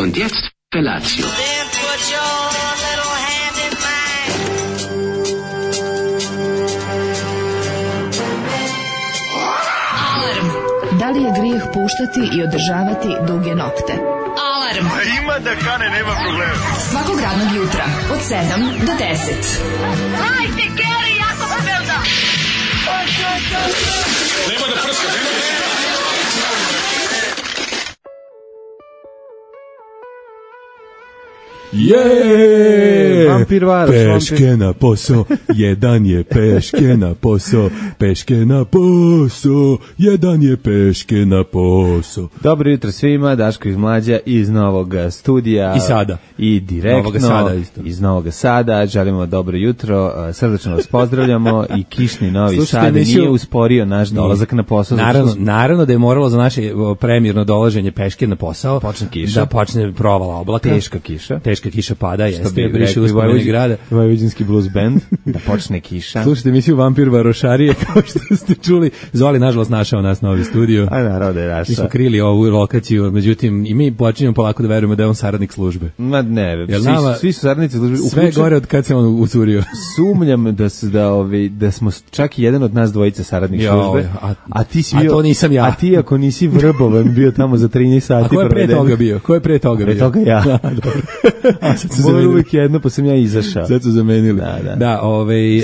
Und jetzt Felatio. Then put your little hand in mine. Alarm. Da li je grijeh puštati i održavati duge nokte? Alarm. Ima da kane, nema problema. Svakog radnog jutra od 7 do 10. Hajde, Geri, jako se velda. Nema da prska, nema da prska. Vampir Varoš, peške na posao, jedan je peške na posao, peške na posao, jedan je peške na posao. Dobro jutro svima, Daško iz Mlađa iz Novog studija. I sada. I direktno Novoga Sada isto. iz Novog Sada. Želimo dobro jutro, srdačno vas pozdravljamo i kišni Novi Slušajte, Sad nije usporio naš dolazak na posao. Naravno da je moralo za naše premijerno dolaženje peške na posao počne kiša. da počne provala oblaka. Teška kiša pada, jeste, briše uspomeni grada. Vojvođanski blues band, da počne kiša. Slušajte emisiju Vampir Varošarije, kao što ste čuli. Zoli, nažalost, našao nas novi studio. A naravno da je našao. Mi smo krili ovu lokaciju, međutim, i mi počinjemo polako da verujemo da je on saradnik službe. Ma ne, svi su saradnici službe. Sve gore od kad se on ucurio. Sumnjam da smo čak i jedan od nas dvojice saradnik službe. A ti si bio, to nisam ja. A ti ako nisi vrbovan bio tamo za 13 sati. A ko je pre toga bio? Pre toga ja. Moj uvijek jedno, pa sam ja izašao. Sad su zamenili. Da,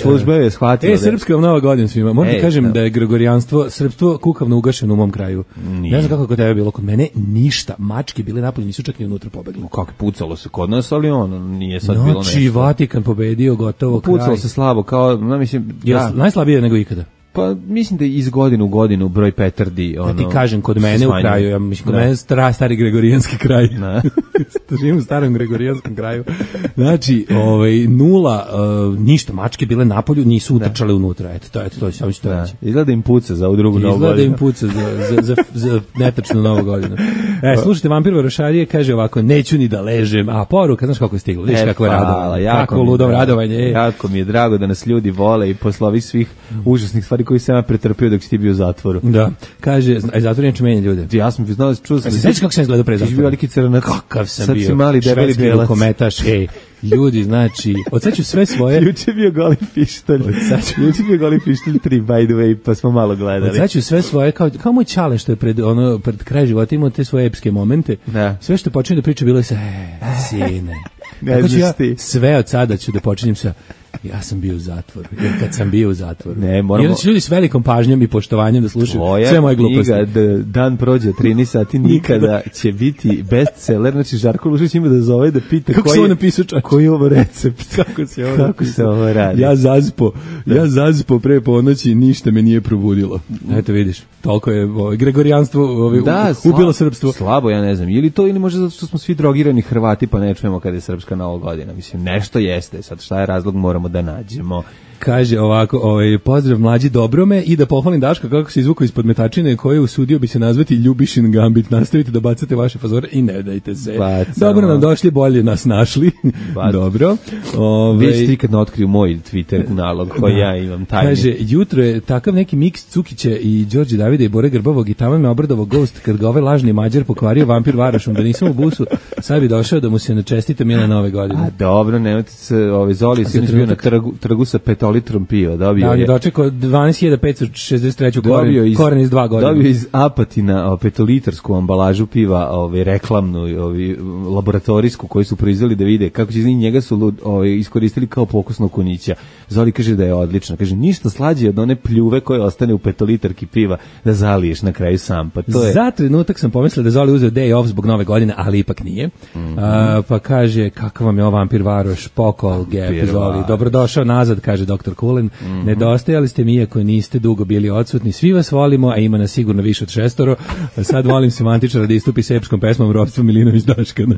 služba je shvatila. Srpska vam Nova godina svima. Moram da kažem da je gregorijanstvo, srpstvo kukavno ugašeno u mom kraju. Ne znam kako kod tebe bilo, kod mene ništa. Mačke bile napolje, nisu čak ni unutra pobegli. Kako pucalo se kod nas, ali nije sad bilo nešto. Znači, Vatikan pobedio, gotovo kraj. Pucalo se slabo, kao, mislim... Najslabije nego ikada. Pa mislim da iz godine u godinu broj petardi ja ti kažem, kod mene u kraju, ja mislim kod mene stari gregorijanski kraj. Živim u starom gregorijanskom kraju. Znači, nula, ništa, mačke bile napolju, nisu utrčale unutra. Eto to samo ću to reći. Izgleda im puca za ovu drugu novu godinu. Izgleda im puca za netačnu novu godinu. Slušajte, Vampir Varošarije kaže ovako, neću ni da ležem, a poruka, znaš kako je stiglo, vidiš kako je radovanje. Kako ludom radovanje. Jako mi je drago da nas ljudi vole i posle ovih svih užasnih stvari koji sam ja pretrpio dok si ti bio u zatvoru. Da. Kaže, zatvor neće menja ljude. Ja sam znao, čuo sam. Sveći kako sam izgledao pre zatvora? Ti si bio veliki crnac. Kakav sam sad bio. Sad si mali debeli belac. Kometaš, ljudi, znači, odseću sve svoje... Juče bio Goli pištolj. Juče bio Goli pištolj 3, by the way, pa smo malo gledali. Odseću sve svoje, kao moj čale što je pred kraj života imao te svoje epske momente. Da. Sve što počinje da priča bilo je sa, sine. Ne znaš ti. Sve od sada ću da počinjem sa... Ja sam bio u zatvoru, jer kad sam bio u zatvoru. Ne, moramo... Jer će ljudi s velikom pažnjom i poštovanjem da slušaju sve moje gluposti. Tvoja knjiga Dan prođe 13 sati nikada će biti bestseller. Znači, Žarko Lušić ima da zove da pita koji je ovo recept. Kako se ovo radi. Ja zazpo pre ponoći, ništa me nije probudilo. Eto vidiš, toliko je gregorijanstvo ubilo srpstvo. Slabo, ja ne znam. Ili to, ili možda zato što smo svi drogirani Hrvati pa ne čujemo kada je srpska Nova godina. Mislim, nešto jeste. Sad šta je razlog, moramo da nađemo. Kaže ovako, pozdrav mlađi Dobrome i da pohvalim Daška kako se izvukao ispod metačine koje usudio bi se nazvati Ljubišin Gambit. Nastavite da bacate vaše fazore i ne dajte se. Dobro nam došli, bolje nas našli. Dobro. Već ti kad ne otkriju moj Twitter nalog koji ja imam tajni. Kaže, jutro je takav neki miks Cukića i Đorđe Davida i Bore Grbavog i tamo me obradovao Ghost kad ga ovaj lažni Mađar pokvario Vampir Varošom, da nisam u busu, sad bi došao da mu se načestite mile Nove godine. A dobro, nemojte se, Zoli si bio na trgu sa 5 litrom piva, dobio je. Dočekao 12.563 koren iz 2 godine. Dobio iz Apatina 5-litarsku ambalažu piva, reklamnu, laboratorijsku koju su proizveli da vide kako će njega su iskoristili kao pokusnog kunića. Zoli kaže da je odlično. Kaže, ništa slađe od one pljuve koje ostane u 5-litarki piva da zaliješ na kraju sam. Pa to je... Za trenutak sam pomislio da je Zoli uzeo day off zbog Nove godine, ali ipak nije. Pa kaže, kakav vam je ovo Vampir Varoš, pokol, gep, Zoli. Dobrodošao nazad, kaže doktor Kulen. Nedostajali ste mi, iako niste dugo bili odsutni. Svi vas volimo, a ima nas sigurno više od 6. Sad volim semantičara da istupi s epskom pesmom Ropstvo Milinović Daškana.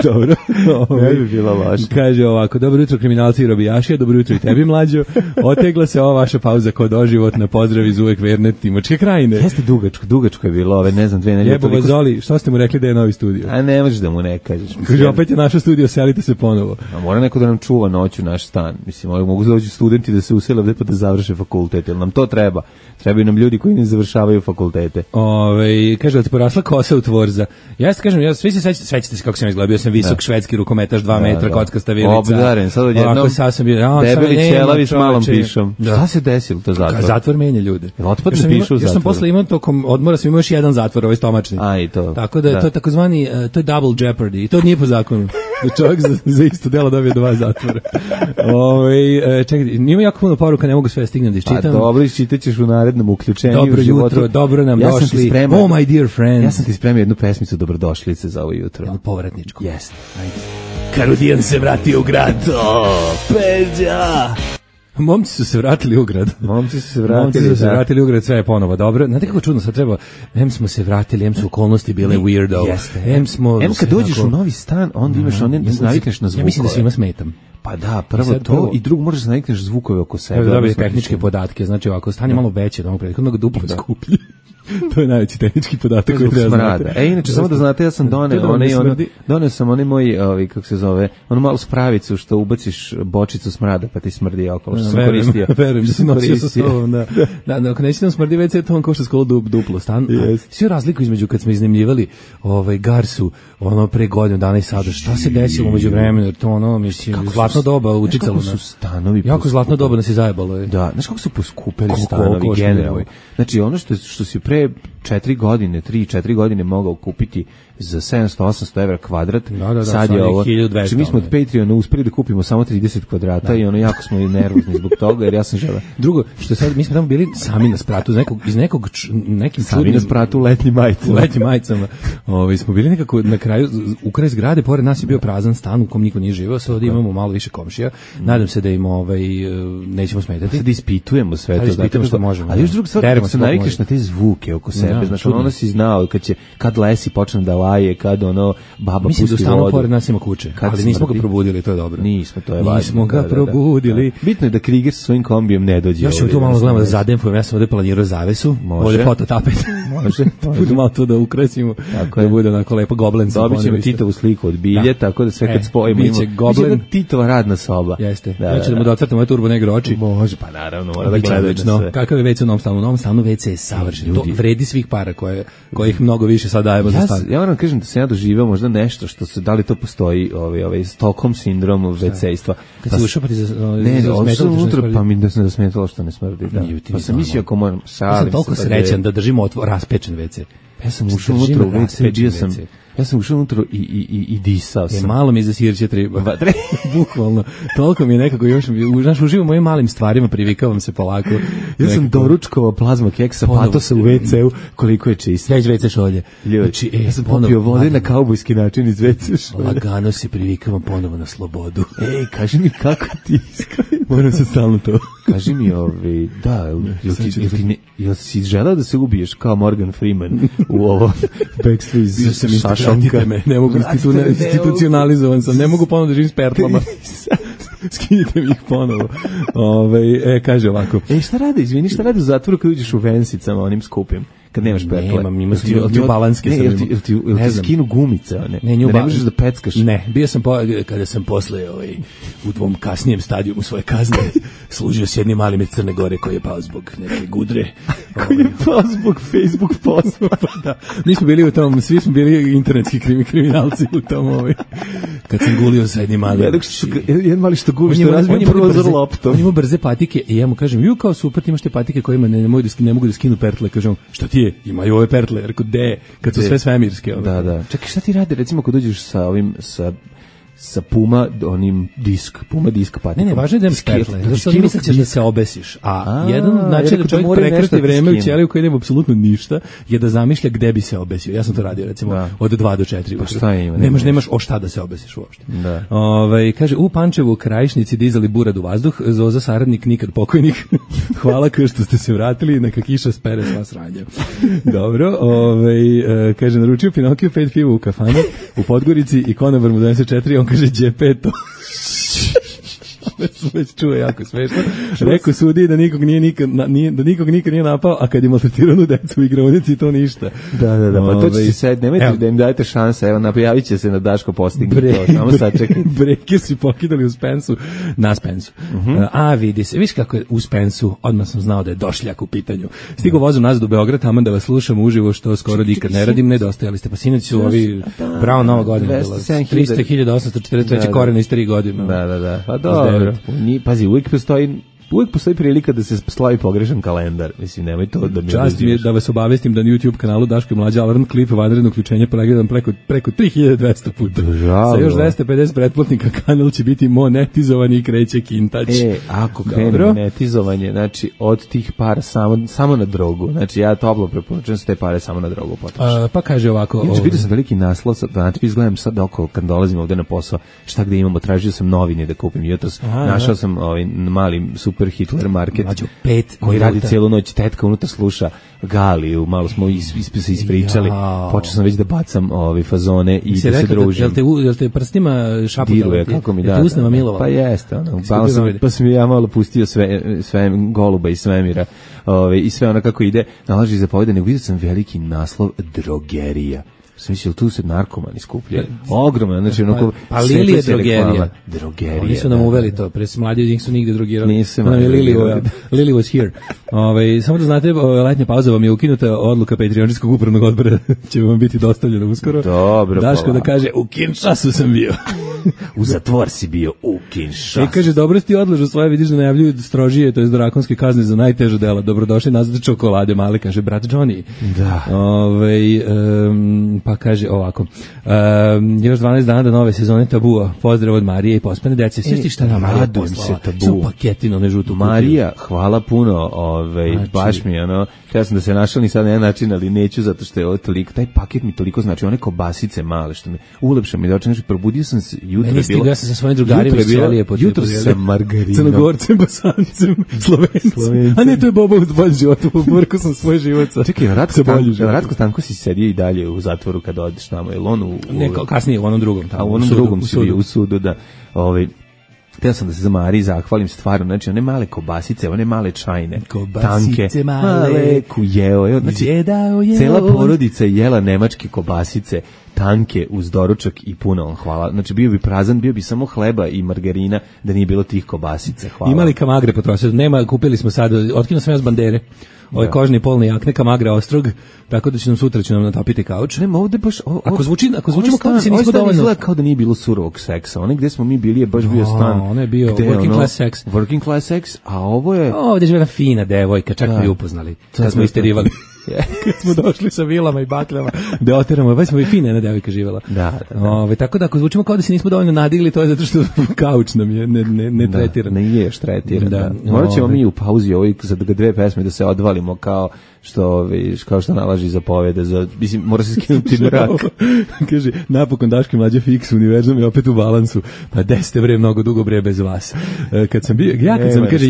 Dobro. Ne bi bilo loše. Kaže ovako, dobro jutro kriminalci i robijaši, dobro jutro i tebi mlađo. Otegla se ova vaša pauza kod doživotna, pozdrav iz uvek verne Timočke krajine. Jeste dugačko je bilo, ove ne znam 2 nedelje. Jebo vas Zoli, što ste mu rekli da je novi studio? A ne možeš da mu ne kažeš. Kaže, opet je naše studio, selite se ponovo. A mora neko da nam čuva noću naš stan. Mislim, mogu doći studenti da se usele ovde pa da završe fakultet, jer nam to treba. Trebaju nam ljudi koji ne završavaju fakultete. Kaže da ti porasla kosa u Tvorza. Ja se kažem, svi se sećate se kako sam izgledao, bio sam visok švedski rukometaš, 2 metra, kockasta vilica. Obdaren, sad odjednom debeli ćelavi s malom pišom. Šta se desilo to zatvor? Zatvor menja ljude. Otpadne pišu u zatvoru. Ja sam posle imao tokom odmora, sam imao još jedan zatvor, ovaj stomačni. I to. Tako da je to takozvani, to je double jeopardy i to nije po zakonu. Da čovjek za isto delo dobije 2 zatvora. Čekaj, nima jako puno poruka, ne mogu sve stignem da iščitam. Pa dobro, iščitaćeš u narednom uključenju. Dobro jutro, dobro nam došli. Oh my dear friends. Ja sam ti spremio jednu pesmicu dobrodošlice za ovo jutro. Jednu povratničku. Jeste. Karudijan se vratio u grad. Peđa! Momci su se vratili u grad. Momci su se vratili u grad, sve je ponovo dobro. Znate kako čudno sad treba, smo se vratili, su okolnosti bile weirdo. Jeste. Kad dođeš u novi stan, onda imaš da se navikneš na zvukove. Ja mislim da svima smetam. Pa da, prvo to i drugo možeš da navikneš zvukove oko sebe. Evo dobije tehničke podatke, znači ovako, stan je malo veće od onog prethodnog, mnogo duplo skuplji. To je najveći tehnički podatak koji treba znati. Inače, samo da znate, ja sam doneo sam onaj moj, kako se zove, onu malu spravicu što ubaciš bočicu smrada, pa ti smrdi okolo, što sam koristio. Verujem, da sam nosio sa sobom, da. Da, ako neće nam smrdi WC, to vam košta skoro duplo stan. Svi razliku između kad smo iznajmljivali Garsu, pre godinu dana i sada, šta se desilo među vremenu, jer to mislim, zlatno doba učicalo nas. Jako zlatno doba nas je zajebalo. Da, znaš kako su poskupeli stanovi generalno. Znači, ono što si pre 3-4 godine mogao kupiti za 700-800 evra kvadrat, sad je ovo, znači mi smo od Patreona uspeli da kupimo samo 30 kvadrata i jako smo nervozni zbog toga, jer ja sam želeo. Drugo, što sad, mi smo tamo bili sami na spratu, nekim sami na spratu u letnjim majicama. Smo bili nekako na kraju, u kraju zgrade, pored nas je bio prazan stan u kom niko nije živeo, sad ovdje imamo malo više komšija, nadam se da im nećemo smetati. Sad ispitujemo sve to. Ispitujemo što možemo. Ali još drugo stvar, da se navikneš na te zvuke oko sebe, znači ono si znao, kad lesi počne da laje, kad baba pusti vodu. Mislim da stano pored nas ima kuće, ali nismo ga probudili, to je dobro. Nismo, to je važno. Nismo ga probudili. Bitno je da Krieger sa svojim kombijem ne dođe. Još ćemo tu malo gledamo da zadenfujem, ja sam ovdje planirao zavesu, ovdje fototapet. Može. Budu malo to da ukrasimo, da bude onako lepo goblen. Dobit ćemo Titovu sliku od bilje, tako da sve kad spojimo ima Titova radna soba. Jeste. Ja ću da mu docrtam ove turbo negro oči. Može, pa naravno, mora da gledaš sve. Kakav je WC u novom stanu? U novom stanu WC je savršen. To vredi svih para kojih mnogo više sad dajemo za stan. Ja moram kažem da sam ja doživao možda nešto što se, da li to postoji, ovaj Stockholm sindrom WC-istva. Kad se ušao pa ti unutra, pa mi da se ne smetalo što ne smrdi. Pa sam mislio ako moram, ja sam toliko srećan da držimo raspečen WC. Ja sam ušao unutra u WC, ja sam ušao unutra i disao sam. Malo mi za sirće treba. Bukvalno. Toliko mi je nekako još, uživam mojim malim stvarima, privikavam se polako. Ja sam doručkovao plazma keksa, patosa u WC-u, koliko je čist. Već WC šolje. Znači, ja sam popio vode na kaubojski način iz WC šolje. Lagano se privikavam ponovo na slobodu. Kaži mi kako ti moram se stalno to. Kaži mi, jel si želeo da se ubiješ kao Morgan Freeman u ovo Backstreet Šašonka? Ne mogu, institucionalizovan sam, ne mogu ponovno da živim s pertlama. Skinite mi ih ponovo. Kaže ovako. Šta radi u zatvoru kad uđeš u vensicama onim skupim? Kad nemaš pertle. Nemam, ti balanske sam imao. Ili ti skinu gumice, one? Ne možeš da peckaš. Ne, bio sam, kada sam posle u tvom kasnijem stadijumu svoje kazne služio s jednim malim iz Crne Gore koji je pao zbog neke gudre. Koji je pao zbog Facebook posta. Da. Nismo bili u tom, svi smo bili internetski kriminalci u tom kad sam gulio sa jednim malim. Jedan mali što guli, što razbije prozor loptom. On ima brze patike i ja mu kažem, kao super, imaš te patike kojima ne mogu da skinu pertle. Kažem, šta ti je? Imaju ove pertle. Rekao, kad su sve svemirske. Da. Čekaj, šta ti radi, recimo, kad dođeš sa sa Puma onim Puma disk patikom. Ne, važno je da imaš petle, zato što misliš da se obesiš. A jedan način da čovjek prekrati vreme u ćeliju koji nema apsolutno ništa je da zamišlja gde bi se obesio. Ja sam to radio recimo od 2 do 4. Pa šta ima? Nemaš o šta da se obesiš uopšte. Da. Kaže, u Pančevu u Krajišnici dizali burad u vazduh, Zoza saradnik nikad pokojnik. Hvala kao što ste se vratili, neka kiša spere sva sranja. Dobro, kaže, naručio Pinokio 5 piva u kafanu u Podgorici i Konobar mu 24, on kaže Đepeto. Već čuje jako smešno. Rekao sudi da nikog nikad nije napao, a kad je maltretiranu decu u igraonici, to ništa. Da, pa to će se sad, nemojte da im dajete šanse, evo, napojavit će se na Daško postigni to, samo sačekaj. Breke si pokidali u Spensu, na Spensu. Vidi se, viš kako je u Spensu, odmah sam znao da je došljak u pitanju. Stigo vozom nazad u Beograd, tamo da vas slušam uživo, što skoro nikad ne radim, nedostajali ste, pa sinoć su ovi Bravo Nova godina, 300.843 korena iz 3 godine. Da, pa dobro. Pazi, uvijek postoji prilika da se slavi pogrešan kalendar. Mislim, nemoj to da mi čast mi je da vas obavestim da na YouTube kanalu Daško i Mlađa alarm klip vanredno uključenje pregledam preko 3200 puta. Sa još 250 pretplatnika kanal će biti monetizovan i kreće kintač. Ako krene monetizovanje, znači od tih para samo na drogu. Znači ja toplo preporučujem se te pare samo na drogu potrošiti. Pa kaže ovako. Vidio sam veliki naslov, znači izgledam sad oko kad dolazim ovde na posao, šta gde imamo, tražio sam novine da kupim jutros. Našao sam mali super Hitler market koji radi cijelu noć, tetka unutra sluša Galiju, malo smo se ispričali, počeo sam već da bacam fazone i da se družim. Jel te prstima šaputa? Diruje, kako mi da. Usneva milova? Pa jeste, pa sam ja malo pustio sve Goluba iz svemira i sve ono kako ide, nalaži zapovede, nego vidio sam veliki naslov drogerija. Sam mislio, tu se narkomani skupljaju. Ogromno, znači onako... Pa Lili je drogerija. Drogerija. Oni su nam uveli to, pre mlađi njih su nigde drogirali. Nisu Lili was here. Samo da znate, letnja pauza vam je ukinuta, odluka Patreonskog upravnog odbora će vam biti dostavljena uskoro. Dobro. Daško da kaže, u Kinshasu sam bio. U zatvor si bio, u Kinshasu. Kaže, dobro si ti odlažu svoje, vidiš da najavljuju strožije, to je drakonske kazne za najteža dela. Dobrodošli nazad čokolade male, kaže brat Johnny. Da. Pa kaže ovako, još 12 dana do nove sezone Tabua, pozdrav od Marije i pospane dece. Sviš šta nam Marija poslala? Su paketino, ne žutu kutiju. Marija, hvala puno, baš mi je ja sam da se našao ni sad na jedan način, ali neću zato što je ovo toliko, taj paket mi toliko znači, one kobasice male što mi ulepša mi da oče, probudio sam se jutro, meni stigo, ja sam sa svojim drugarima iz Ćelije po jutro sa margarinom, Crnogorcem, Bosancem, Slovencem, a ne, to je Boba u boljem životu, poborko sam svoj život. Čekaj, Ratko Stanko si sedio i dalje u zatvoru kada odeš tamo, je li on kasnije u onom drugom tamo, u onom drugom si bio u sudu, da, htio sam da se za Mariji zahvalim stvarno, znači one male kobasice, one male čajne, kobasice tanke, male kujeo, znači cela porodica jela nemačke kobasice, tanke uz doručak i puno, hvala. Znači bio bi prazan, bio bi samo hleba i margarina da nije bilo tih kobasice, hvala. Imali kamagre potrošili, nema, kupili smo sad, otkinuo sam ja s bandere. Ovaj kožni polni jakne Kamagra Ostrog, tako da će nam sutra natopiti kauč. Nema ovde baš ako zvučimo kao da se nismo dovoljno, kao da nije bilo surovog seksa. Onaj gde smo mi bili je baš bio stan. On je bio working class sex. Working class sex, a ovo je ovde živela fina devojka, čak mi upoznali. Kad smo isterivali. Kad smo došli sa vilama i bakljama da oteramo, baš smo i fina jedna devojka živela. Da. Tako da ako zvučimo kao da se nismo dovoljno nadigli, to je zato što kauč nam je ne tretiran. Ne ješ tretiran. Da. Morat ćemo mi u pauzi za 2 pesme da se odvalimo kao što nalaži zapovede, mislim, mora se skinuti mrak. Kaže, napokon Daško i Mlađa fiks, univerzum je opet u balansu, pa desete bre, mnogo dugo bre bez vas. Kad sam bio, kaže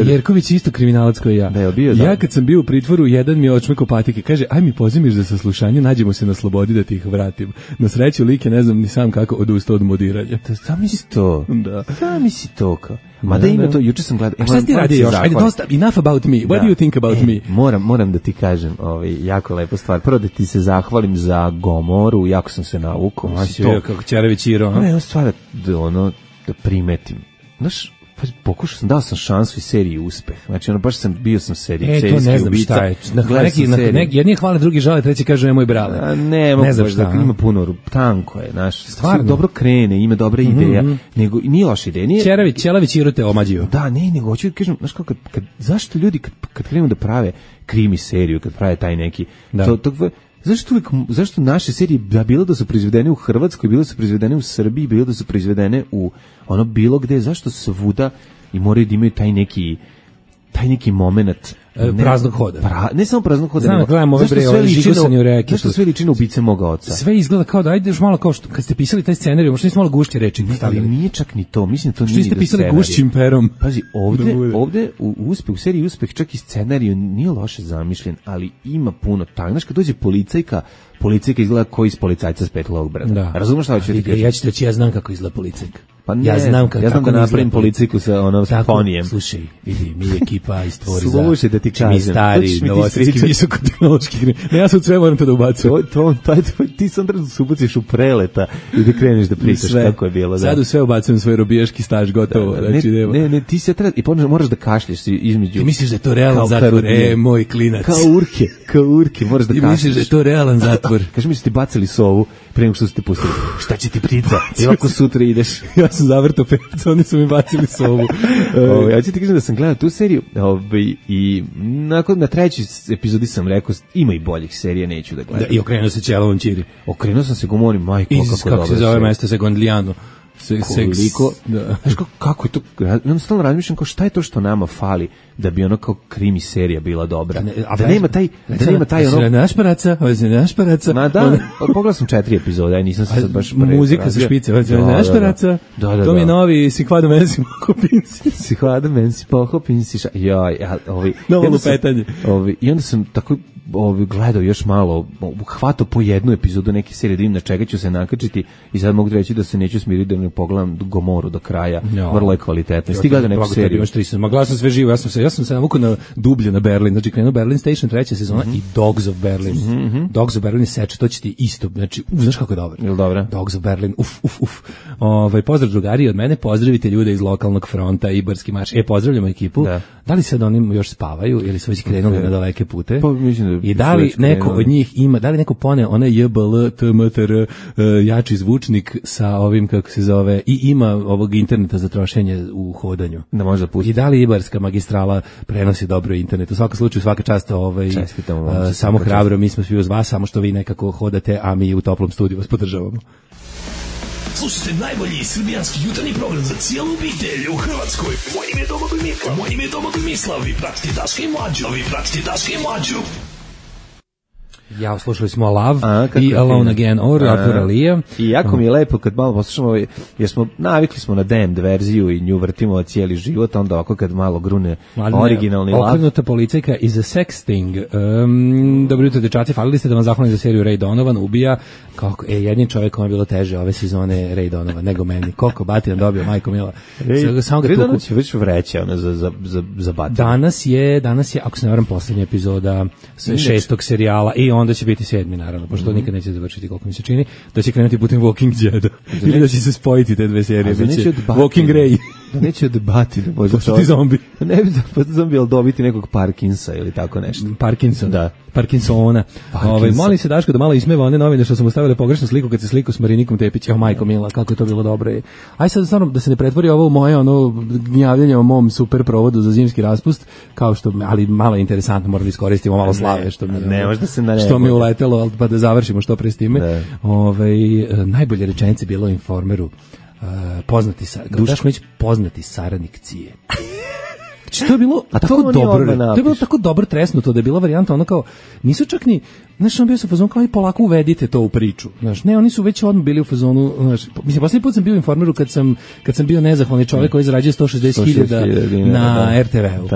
Jerković isto kriminalac koji ja. Ja kad sam bio u pritvoru, jedan mi je očmeko patike, kaže, aj mi pozimiš za saslušanje, nađemo se na slobodi da ti ih vratim. Na sreću lik je, ne znam ni sam kako odustao od modiranja. Zamisli to. Da. Zamisli to kao. Ma da ima to, juče sam gledao. A šta ti radi još? Ajde, dosta, enough about me. What do you think about me? Moram da ti kažem, jako lepa stvar. Prvo da ti se zahvalim za Gomoru, jako sam se navukao. Kako Ćerević Iro. Ne, stvar da primetim. Znaš, pokušao sam, dao sam šansu i seriji uspeh. Znači, baš bio sam serijski ubica. To ne znam šta je. Jedni hvale, drugi žale, treći kaže moj brale. Ne znam šta. Ima puno, tanko je, znaš. Stvarno. Dobro krene, ima dobra ideja. Nego, nije loša ideja. Ćelavić Iro te omađio. Da, nego hoću da kažem, znaš zašto ljudi kad krenu da prave krimi seriju, kad prave taj neki, zašto naše serije bilo da su proizvedene u Hrvatskoj, bilo da su proizvedene u Srbiji, bilo da su proizvedene u ono bilo gde, zašto svuda i moraju da imaju taj neki moment praznog hoda. Ne samo praznog hoda. Znam, gledam ove bre, žigosanje u reketu. Zašto sve liči na Ubice moga oca? Sve izgleda kao da ajde još malo kao što kad ste pisali taj scenarij, možda niste malo gušće reči stavili. Nije čak ni to, mislim to nije. Što ste pisali gušćim perom? Pazi, ovde u seriji Uspeh čak i scenarij nije loše zamišljen, ali ima puno tak. Znaš, kad dođe policajka izgleda kao iz Policajca s Petlovog brda. Razumeš šta hoću ti kažem? Ja ću reći, ja znam kako izgleda policajka. Pa ja znam da napravim policajku sa ponijem. Slušaj, vidi, mi je ekipa iz Tvoriza. Slušaj da ti kažem. Mi stari, novosadski visokotehnološki. Ne, ja sam sve moram to da ubacim. Ti sam da se ubaciš u Preleta i da kreneš da pričaš kako je bilo. Sad u sve ubacujem svoj robijaški staž, gotovo. Ne, ti se treba, i moraš da kašlješ između. Ti misliš da je to realan zatvor? Moj klinac. Kao urke, moraš da kašlješ. Ti misliš da je to realan zatvor? Kaži mi su ti bacili sovu pre nego što su te pustili. Šta će ti prica? I ovako sutra ideš. Ja sam zavrtao pevca, oni su mi bacili sovu. Ja ću ti kažem da sam gledao tu seriju i na trećoj epizodi sam rekao ima i boljih serija, neću da gledam. I okrenuo se Ćelovom Ćiri. Okrenuo sam se Gomori, majko, kako dobro. Kako se zove mesto sa Gondlijanu. Koliko, znaš kako je to, ja stalno razmišljam kao šta je to što nama fali da bi ono kao krimi serija bila dobra, da nema taj ono našparaca. Ma da, pogledao sam 4 epizode, aj nisam se sad baš muzika sa špice, našparaca, to mi je novi Sikvado Mensi Pohopinsi. Sikvado Mensi Pohopinsi, joj, novo lupetanje. I onda sam tako gledao još malo, hvatao po jednu epizodu neke serije, da vidim na čega ću se nakačiti i sad mogu reći da se neću smiriti da ne pogledam Gomoru do kraja, vrlo je kvalitetno. Sti gledao neku seriju? Imaš 3 sezona, gledao sam sve živo, ja sam se navukao na dublje na Berlin, znači krenuo Berlin Station 3. sezona i Dogs of Berlin. Dogs of Berlin seče, to će ti isto, znači, znaš kako je dobro. Jel dobro? Dogs of Berlin, uf. Pozdrav drugari od mene, pozdravite ljude iz lokalnog fronta, Ibarski marš. Pozdravljamo ekipu. Da li sad oni još spavaju ili su već krenuli na daleke pute? Pa mislim i da li neko od njih ima, da li neko pone onaj JBL, TMTR, jači zvučnik sa ovim, kako se zove, i ima ovog interneta za trošenje u hodanju. Da može pustiti. I da li Ibarska magistrala prenosi dobro internet? U svakom slučaju, svaka čast samo hrabro, mi smo svi uz vas, samo što vi nekako hodate, a mi u toplom studiju vas podržavamo. Slušajte najbolji srbijanski jutarnji program za cijelu obitelj u Hrvatskoj. Moj ime je Domagoj Mislav. Vi pratite Daška i Mlađu. Ja, slušali smo Love i Alone Again od Artura Lee. I jako mi je lepo kad malo poslušamo, jer smo navikli smo na Damned verziju i nju vrtimo cijeli život, onda ovako kad malo grune originalni Love. Okrenuta policajka is a sex thing. Dobro jutro, dečaci, falili ste da vam zahvalim za seriju Ray Donovan, ubija. Kako, jednim čovjekom je bilo teže ove sezone Ray Donovan, nego meni. Koliko Batijan dobio, majko mila. Ray Donovan će već vreće za Batijan. Danas je, ako se ne varam, posljednja epizoda 6. serijala i onda će biti 7. naravno, pošto nikad neće završiti, koliko mi se čini, da će krenuti putem Walking Deada. Ili da će se spojiti te dve serije. Walking Ray. Da neće odbati da može postati zombi. Ne bi da postati zombi, ali dobiti nekog Parkinsa ili tako nešto. Parkinson, da. Parkinsona. Molim se Daško da malo ismeva one novine što sam ostavile pogrešnu sliku kad se sliku s Marinikom Tepić. Majko mila, kako je to bilo dobro. Aj sad stvarno da se ne pretvori ovo u moje gnjavljanje o mom super provodu za zimski raspust, kao što, ali malo je interesantno, morali iskoristimo malo slave što mi uletelo, pa da završimo što pre s time. Najbolje rečenice bilo u Informeru. Poznati saradnik Cije. To je bilo tako dobro. To je bilo tako dobro tresnuto da je bila varijanta ono kao nisu čak ni, znaš, on bio sa fazonu kao i polako uvedite to u priču. Znaš, ne, oni su već odmah bili u fazonu, znaš, mislim posljednji put sam bio u Informeru kad sam bio nezahvalni čovjek koji zarađuje 160.000 na RTV-u.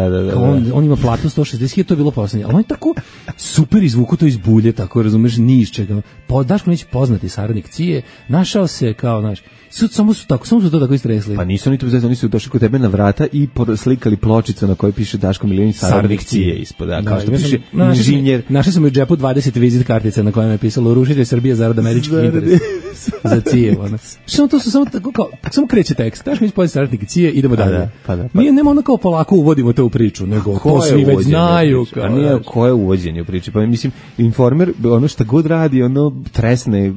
On ima platu 160.000, to je bilo poslednje. Ali on je tako super izvuku to iz bulje, tako razumeš, ni iz čega. Daško neće poznati saradnik Cije, našao se kao, znaš, samo su to tako istresli. Pa nisu oni to bezvezno, oni su došli kod tebe na vrata i slikali pločicu na kojoj piše Daško Milinović saradnik Cije ispod. Kao što piše inženjer. Našli smo u džepu 20 vizit kartica na kojima je pisalo rušitelj Srbije zarad američkih interesa. Za Cije. Što to su samo tako kao, samo kreće tekst. Daško Milinović poznati saradnik Cije, idemo dalje. Nije nema ono kao polako uvodimo to u priču, nego to svi već znaju. A nije koje uvođenje u priči. Pa mislim, Informer, ono što god radi, ono tresne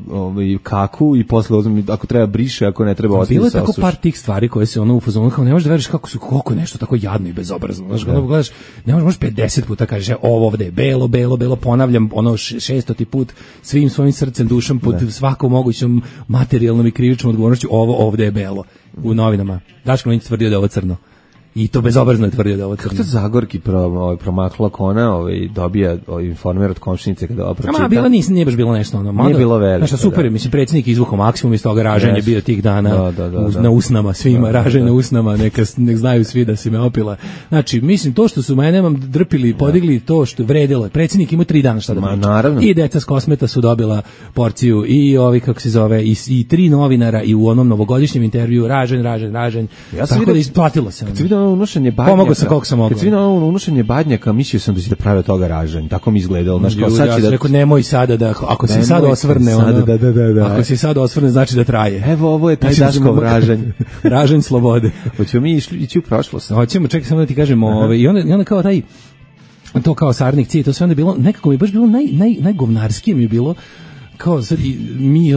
kaku i posle ako treba briše, ako ne treba ostaviti. Bilo je tako par tih stvari koje se ono u fazonu, kao ne možeš da veriš koliko je nešto tako jadno i bezobrazno. Znaš, ono gledaš, ne možeš 50 puta kažeš ovo ovde je belo, ponavljam ono 600. put svim svojim srcem, dušom, pod svakom mogućom materijalnom i krivičnom odgovornošću, ovo ovde je belo u novinama. Daško Milinović tvrdio da je ovo crno. I to bezobrazno je tvrdio da ovo crno. Kako to Zagorki promakla kona, dobija informer od komšinice kada ovo pročita? Bila nije baš bilo nešto ono. Nije bilo veliko. Znaš, super je, mislim, predsjednik izvukao maksimum iz toga, ražanje je bio tih dana na usnama, svima, ražanje na usnama, nek znaju svi da si me opila. Znači, mislim, to što su mene drpili, podigli, to što vredilo je. Predsjednik ima 3 dana šta da priča. I deca s Kosmeta su dobila porciju, i ovi, kako se zove, i 3 novinara, i u onom novogodišnjem intervju, ražanj. Tako da isplatilo se. Unošenje badnjaka. Pomogao sam koliko sam mogao. Kad si vidio unošenje badnjaka, mislio sam da će da prave od toga ražanj. Tako mi izgledalo. Znaš, kao sad će da... Rekao, nemoj sada da, ako se sad osvrne, ako se sad osvrne, znači da traje. Evo, ovo je taj Daškov ražanj. Ražanj slobode. Hoćemo mi ići u prošlost. Hoćemo, čekaj samo da ti kažemo. I onda kao taj, to kao Sarnik Cije, to sve onda bilo, nekako mi je baš bilo najgovnarskije mi je bilo, kao sad mi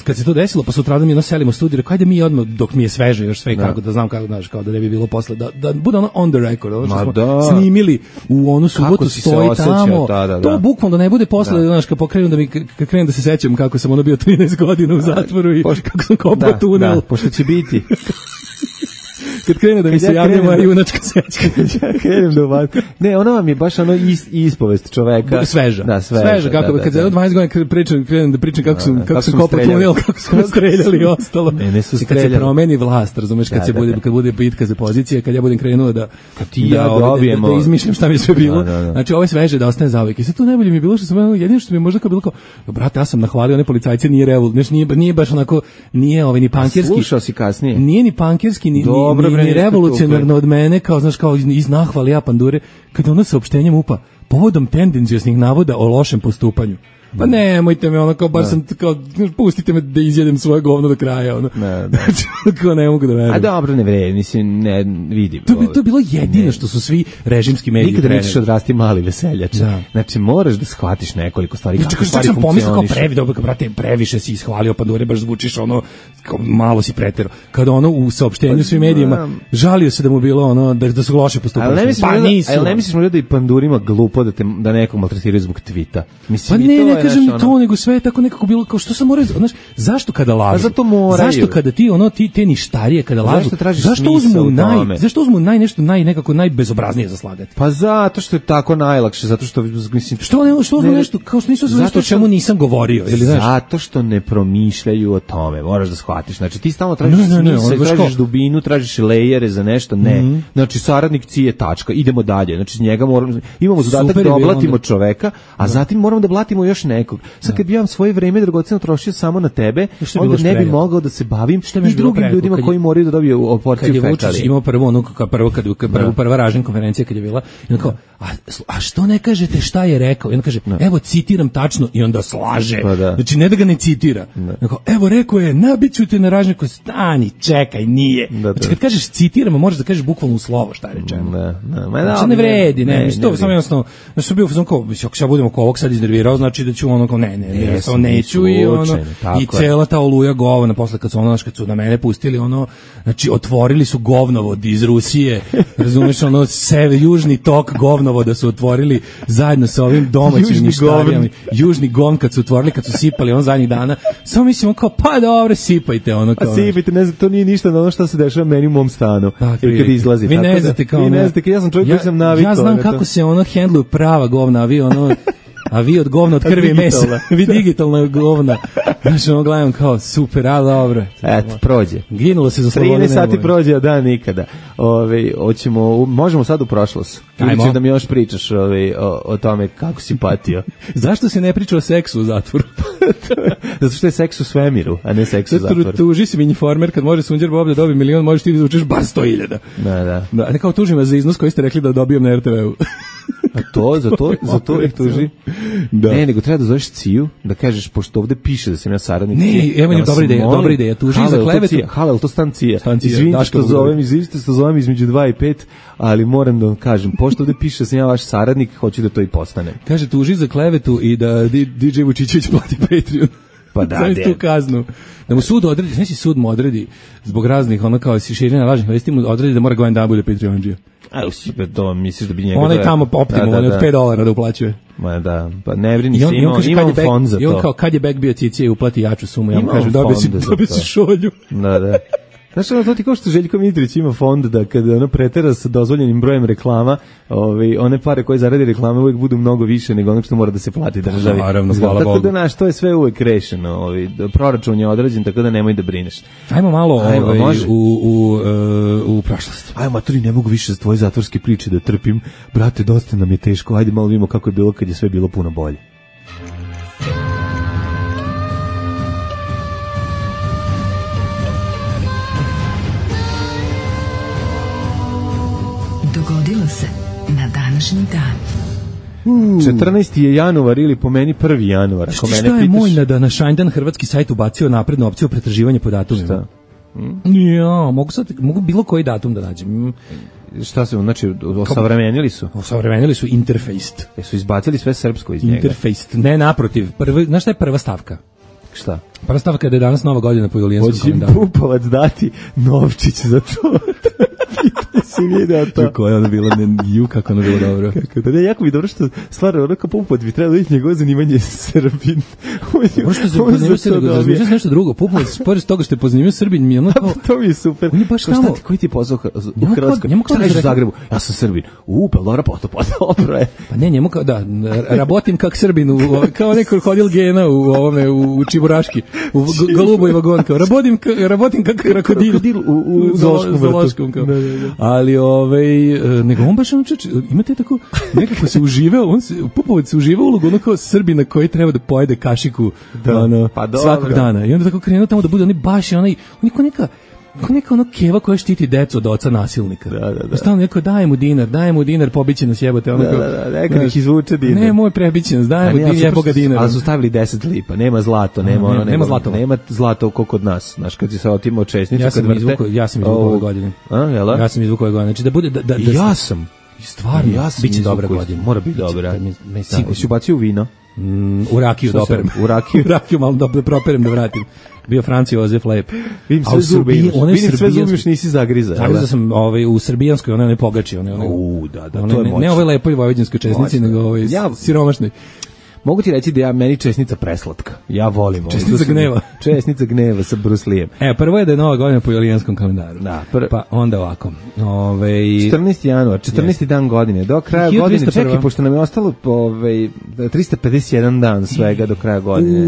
kad se to desilo, pa sutradan mi selimo u studiju, rekao ajde mi odmah dok mi je sveže još sve kako da znam kako, znaš, kao da ne bi bilo posle da bude ono on the record, ono što smo snimili u onu subotu, stoji tamo, to bukvalno da ne bude posle, znaš, kad pokrenu da mi kad krenem da se sećam kako sam ono bio 13 godina u zatvoru i kako sam kopao tunel, pošto će biti kad krene da mi se javlja moja junačka sećka. Krenem da uvad. Ne, ona vam je baš ono ispovest čoveka. Sveža. Da, sveža. Kako, kad za 20 godina krenem da pričam kako sam kopao tunel, kako smo streljali i ostalo. Ne su streljali. Kad se promeni vlast, razumeš, kad bude bitka za pozicije, kad ja budem krenuo da izmišljam šta mi sve bilo. Znači, ovo je sveže da ostane zauvijek. I sad tu najbolje mi je bilo što sam, jedino što mi je možda kao bilo kao, brate, ja sam nahvalio one policajce, nije baš onako, nije ni pankerski. Slušao si kasnije. Nije ni pankerski, ni revolucionarno od mene, kao, znaš, kao iz nahvali ja pandure, kada ono saopštenjem UPA, povodom tendencijosnih navoda o lošem postupanju. Pa nemojte me, ono, kao, bar sam, kao, pustite me da izjedem svoje govno do kraja, ono. Kao, ne mogu da verujem. A dobro, ne vredi, mislim, ne vidim. To je bilo jedino što su svi režimski mediji nikada nećeš odrasti mali veseljač. Znači, moraš da shvatiš nekoliko stvari, kako stvari funkcioniš. Previše si ishvalio pandure, baš zvučiš, ono, kao, malo si preterao. Kada ono u saopštenju svim medijima žalio se da mu bilo, ono, da su loše postupali. Ali ne misliš možda da i pandurima glupo da nekog maltretiraju zbog tvita? Pa ne kažem to, nego sve je tako nekako bilo, kao što sam morao, znaš, zašto kada lažu? Zato moraju. Zašto kada te ništarije kada lažu? Zašto uzmu nekako najbezobraznije za slagati? Pa zato što je tako najlakše, zato što mislim što uzmu nešto kao što nisu nešto o čemu nisam govorio, ili znaš? Zato što ne promišljaju o tome, moraš da shvatiš. Znači ti stalno tražiš smisao, tražiš dubinu, tražiš lejere za nešto, ne. Znači saradnik Cije tačka, idemo dalje. Znači njega imamo zadatak da oblatimo čoveka, a zatim moramo da blatimo još nekog. Sad kad bi ja svoje vreme dragoceno trošio samo na tebe, onda ne bi mogao da se bavim i drugim ljudima koji moraju da dobiju porciju fekali. Kad je Vučić imao prva ražnja konferencija kad je bila, i on kao, a što ne kažete šta je rekao? I on kaže, evo citiram tačno, i onda slaže. Znači ne da ga ne citira. Evo rekao je, nabiću te na ražnju, stani, čekaj, nije. Znači kad kažeš citiramo, možeš da kažeš bukvalno u slovo šta je rečeno. Znači ne vredi, to samo jednostavno, znači bio fazon kao, ako ja budemo ko ovog sad iznervirao, znači da ću ono kao neću i ono i cela ta oluja govna posle kad su na mene pustili ono, znači otvorili su govnovod iz Rusije, razumeš, ono južni tok govnovoda su otvorili zajedno sa ovim domaćim ništarijama, južni govn kad su otvorili, kad su sipali on zadnjih dana, samo mislimo kao pa dobro sipajte ono kao. Sipajte, ne znam, to nije ništa na ono što se dešava meni u mom stanu. Ili kad izlazi. Vi ne znate kao. Vi ne znate, ja sam čovjek koji sam navikao. Ja znam kako se ono hendluju prava govna, a vi od govna, od krvi i mesa, vi digitalna govna. Znači, ono gledam kao, super, ali dobro. Eto, prođe. Ginulo se za slobodu. 13 sati prođe, a dan nikada. Možemo sad u prošlost. Ili da mi još pričaš o tome kako si patio. Zašto se ne priča o seksu u zatvoru? Zato što je seks u svemiru, a ne seks u zatvoru. Tuži si mi informer, kad može Sunđer Bob da dobije 1 milion, možeš ti da zvučiš bar 100.000. Da. Ne kao tužim vas za iznos koji ste rekli da dobijem na RTV-u. A za to ih tuži? Da. Ne, nego treba da zoveš Ciju, da kažeš, pošto ovde piše da sam ja saradnik Cije. Ne, evo dobra ideja, tuži za klevetu. Halel, to stan Cija. Izvinite što zovem između 2 i 5, ali moram da vam kažem, pošto ovde piše da sam ja vaš saradnik, hoću da to i postanem. Kaže, tuži za klevetu i da DJ Vučićević plati Patreon. Pa da, Znaš tu kaznu. Da mu sud odredi, znači sud mu odredi zbog raznih, ono kao širenja lažnih vesti, mu odredi da mora godin dana bude Patreon-đija. A to misliš da bi njega... Ona je tamo optimum, on je od $5 da uplaćuje. Ma da, pa ne brini se, imam back, fond za to. I on kao, kad je back bio Cicija i uplati jaču sumu, ja mu kažem, dobio si šolju. Da. Znaš, to ti kao što Željko Mitrović ima fond da kada ono pretera sa dozvoljenim brojem reklama, one pare koje zaradi reklame uvijek budu mnogo više nego ono što mora da se plati državi. Naravno, hvala Bogu. Tako da, znaš, to je sve uvijek rešeno. Proračun je određen, tako da nemoj da brineš. Ajmo malo u prošlost. Ajmo, maturi, ne mogu više s tvoje zatvorske priče da trpim. Brate, dosta nam je teško. Ajde malo vidimo kako je bilo kad je sve bilo puno bolje. Dogodilo se na današnji dan. 14. je januar ili po meni 1. januar. Ako mene šta je pitaš... moj na današnji hrvatski sajt ubacio naprednu opciju pretraživanja po datumima? Šta? Ja, mogu bilo koji datum da nađem. Šta se, znači, osavremenili su? Osavremenili su Interfaced. Su izbacili sve srpsko iz njega? Interfaced, ne naprotiv. Znaš šta je prva stavka? Šta? Prva stavka je da je danas nova godina po julijanskom kalendaru. Hoće Pupovac dati novčić za to. Pita si video to. Kako je ono bilo, kako ono bilo dobro. Kako da ne, jako mi dobro što stvarno ono kao Pupovac bi trebalo vidjeti njegovo zanimanje Srbin. Ono što se pozanimio Srbin, razmišljaš nešto drugo. Pupovac, pored toga što je pozanimio Srbin, mi je ono kao... To mi je super. On je baš tamo... Koji ti je pozvao u Hrvatskoj? Šta reš u Zagrebu? Ja sam Srbin. Pa dobro, dobro je. Pa ne, njemu kao, da, rabotim kak Srbin, kao neko krokodil gena u Čiburaški. U Goluboj vagon, kao, rabotim kako krokodil u zoološkom, kao. Ali, nego on baš, imate tako, nekako se uživao, Pupovac se uživao ulogu, ono kao Srbina koji treba da pojede kašiku, svakog dana. I onda tako krenuo tamo da bude, oni baš, on je ko neka ono keva koja štiti decu od oca nasilnika. Da. Stalno neko daje mu dinar, pobiće nas jebote. Neka ih izvuče dinar. Ne, moj prebiće nas, daje mu dinar, jeboga dinar. Ali su stavili 10 lipa, nema zlato, nema zlato ko kod nas. Znaš, kad si se otimao česnicu, ja sam izvukao ove godine. Ja sam izvukao ove godine. Znači da bude... Ja sam. Stvarno, biće dobra godina. Mora biti dobra. Si ubacio u vino? U rakiju da operem. U rakiju malo da properem da vratim. Bio Franci Jozef lep. Vidim sve zubi još nisi zagriza. Zagriza sam u srbijanskoj, ona ne pogači. Da, to je moćno. Ne ovoj lepoj vojvođanskoj česnici, nego ovoj siromašnoj. Mogu ti reći da ja meni česnica preslatka. Ja volim ovo. Česnica gneva. Česnica gneva sa Bruce Lee-em. Prvo je da je nova godina po julijanskom kalendaru. Da. Pa onda ovako. 14. januar, 14. dan godine. Do kraja godine, čekaj, pošto nam je ostalo 351 dan svega do kraja godine.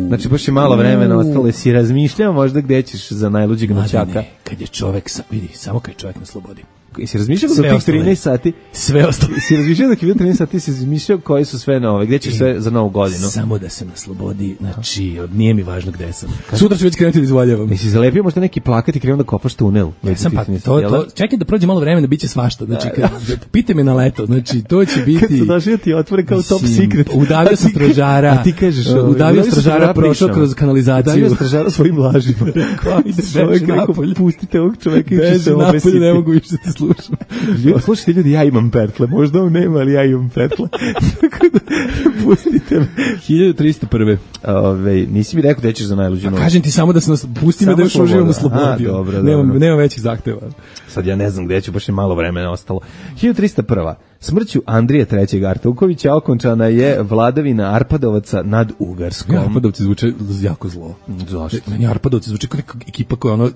Znači, baš je malo vremena ostalo. Si razmišljao možda gde ćeš za najluđeg noćaka? Ne, kad je čovek, vidi, samo kad je čovek na slobodi. Si razmišljao da tih 13 sati? Sve ostalo. Si razmišljao da je bilo 13 sati, si razmišljao koji su sve nove, gde ćeš sve za novu godinu? Samo da sam na slobodi, znači, nije mi važno gde sam. Sutra ću već krenuti da izvaljavam. Jesi zalepio možda neki plakat i krenuo da kopaš tunel? Ja sam čekaj da prođe malo vremena, bit će svašta. Znači, pite me na leto, znači, to će biti... Kad su došli ti otvore kao top secret. Udavio sam stražara. A ti kažeš... Udavio stražara, prošao kroz kanalizaciju. Udavio stražara svojim lažima. Pustite ovog čoveka i će se obesiti. Ne mogu više te slušam. Slušajte ljudi, ja imam pertle. Možda on nema, ali ja imam pertle. Tako da, pustite me. 1301. Nisi mi rekao da ćeš za najluđu noć. Kažem ti samo da se pusti me da još uživam u slobodi. Nema većih zahteva. Sad ja ne znam gde ću, baš je malo vremena ostalo. 1301. Smrću Andrija III. Artukovića okončana je vladavina Arpadovaca nad Ugarskom. Arpadovci zvuče jako zlo. Zašto? Meni Arpadovci zvuče kao neka ekipa koja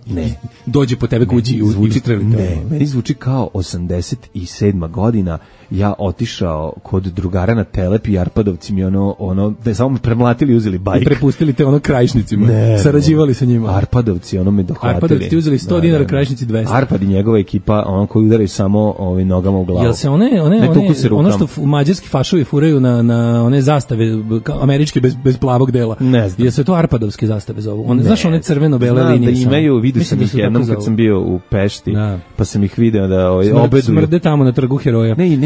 dođe po tebe kući i ustreli te. Ne, meni zvuči kao 87. godina. Ja otišao kod drugara na Telep i Arpadovci mi da samo premlatili i uzeli bajk. I prepustili te Krajišnicima. Sarađivali sa njima. Arpadovci me dohvatili. Arpadovci ti uzeli 100 dinara, Krajišnici 200. Arpad i njegova ekipa, koji udaraju samo nogama u glavu. Jel se ono što mađarski fašovi furaju na one zastave američke bez plavog dela? Ne znam. Jel se to Arpadovske zastave zovu? Znaš one crveno-bele linije? Da imaju, vidio sam ih jednom kad sam bio u Pešti, pa sam ih video da obeduju. Smrde tamo na trgu Heroja. Ne,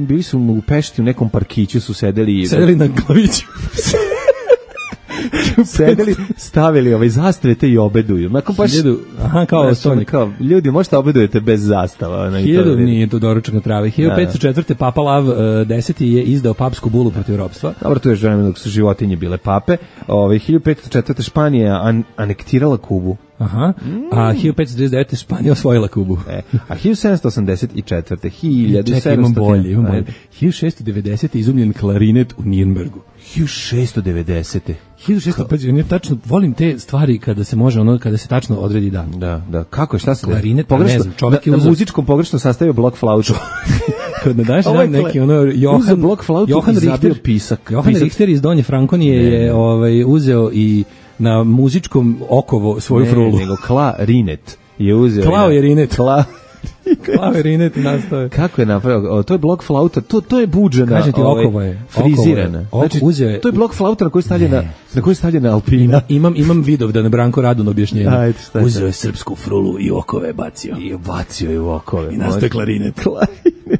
bili su u Pešti u nekom parkiću, su sedeli na glaviću. sedeli, stavili zastave i obeduju. Nakon baš, kao stolnik. Ljudi, možete obedujete bez zastava. 1000 nije to doručak na travi. 1504. Papa Lav X je izdao papsku bulu protiv ropstva. Dobro, to je vreme dok su životinje bile pape. 1504. Španija anektirala Kubu. Aha. A 1539. Španija osvojila Kubu. A 1784. Čekaj, imam bolje. 1690. izumljen klarinet u Nirnbergu. 1690. 1600, ja tačno volim te stvari kada se može kada se tačno odredi dan. Da. Kako je, šta se klarinet, pogrešno, ne znam, čovjek je na muzičkom pogrešno sastavio blok flautu. Kad na današnji dan neki Johan Richter, pisak. Johan Richter iz Donje Frankonije je uzeo i na muzičkom okovo svoju frulu. Nego klarinet je uzeo. Klaverinet nastao. Kako je napravio? To je blok flauta, to je buđena. Kažem ti, okovo je. Frizirana. Znači, to je blok flauta na koji je stavljena alpina. Imam Vidovdan, Branko Radun objašnjenje. Uzeo je srpsku frulu i okove bacio. I u okove. I nastao klarinet.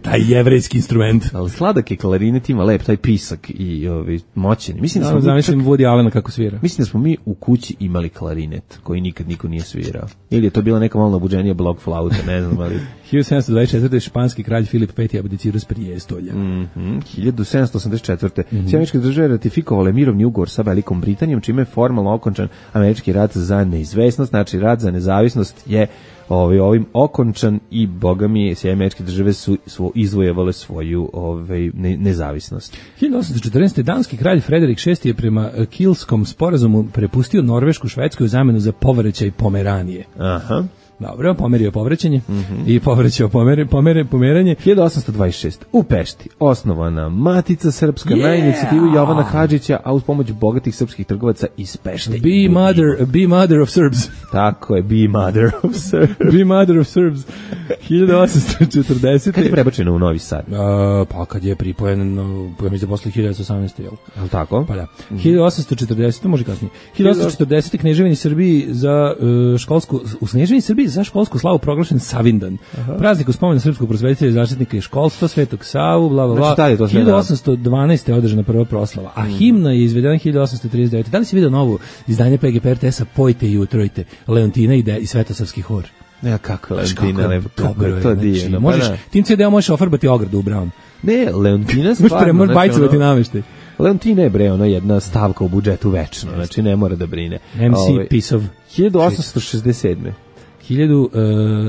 Taj jevrejski instrument. Ali sladak je klarinet, ima lep taj pisak i moćen. Mislim da smo zamislim Woody Allena kako svira. Mislim da smo mi u kući imali klarinet koji nikad niko nije svirao. Ili je to bila neka malo nabuđenija blok flauta, ne znam, ali 1724. španski kralj Filip V abdicirao s prijestolja. 1784. Američke države ratifikovale mirovni ugovor sa Velikom Britanijom, čime je formalno okončan američki rat za neizvesnost, znači rat za nezavisnost je ovim okončan i bogami sve američke države su izvojevale svoju nezavisnost. 1814. danski kralj Frederik VI je prema Kilskom sporazumu prepustio Norvešku Švedsku u zamenu za povraćaj Pomeranije. Aha. Dobro, pomerio povraćanje i povraćao pomeranje. 1826. U Pešti osnovana Matica Srpska na inicijativu Jovana Hadžića, a uz pomoć bogatih srpskih trgovaca iz Pešte. Be mother of Serbs. Tako je, be mother of Serbs. Be mother of Serbs. 1840. Kad je prebačeno u Novi Sad? Pa kad je pripojen, ja mislim posle 1918. Jel? Ali tako? Pa da. 1840, može kasnije. 1840. Kneževini Srbiji za školsku, u Kneževini Srbiji za školsku slavu proglašen Savindan. Praznik u spomen srpskog prosvetitelja i zaštitnika i školstva, Svetog Savu, bla bla bla. 1812. je održana prva proslava, a himna je izvedena 1839. Da li si vidio novo izdanje PGP RTS-a Pojte i utrojte, Leontina i Svetosavski hor? Ja, kako Leontina, to divno. Možeš, tim CD-om možeš ofarbati ogradu u Brown. Ne, Leontina stvarno. Možeš bajcovati nameštaj. Leontina je jedna stavka u budžetu večno, znači ne mora da brine. MC piece of 1867.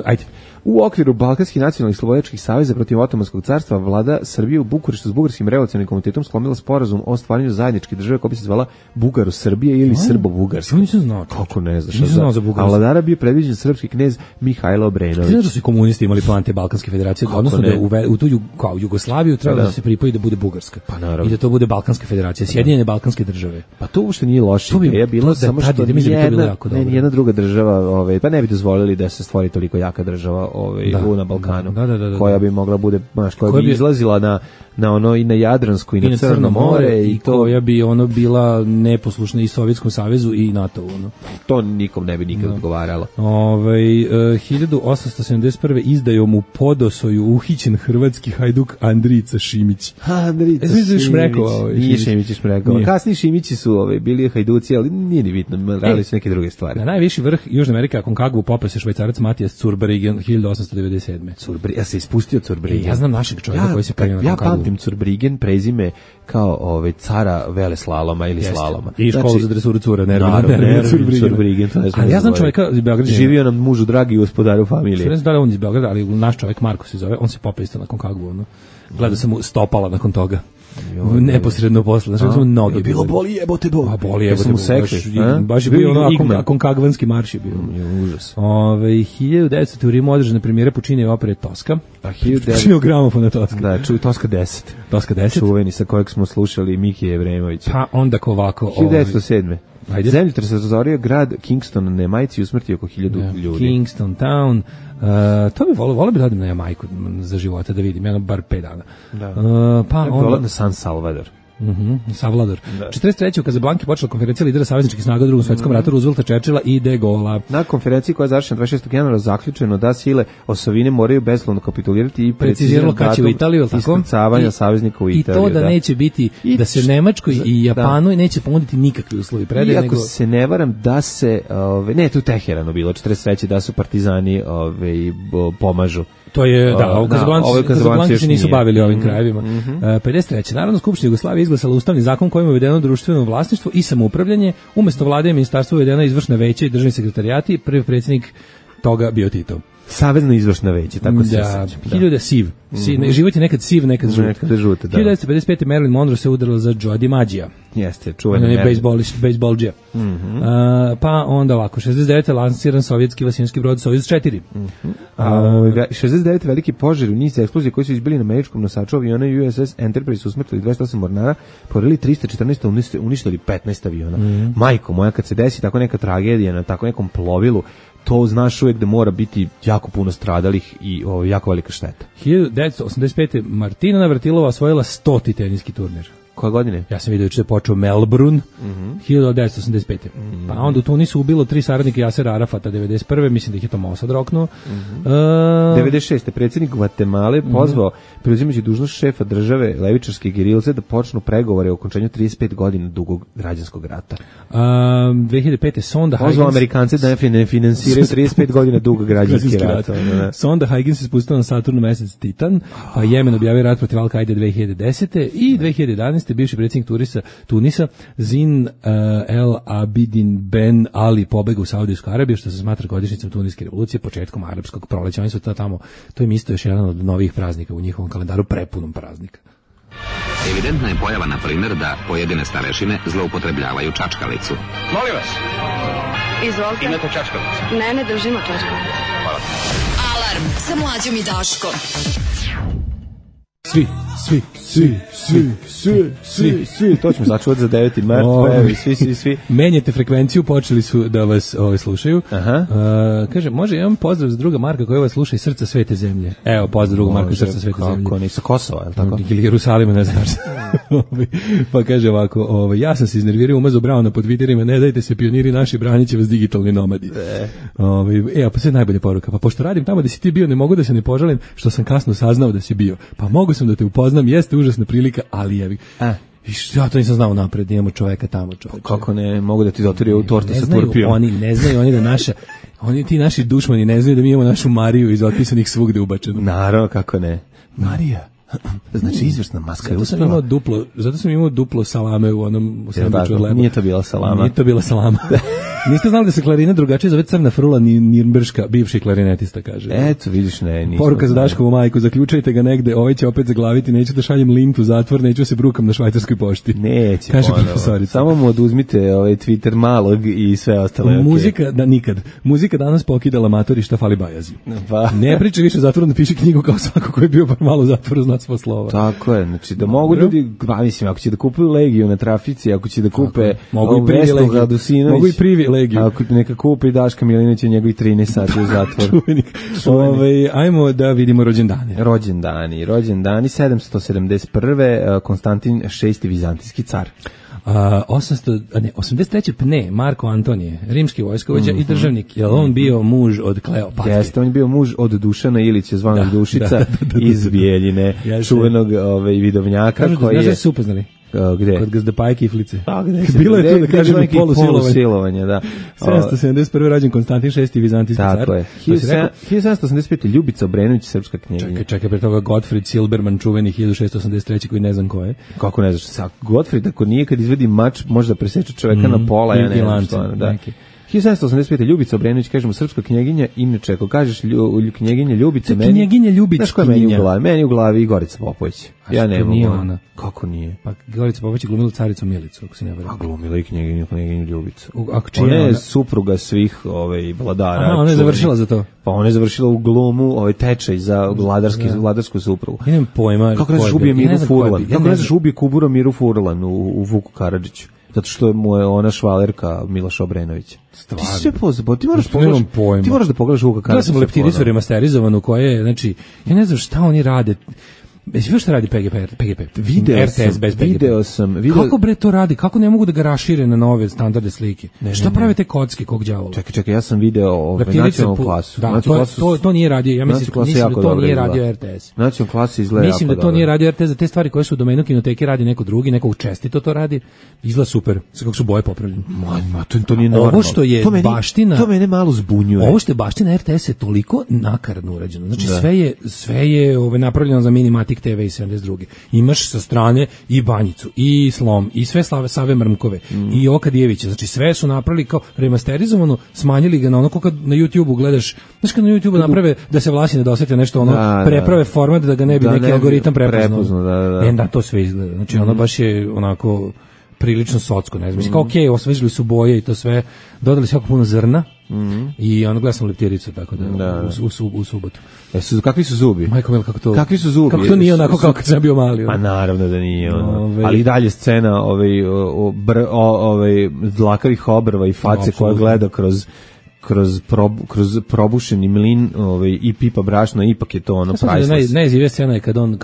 Ajde. U okviru Balkanskih nacionalnih slobodačkih saveza protiv Otomanskog carstva vlada Srbije u Bukureštu s Bugarskim revolucionarnim komitetom sklonila sporazum o stvaranju zajedničke države koja bi se zvala Bugaro-Srbije ili Srbo-Bugarska. Nisam znao. Kako ne znaš? Nisam znao za Bugarsku. A vladara bio predviđen srpski knez Mihajlo Obrenović. Ti znaš da su komunisti imali plan te Balkanske federacije, odnosno da u tu kao Jugoslaviju treba da se pripoji da bude Bugarska. Pa naravno. I da to bude Balkanska federacija, Sjedinjene balkanske države. Pa to uopšte nije loše. Je bilo samo što jedna druga država, pa ne bi dozvolili da se stvori toliko jaka država na Balkanu, koja bi mogla bude, koja bi izlazila na ono i na Jadransko i na Crno more i to koja bi bila neposlušna i Sovjetskom savezu i NATO-u. To nikom ne bi nikad odgovaralo. 1871. izdajom u Podosoju uhićen hrvatski hajduk Andrijica Šimić. Andrijica Šimić. Nije Šimić Šmrekova. Kasniji Šimići su bili hajduci, ali nije ni bitno, radili su neke druge stvari. Na najviši vrh Južne Amerike, Aconcagua, popeo se Švajcarac Matijas Zurbriggen 1897. Ja se ispustio Zurbriggen. Ja znam našeg čovjeka koji se penio na Aconcagua. Ja pamtim Zurbriggen prezime kao cara veleslaloma ili slaloma. I školu za dresuru cura, Nervin Zurbriggen. Ali ja znam čovjeka iz Beograda. Živio nam mužu dragi gospodaru familije. Ne znam da li on iz Beograda, ali naš čovjek Marko se zove, on se popeo isto na Aconcagua. Gledao sam mu stopala nakon toga. Neposredno posle, znači smo noge. Bilo boli jebote bol. A boli jebote bol. Baš je bio Aconcagvanski marš je bio. Užas. 1900. u Rimu održane premijere Puccini opere Toska. A 1900. Puccini gramofona Toska. Da, Toska 10. Toska 10. Čuveni sa kojeg smo slušali Miki Jevremovića. Pa onda ovako. 1907. Zemljotres razorio grad Kingston na Jamajci i usmrtio oko 1000 ljudi. Kingston Town. To bi volio bi radim na Jamajku za života da vidim, bar 5 dana. Da. Pa onda na San Salvador. Savlador. 43. u Kazablanki počela konferencija lidera savezničkih snaga u Drugom svetskom ratu Roosevelta, Churchilla i De Gaulle'a. Na konferenciji koja je završena 26. januara zaključeno da sile osovine moraju bezuslovno kapitulirati i preciziralo kad će u Italiju, iskrcavanja saveznika u Italiju. I to da neće biti, da se Nemačkoj i Japanu neće ponuditi nikakvi uslovi predaje. I ako se ne varam da se, ne, tu Teheranu bilo, 43. da su partizani pomažu. To je, Kazablanci se nisu bavili ovim krajevima. 53. Narodna skupština Jugoslavije izglasala ustavni zakon kojim je uvedeno društveno vlasništvo i samoupravljanje, umesto vlade i ministarstva uvedeno izvršna veća i državni sekretarijati, prvi predsjednik toga bio Tito. Savezno izvršna veća, tako se sećam. 1000 siv. Život je nekad siv, nekad žut. 1955. Marilyn Monroe se udarila za Joe DiMaggija. Jeste, čuveni bejsbolđija. Pa onda ovako, 69. lansiran sovjetski vasinski brod Sojuz 4. 69. veliki požar u niz eksplozije koji su izbili na američkom nosaču aviona USS Enterprise, usmrtili 28 mornara, porili 314, uništili 15 aviona. Majko moja, kad se desi tako neka tragedija na tako nekom plovilu, to znaš uvijek da mora biti jako puno stradalih i jako velika šteta. 1985. Martina Navratilova osvojila 100. teniski turnir. Koje godine? Ja sam vidio da je počeo Melbourne, 1985. Pa onda u Tunisu ubilo 3 saradnika Jasera Arafata, 91. Mislim da ih je to Mossad roknuo. 96. predsjednik Gvatemale pozvao preuzimajući dužnost šefa države levičarske gerilce da počnu pregovore o okončanju 35 godina dugog građanskog rata. 2005. Sonda Huygens pozvao Amerikance da ne finansiraju 35 godina dugog građanski rat. Sonda Huygens se spustila na Saturnu mesec Titan, pa Jemen objavio rat protiv Al-Kaide 2010. i 2011. bivši predsjednik Tunisa Zin El Abidin Ben Ali pobegao u Saudijsku Arabiju, što se smatra godišnjicom Tuniske revolucije, početkom arapskog proleća. Oni su tamo, to im isto još jedan od novih praznika u njihovom kalendaru, prepunom praznika. Evidentna je pojava, na primjer, da pojedine starešine zloupotrebljavaju čačkalicu. Molim vas. Izvolite. Imate čačkalicu? Ne držimo čačkalicu. Hvala. Alarm sa Mlađom i Daškom. Svi, to ćemo začuvati za 9. mart, pa evo, svi. Menjate frekvenciju, počeli su da vas slušaju. Kaže, može jedan pozdrav za druga Marka koja vas sluša iz srca svete zemlje. Evo, pozdrav druga Marka iz srca svete zemlje. Kako, ni sa Kosova, je li tako? Ili Jerusalima, ne znaš. Pa kaže ovako, ja sam se iznervirao, umazao Brauna po Twitterima, ne dajte se pioniri naši, branit će vas digitalni nomadi. Pa sve najbolje poruka. Pa pošto radim tamo da si ti bio, ne mogu da se ne požalim što sam kasno saznao da si bio. Pa mogu sam da te upoznam, jeste užasna prilika, ali jevi. Ja to nisam znao napred, imamo čoveka tamo. Kako ne, mogu da ti doturio u tortu sa turpijom. Ne znaju oni da naša, ti naši dušmani ne znaju da mi imamo našu Mariju iz otpisanih svugde ubačenu. Naravno, kako ne. Marija. Znači izvrsna maska. Zato sam imao duplo salame u onom sendviču od leba. Nije to bila salama. Niste znali da se klarina drugačije zove Crna frula Nirnberška, bivši klarinetista, kaže. Eto, vidiš, nisam. Poruka za Daškovu majku, zaključajte ga negde, ovaj će opet zaglaviti, neću da šaljem lint u zatvor, neću se brukam na švajcarskoj pošti. Neće, kaže profesorica. Samo mu oduzmite Twitter malog i sve ostale. Muzika, nikad. Muzika danas pokidala matori, šta fali bajazi. Ne priča više u zatvoru, napiši knjigu kao svako koji je bio par malo u zatvoru, zna svo slova. Tako je, znači da mogu ljudi, mislim, ako će da kupuju Legiju na trafici, ako će da kupe mogu i privi Legiju. Ako neka kupi Daška Milinovića njegovi 13 sati u zatvoru. Ajmo da vidimo rođendane. Rođendani 771. Konstantin VI. Vizantijski car. 83. Pne, Marko Antonije, rimski vojskovođa i državnik. Je on bio muž od Kleopatre? Jeste, on je bio muž od Dušana Ilića, zvanog Dušica, iz Bijeljine, čuvenog vidovnjaka. Znaš da su upoznali? Gde? Kod Gazdapaje Kiflice. Bilo je tu da kažemo polusilovanje, da. 771. rođen Konstantin VI. Vizantijski car. Tako je. 1785. Ljubica Obrenović, srpska knjeginja. Čekaj, pre toga Gottfried Silberman, čuveni 1683. koji ne znam ko je. Kako ne znaš? Gottfried, ako nije, kad izvedi mač, može da preseče čoveka na pola, ja ne znam što. 1785. Ljubica Obrenović, kažemo srpska knjeginja, inače ako kažeš knjeginja Ljubica, knjeginja Ljubica, znaš ko je meni u glavi Gorica Popović. Ja ne mogu. Nije ona. Kako nije? Pa Gorica Popović je glumila caricu Milicu, ako se ne varam. A glumila i knjeginju Ljubicu. Ona je supruga svih vladara. Aha, ona je završila za to. Pa ona je završila u glumu tečaj za vladarsku suprugu. Nemam pojma. Kako ne znaš ubije Miru Furlan? Kako ne znaš ubije Kubura Miru Furlan u Vuku Karadžiću? Zato što mu je ona švalerka Miloša Obrenovića. Stvarno. Ti sve pozabao, ti moraš da pogledaš Vuka Karadžića. Ja sam leptiricu remasterizovanu koja je, znači, ja ne znam šta oni rade. Jesi što radi PGP? RTS bez PGP. Video sam. Kako bre to radi? Kako ne mogu da ga rašire na nove standarde slike? Šta prave te kocke, kog đavola? Čekaj, ja sam video nacionalnu klasu. Da, to nije radio, ja mislim da to nije radio RTS. Nacionalnu klasu izgleda jako dobro. Mislim da to nije radio RTS, za te stvari koje su u domenu kinoteke radi neko drugi, neko čestito to radi, izgleda super, kako su boje popravljene. To nije normalno. Ovo što je baština... To mene malo zbunjuje. Ovo što je baština RTS je toliko nakaradno urađeno. Znači sve je napravljeno za Minimatic TV i 72. Imaš sa strane i Banjicu, i Slom, i sve Save Mrmkove, i Okadijevića. Znači sve su napravili kao remasterizovano, smanjili ga na ono kad na YouTubeu gledaš. Znaš kad na YouTubeu naprave da se Vlasi ne dosete nešto, preprave format da ga ne bi neki algoritam prepoznao. Da, to sve izgleda. Znači ono baš je onako prilično socko, ne znam. Mislim, kao okej, osvežili su boje i to sve, dodali su jako puno zrna i ono gledam sam leptiricu, tako da, u subotu. Kakvi su zubi? Majko mil, kako to? Kakvi su zubi? Kako to nije onako kao kad sam bio mali? Pa naravno da nije ono. Ali i dalje scena dlakavih obrva i face koja gleda kroz probušeni mlin i pipa brašno, ipak je to ono priceless. Najzivija scena je kad on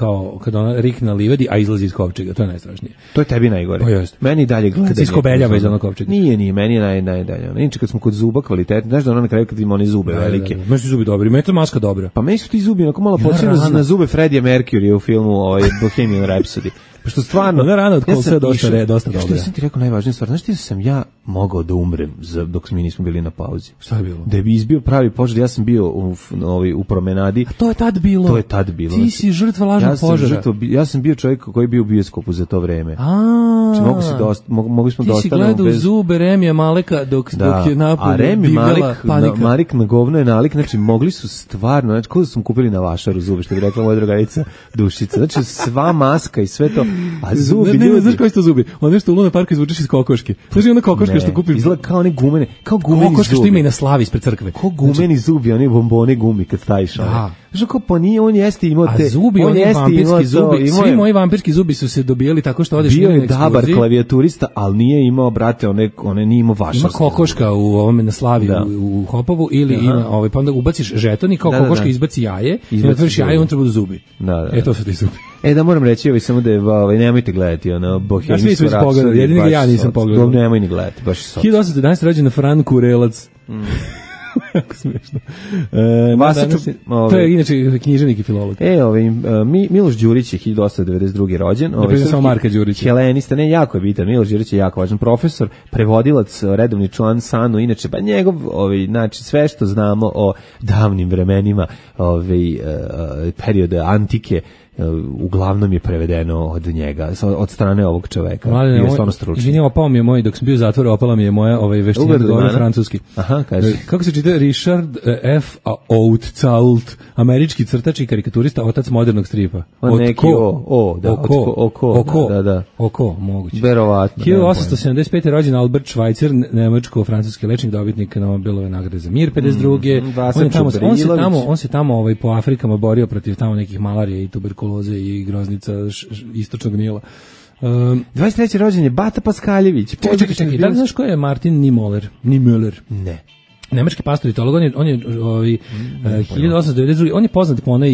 rikne na livadi, a izlazi iz kovčega, to je najstrašnije. To je tebi najgore. Meni i dalje gleda. Kad se iskobeljava iz onog kovčega. Nije, meni je najdalje. Inače kad smo kod zuba kvalitetni, znaš da ono na kraju kad ima one zube velike. Meni su zubi dobri, meni je to maska dobra. Pa meni su ti zubi onako malo počinu na zube Freddie Mercury u filmu Bohemian Rhapsody. Pošto stvarno... Ona rana od kolca je dosta dobra. Što sam ti rekao najvažnija stvar? Znaš ti da sam ja mogao da umrem dok mi nismo bili na pauzi? Šta je bilo? Da bi izbio pravi požar, ja sam bio u promenadi. A to je tad bilo? Ti si žrtva lažnog požara. Ja sam bio čovjek koji je bio u bioskopu za to vreme. Mogli smo da ostanemo bez... Ti si gledao zube Remija Maleka dok je napolje divljala panika. Marik na govno je nalik, znači mogli su stvarno, znači kako smo kupili na vašaru zube, što bi rekla moja drugarica Dušica. Znači sva maska i sve to. A zubi ljudi... Znaš koji su to zubi? Ono nešto u Luna Parku izvučeš iz kokoške. Znaš ona kokoška što kupiš? Izgleda kao one gumene, kao gumeni zubi. Kokoška što ima i na Slavi ispred crkve. Kao gumeni zubi, oni bombone gumi kad staviš. Znaš kao pa nije, on jeste imao te... A zubi, oni vampirski zubi, svi moji vampirski zubi su se dobijali tako što odeš bio je dabar klavijaturista, ali nije imao, brate, one nije imao vašarske. Ima kokoška u ovome na Slavi u Hopovu ili ima, pa onda ubaciš žeton i kao kokoška izbaci jaje i otvoriš jaje i on treba da zubi. To su ti zubi. Da moram reći, samo da je, nemojte gledati, Bohemian Rhapsody. Jedini ga ja nisam pogledao. Nemoj ni gledati, baš je 1811 rođen Fran Kurelac. Jako smiješno. To je inače književnik i filolog. Miloš Đurić je 1892. rođen. Samo Marka Đurića. Helenista, jako je bitan. Miloš Đurić je jako važan profesor, prevodilac, redovni član SANU, inače, pa njegov, znači, sve što znamo o davnim vremenima, periode antike, uglavnom je prevedeno od njega, od strane ovog čoveka. Je stvarno stručan. Izvini, opao mi je moj, dok sam bio u zatvoru, opala mi je moja veština da govorim francuski. Aha, kaži. Kako se čita? Richard F. Oudtzault, američki crtač i karikaturista, otac modernog stripa. Oko, moguće. Verovatno. 1875. rođen Albert Schweitzer, nemačko-francuski lečnik, dobitnik Nobelove nagrade za mir, 52. On se tamo po Afrikama borio protiv tamo nekih malarije i tuberkuloze i groznica istočnog Nila. 23. rođen je Bata Paskaljević. Čekaj, da li znaš ko je Martin Niemöller? Ne. Nemački pastor i teolog, on je 1892. On je poznat po onoj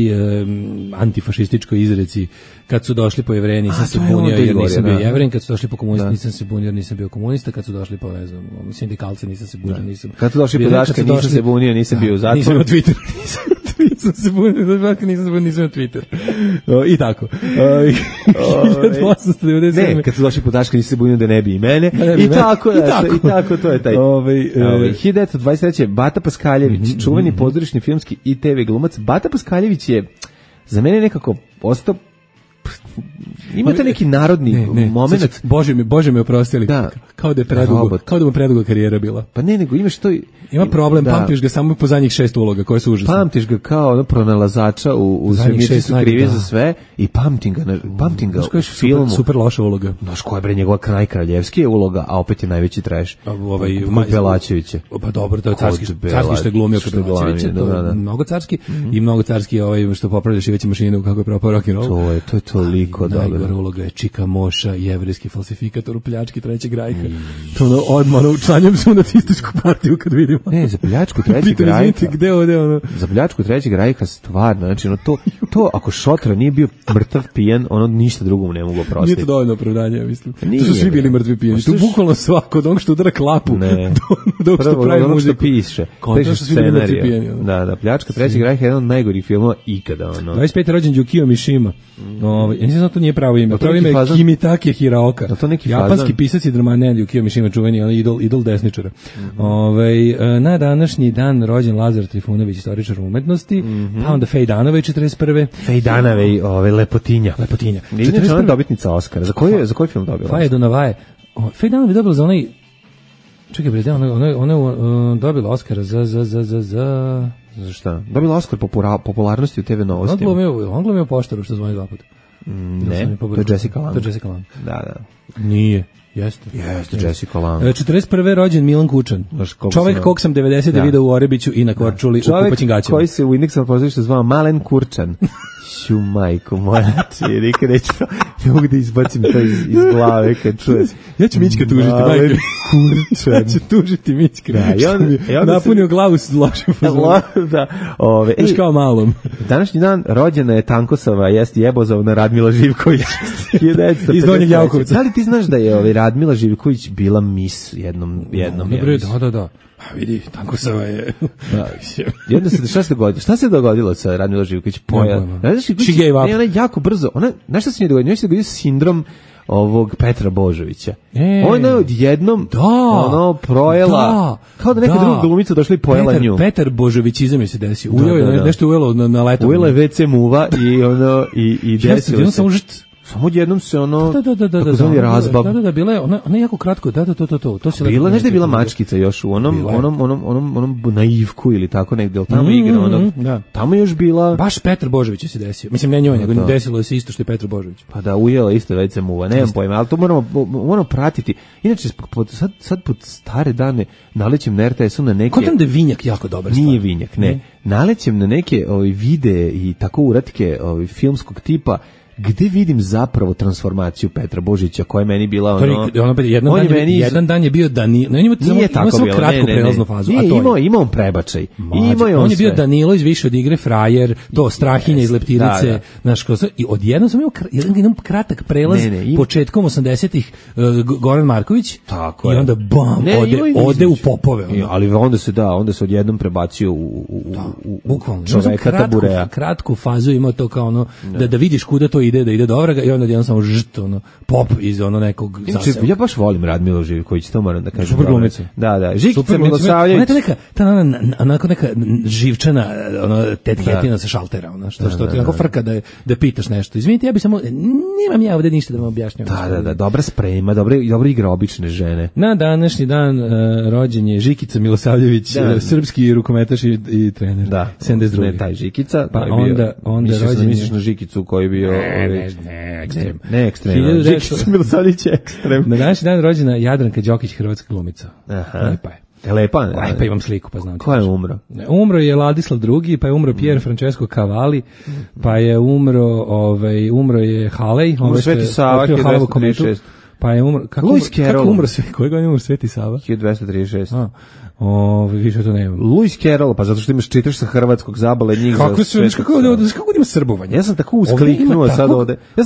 antifašističkoj izreci kad su došli po Jevreji nisam se bunio jer nisam bio Jevren, kad su došli po komunista nisam se bunio jer nisam bio komunista, kad su došli po, ne znam, sindikalci nisam se bunio, nisam... Kad su došli po Daška nisam se bunio, nisam bio u zatvoru. Nisam na Twitteru, nisam se bunio, nisam na Twitteru. I tako. 1897. Ne, kad su došli po Daška nisam se bunio da ne bi i mene. I tako, to je taj. 1923. Bata Paskaljević, čuveni pozorišni filmski i TV glumac. Bata Paskaljević je za mene nekako ostao, imate neki narodni moment. Bože me oprostili. Kao da je predugo karijera bila. Pa ne, nego imaš to... Ima problem, pamtiš ga samo po zadnjih 6 uloga koje su užasne. Pamtiš ga kao pronalazača u Svemirci su krivi za sve i pamtim ga u filmu. Super loša uloga. Znaš koja je bre njegova najkraljevskija uloga, a opet je najveći trash. Belačević. Pa dobro, to je carski što je glumio kod Belačevića. Mnogo carski i mnogo carski što popravljaš i veće mašine kako je propao rock'n'roll. To je to. Toliko dobro. Najgora uloga je Čika Moša, jevrejski falsifikator u pljački Trećeg rajha. To ono odmah učlanjam se u nacističku partiju kad vidimo. Ne, za pljačku Trećeg rajha. Gde ono? Za pljačku Trećeg rajha stvarno, znači ono to ako Šotra nije bio mrtav pijan, ono ništa drugo mu ne mogu oprostiti. Nije to dovoljno opravdanje, ja mislim. Nije, to su svi bili mrtvi pijani. To bukvalno svako, od onog što udara klapu, do što pravi muziku. Piše scenariju. Da, pljačka Trećeg rajha je jedan od najgorih filmova ikada. 25. rođen Yukio Mishima. Ja nisam to nije pravo ime. Pravo ime je Kimitake Hiraoka. Japanski pisac i dramat, Yukio Mishima, čuveni idol desničara. Na današnji dan rođen Lazar Trifunović, istoričar umetnosti, pa onda Fej Danove 41. Fej Danove, Lepotinja. Inače ona dobitnica Oscara. Za koji film dobila? Faje do Navaje. Fej Danove je dobila za onaj... Čekaj, bre, ona je dobila Oscara za šta? Dobila Oskar popularnosti u TV novostima. On glumio poštaru što zvoni 2 puta. Ne, to je Jessica Lange. Da. Nije. Jeste Jessica Lange. 41. rođen Milan Kučan. Čovek kog sam 90. video u Orebiću i na Korčuli u kupaćim gaćama. Čovek koji se u indeksom pozorišta zvao Malen Kurčan. Ću majko moja, nikad neću, ne mogu da izbacim to iz glave kad čujem. Ja ću Mićka tužiti, majke. Kurčan. Ja ću tužiti Mićka. Napunio glavu s lošim fazom. Da. Još kao malom. Današnji dan rođena je Tankosava, Jebozovna Radmila Živković. Iz Donjeg Javkovca. Da li ti znaš da je Radmila Živković bila mis jednom? Da. A vidi, Tankosava je... Jedno šta se dogodilo sa Radmila Živković? She gave up. Ne, ona je jako brzo. Znaš šta se nije dogodilo? Njoj se dogodio sindrom ovog Petra Božovića. Ona je odjednom projela, kao da neka druga glumica došla i pojela nju. Petar Božovićizam je se desio. Nešto ujelo na letom. Ujela je WC muva i desilo se. Samo jednom se takozvani razbab. Da, bila je, ona jako kratko, to se bila, nešto je bila mačkica još u onom naivku ili tako negdje, ali tamo igra, tamo još bila... Baš Petar Božović se desio, mislim ne njoj, nego desilo se isto što je Petar Božović. Pa da, ujela isto već muva, nemam pojma, ali to moramo pratiti. Inače, sad pod stare dane nalećem na RTS-u na neke... Kontam da je Vinjak jako dobar stvar. Nije Vinjak, ne. Nalećem na neke videe i tako uratke filmskog tipa, gde vidim zapravo transformaciju Petra Božića koja je meni bila jedan dan je bio Danilo, nije tako samo kratku prelaznu fazu, a to je imao on prebačaj. On je bio Danilo iz Više od igre, frajer, to Strahinja iz Leptirice, i odjednom sam imao jedan kratak prelaz početkom 80-ih Goran Marković i onda bam, ode u popove. Ali onda se odjednom prebacio u čoveka tabureja. Kratku fazu imao to kao ono, da vidiš kuda to ide, da ide do vraga i onda jedan samo pop iz nekog zaselka. Ja baš volim Radmilu Živković, to moram da kažem. Super glumica. Da. Žikica Milosavljević. Neka živčana tetketina sa šaltera, što ti onako frka da pitaš nešto. Izvinite, ja bi samo, nemam ja ovde ništa da vam objašnjam. Da, dobra sprema, dobro igra obične žene. Na današnji dan rođen je Žikica Milosavljević, srpski rukometaš i trener. Da, 72. Ne, taj Žikica. Pa onda rođen je... Misliš na Žikicu koji je bio... Ne, ekstrem. Žikica Milosavljević je ekstrem. Na današnji dan rođena Jadranka Đokić, hrvatska glumica. Lepa je. Lepa? Lepa, imam sliku, pa znam. Ko je umro? Umro je Ladislav II, pa je umro Pier Francesco Cavalli, pa je umro je Halej. Sveti Sava, 1236. Pa je umro... Kako umro Sveti? Kojeg on je umro Sveti Sava? 1236. Više to nemam. Lewis Carroll, pa zato što čitaš sa hrvatskog zabale njih kako za kako ima srbovanje. Ja sam tako uskliknuo sad ovde. Ja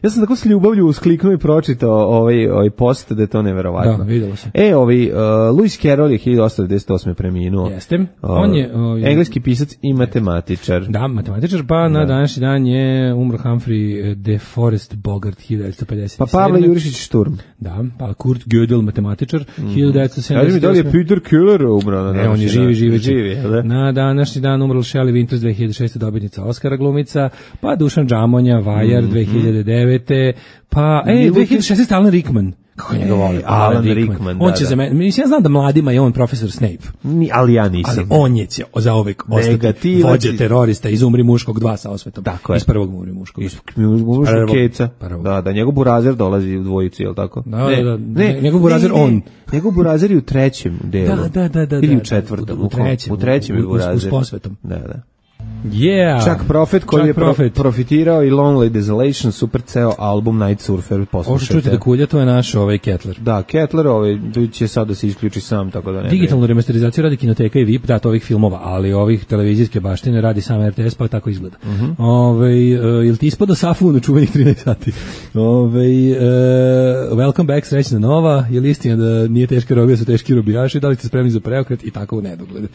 sam tako s ljubavlju uskliknuo i pročitao ovaj post da je to neverovatno. Da, videlo se. Lewis Carroll je 1898 preminuo. Jeste. On je engleski pisac i matematičar. Da, matematičar, pa na današnji dan je umro Humphrey de Forest Bogart 1957. Pa Pavle Jurišić Šturm. Da, pa Kurt Gödel matematičar 1970. Da li je Peter Keller umro? Ne, on je živi. Na današnji dan umrla Shelley Winters 2006. dobitnica Oscara glumica, pa Dušan Džamonja, Vajar 2009. Pa 2016. Alan Rickman. Kako njega voli? Alan Rickman, on će za mene, mislim, ja znam da mladima je on profesor Snape. Ali ja nisam. Ali on je zauvek ostati vođa terorista iz Umri muškog 2 sa osvetom. Tako iz prvog Umri muškog. Iz muškog Keca. Da, njegov burazer dolazi u dvojici, je li tako? Ne, njegov burazer on. Njegov burazer je u trećem delu. Da. Ili u četvrtom. U trećem je burazer. Uz posvetom. Da. Yeah. Chuck Prophet koji je profitirao i Lonely Desolation, super ceo album Night Surfer, poslušajte. Ovo što čujete da kulja, to je naš Kettler. Da, Kettler će sad da se isključi sam, tako da ne. Digitalnu remasterizaciju radi Kinoteka i VIP, da, to ovih filmova, ali ovih televizijske baštine radi sam RTS, pa tako izgleda. Jel ti ispada Safu na čuvenih 13 sati? Welcome back, srećna nova, je li istina da nije teška robija, su teški robijaši, da li ste spremni za preokret i tako u nedogled.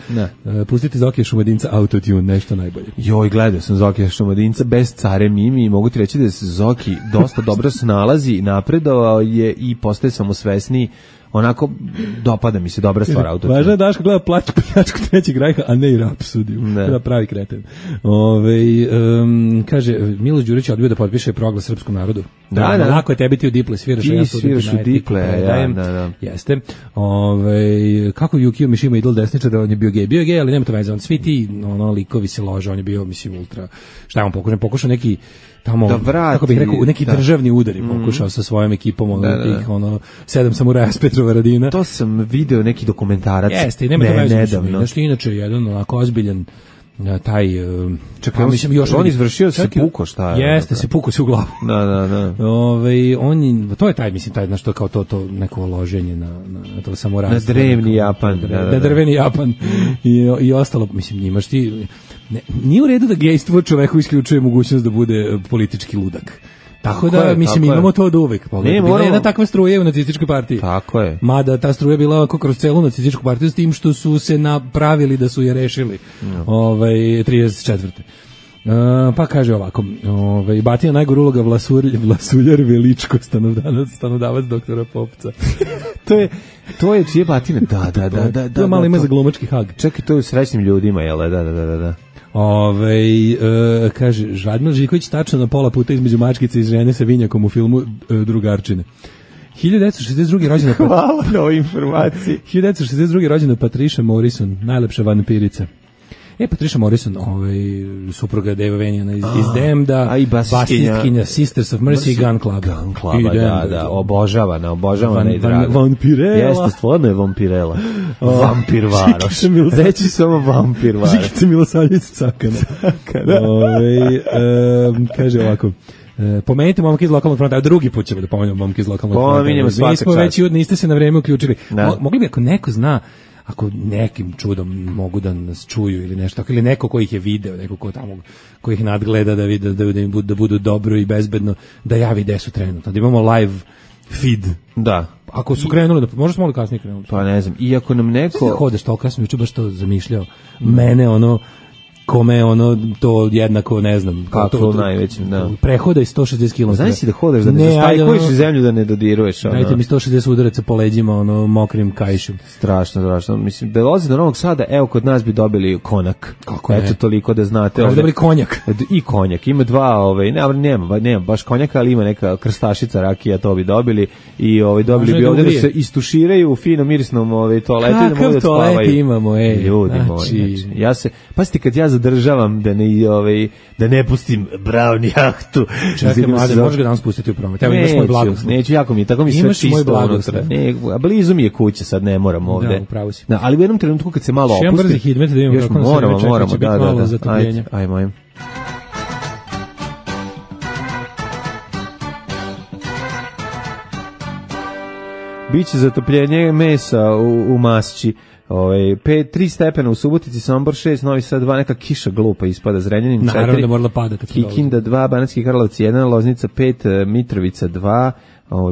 Pustite Zokija Šumadinca Autotune, nešto najbolje. Joj, gledao sam Zokija Šumadinca bez care Mimi i mogu ti reći da se Zoki dosta dobro snalazi, napredovao je i postaje samosvesniji. Onako, dopada mi se, dobra stvar Autotune. Važno je Daško gleda pljačku trećeg Rajha, a ne i Rapsodiju. Da pravi kreten. Kaže, Milo Đurić je odbio da potpiše proglas srpskom narodu. Da. Lako je tebi ti u diple sviraš. Ti sviraš u diple, da. Jeste. Kako Yukio Mishima idol desničar, on je bio gej, ali nema to veze. Svi ti likovi se lože, on je bio, mislim, ultra. Šta je on pokušao neki tamo, kako bih rekao, neki državni udari pokušao sa svojom ekipom, tih 7 samuraja s Petrova Radina. To sam video neki dokumentarac. Jeste, nema to veze. Nešto inače jedan onako ozbiljan taj čekaj, mislim još on izvršio se puko, šta je? Jeste, se puko se u glavu. Da. To je taj, mislim, taj nešto kao to neko loženje na to samurajstvo. Na drevni Japan, da. Drveni Japan i ostalo, mislim, imaš ti nije u redu da gejstvo čoveku isključuje mogućnost da bude politički ludak. Tako da, mislim, imamo to od uvek. Bila je jedna takva struja u nacističkoj partiji. Tako je. Mada ta struja bila ovako kroz celu nacističku partiju s tim što su se napravili da su je rešili 34. Pa kaže ovako, Batina najgore uloga Vlasuljar Veličko, stanodavac doktora Popca. To je čije Batina? Da. To je malo ima za glumački hag. Čekaj, to je u Srećnim ljudima, jel? Da. Kaže, Radmil Žiković tačno na pola puta između mačkice i žene sa vinjakom u filmu Drugarčine. 1962. rođena Hvala na ovoj informaciji. 1962. rođena Patricia Morrison, najlepša vampirica. Patricia Morrison, supruga Dave Vaniana iz Damneda, basistkinja Sisters of Mercy i Gun Club. Gun Club, da, obožavana i draga. Vampirela. Jeste, stvarno je vampirela. Vampir Varoš. Reći samo vampir Varoš. Žikica Milosavljević Cakana. Kaže ovako, pomenite momke iz lokalnog fronta, a drugi put ćemo da pomenemo momke iz lokalnog fronta. Pominjemo svaka čast. Mi smo već, niste se na vreme uključili. Mogli bi, ako neko zna, ako nekim čudom mogu da nas čuju ili nešto, ili neko ko ih je video, neko ko tamo, ko ih nadgleda da vide da budu dobro i bezbedno, da javi gde su trenutno, da imamo live feed. Da. Ako su krenuli, možda smo li kasnije krenuli? Pa ne znam, i ako nam neko... Hodeš to kasnije, juče baš to zamišljao. Mene kome to jednako, ne znam, kako najvećim, da. Prehoda i 160 km. Znaš si da hodaš, da ne zastajkuješ zemlju, da ne dodiruješ. Dajte mi 160 udaraca po leđima, mokrim kajšom. Strašno. Mislim, da lozi do Novog Sada, evo, kod nas bi dobili konak. Kako ne? Eto, toliko da znate. Kako dobili konjak? I konjak. Ima dva, nema baš konjaka, ali ima neka krstašica rakija, to bi dobili. I dobili bi ovdje da se istuširaju u fino mirisnom toaletu i da mogu da spavaju. Kakav toalet imamo, ljudi moji. Pazite, kad ja zadržavam da ne pustim brown jahtu. Čekaj, mlade, možeš ga danas spustiti u promet. Evo imaš moj blagoslov. Neću, jako mi je, tako mi sve čisto unutra. A blizu mi je kuća, sad ne moram ovde. Da, upravo si. Ali u jednom trenutku kad se malo opusti... Šejem brzi hidmet da imamo kako na sebe čekaj, će biti malo zatopljenja. Ajmo. Biće zatopljenje mesa u Masći. 3 stepena u Subotici, Sombor 6, Novi Sad 2, neka kiša glupa ispada, Zrenjanin 4, naravno da morala padati, Kikinda 2, Banatski Karlovac 1, Loznica 5, Mitrovica 2,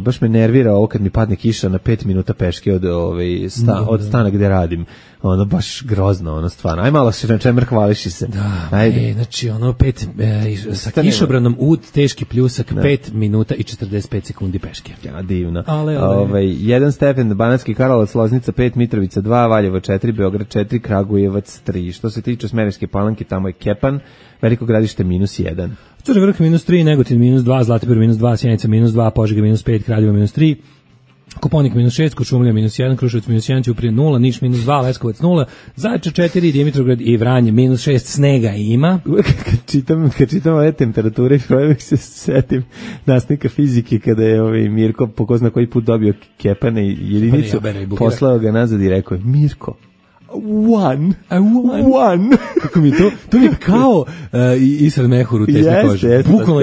baš me nervira ovo kad mi padne kiša na 5 minuta peške od stana gde radim. Baš grozno, stvarno. Aj malo se na čemer hvališi se. Da, znači 5 sa kišobranom ud, teški pljusak, 5 minuta i 45 sekundi peške. Ja, divno. 1 stepen, Banatski Karlovac, Loznica 5, Mitrovica 2, Valjevo 4, Beograd 4, Kragujevac 3. Što se tiče Smederevske Palanke, tamo je Kepan, Veliko Gradište -1. Crni Vrh -3, Negotin -2, Zlatibor -2, Sjenica -2, Požega -5, Kraljevo -3, Koponik -6, Kočumlija -1, Kruševac -1, Ćuprija 0, Niš -2, Leskovac 0, Zaječar 4, Dimitrovgrad i Vranje -6, snega ima. Kad čitam ove temperature, uvijek se setim nastavnika fizike kada je Mirko po ko zna koji put dobio kepane i jedinicu, poslao ga nazad i rekao je, Mirko, One. Kako mi je to mi je kao Isra Mehur u tesne kože. Bukvalno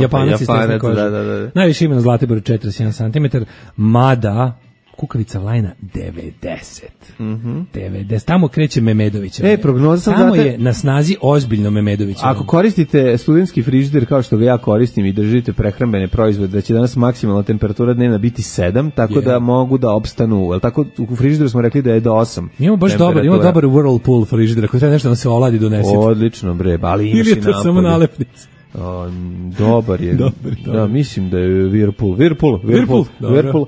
Japanac iz tesne kože. Da. Najviše ima na Zlatiboru 41 cm, mada kukavica Vlajna 90. 90. Tamo kreće Memedovića. Prognoza sam tamo je na snazi ozbiljno Memedovića. Ako koristite studentski frižider kao što ga ja koristim i držite prehrambene proizvode, da će danas maksimalna temperatura dnevna biti 7, tako da mogu da opstanu. Jel tako u frižideru smo rekli da je do 8. Imamo baš dobar Whirlpool frižider, ako treba nešto da se oladi donesite. Odlično bre, ali imaš ili je to samo nalepnica. Dobar je. Dobar. Da, mislim da je Whirlpool.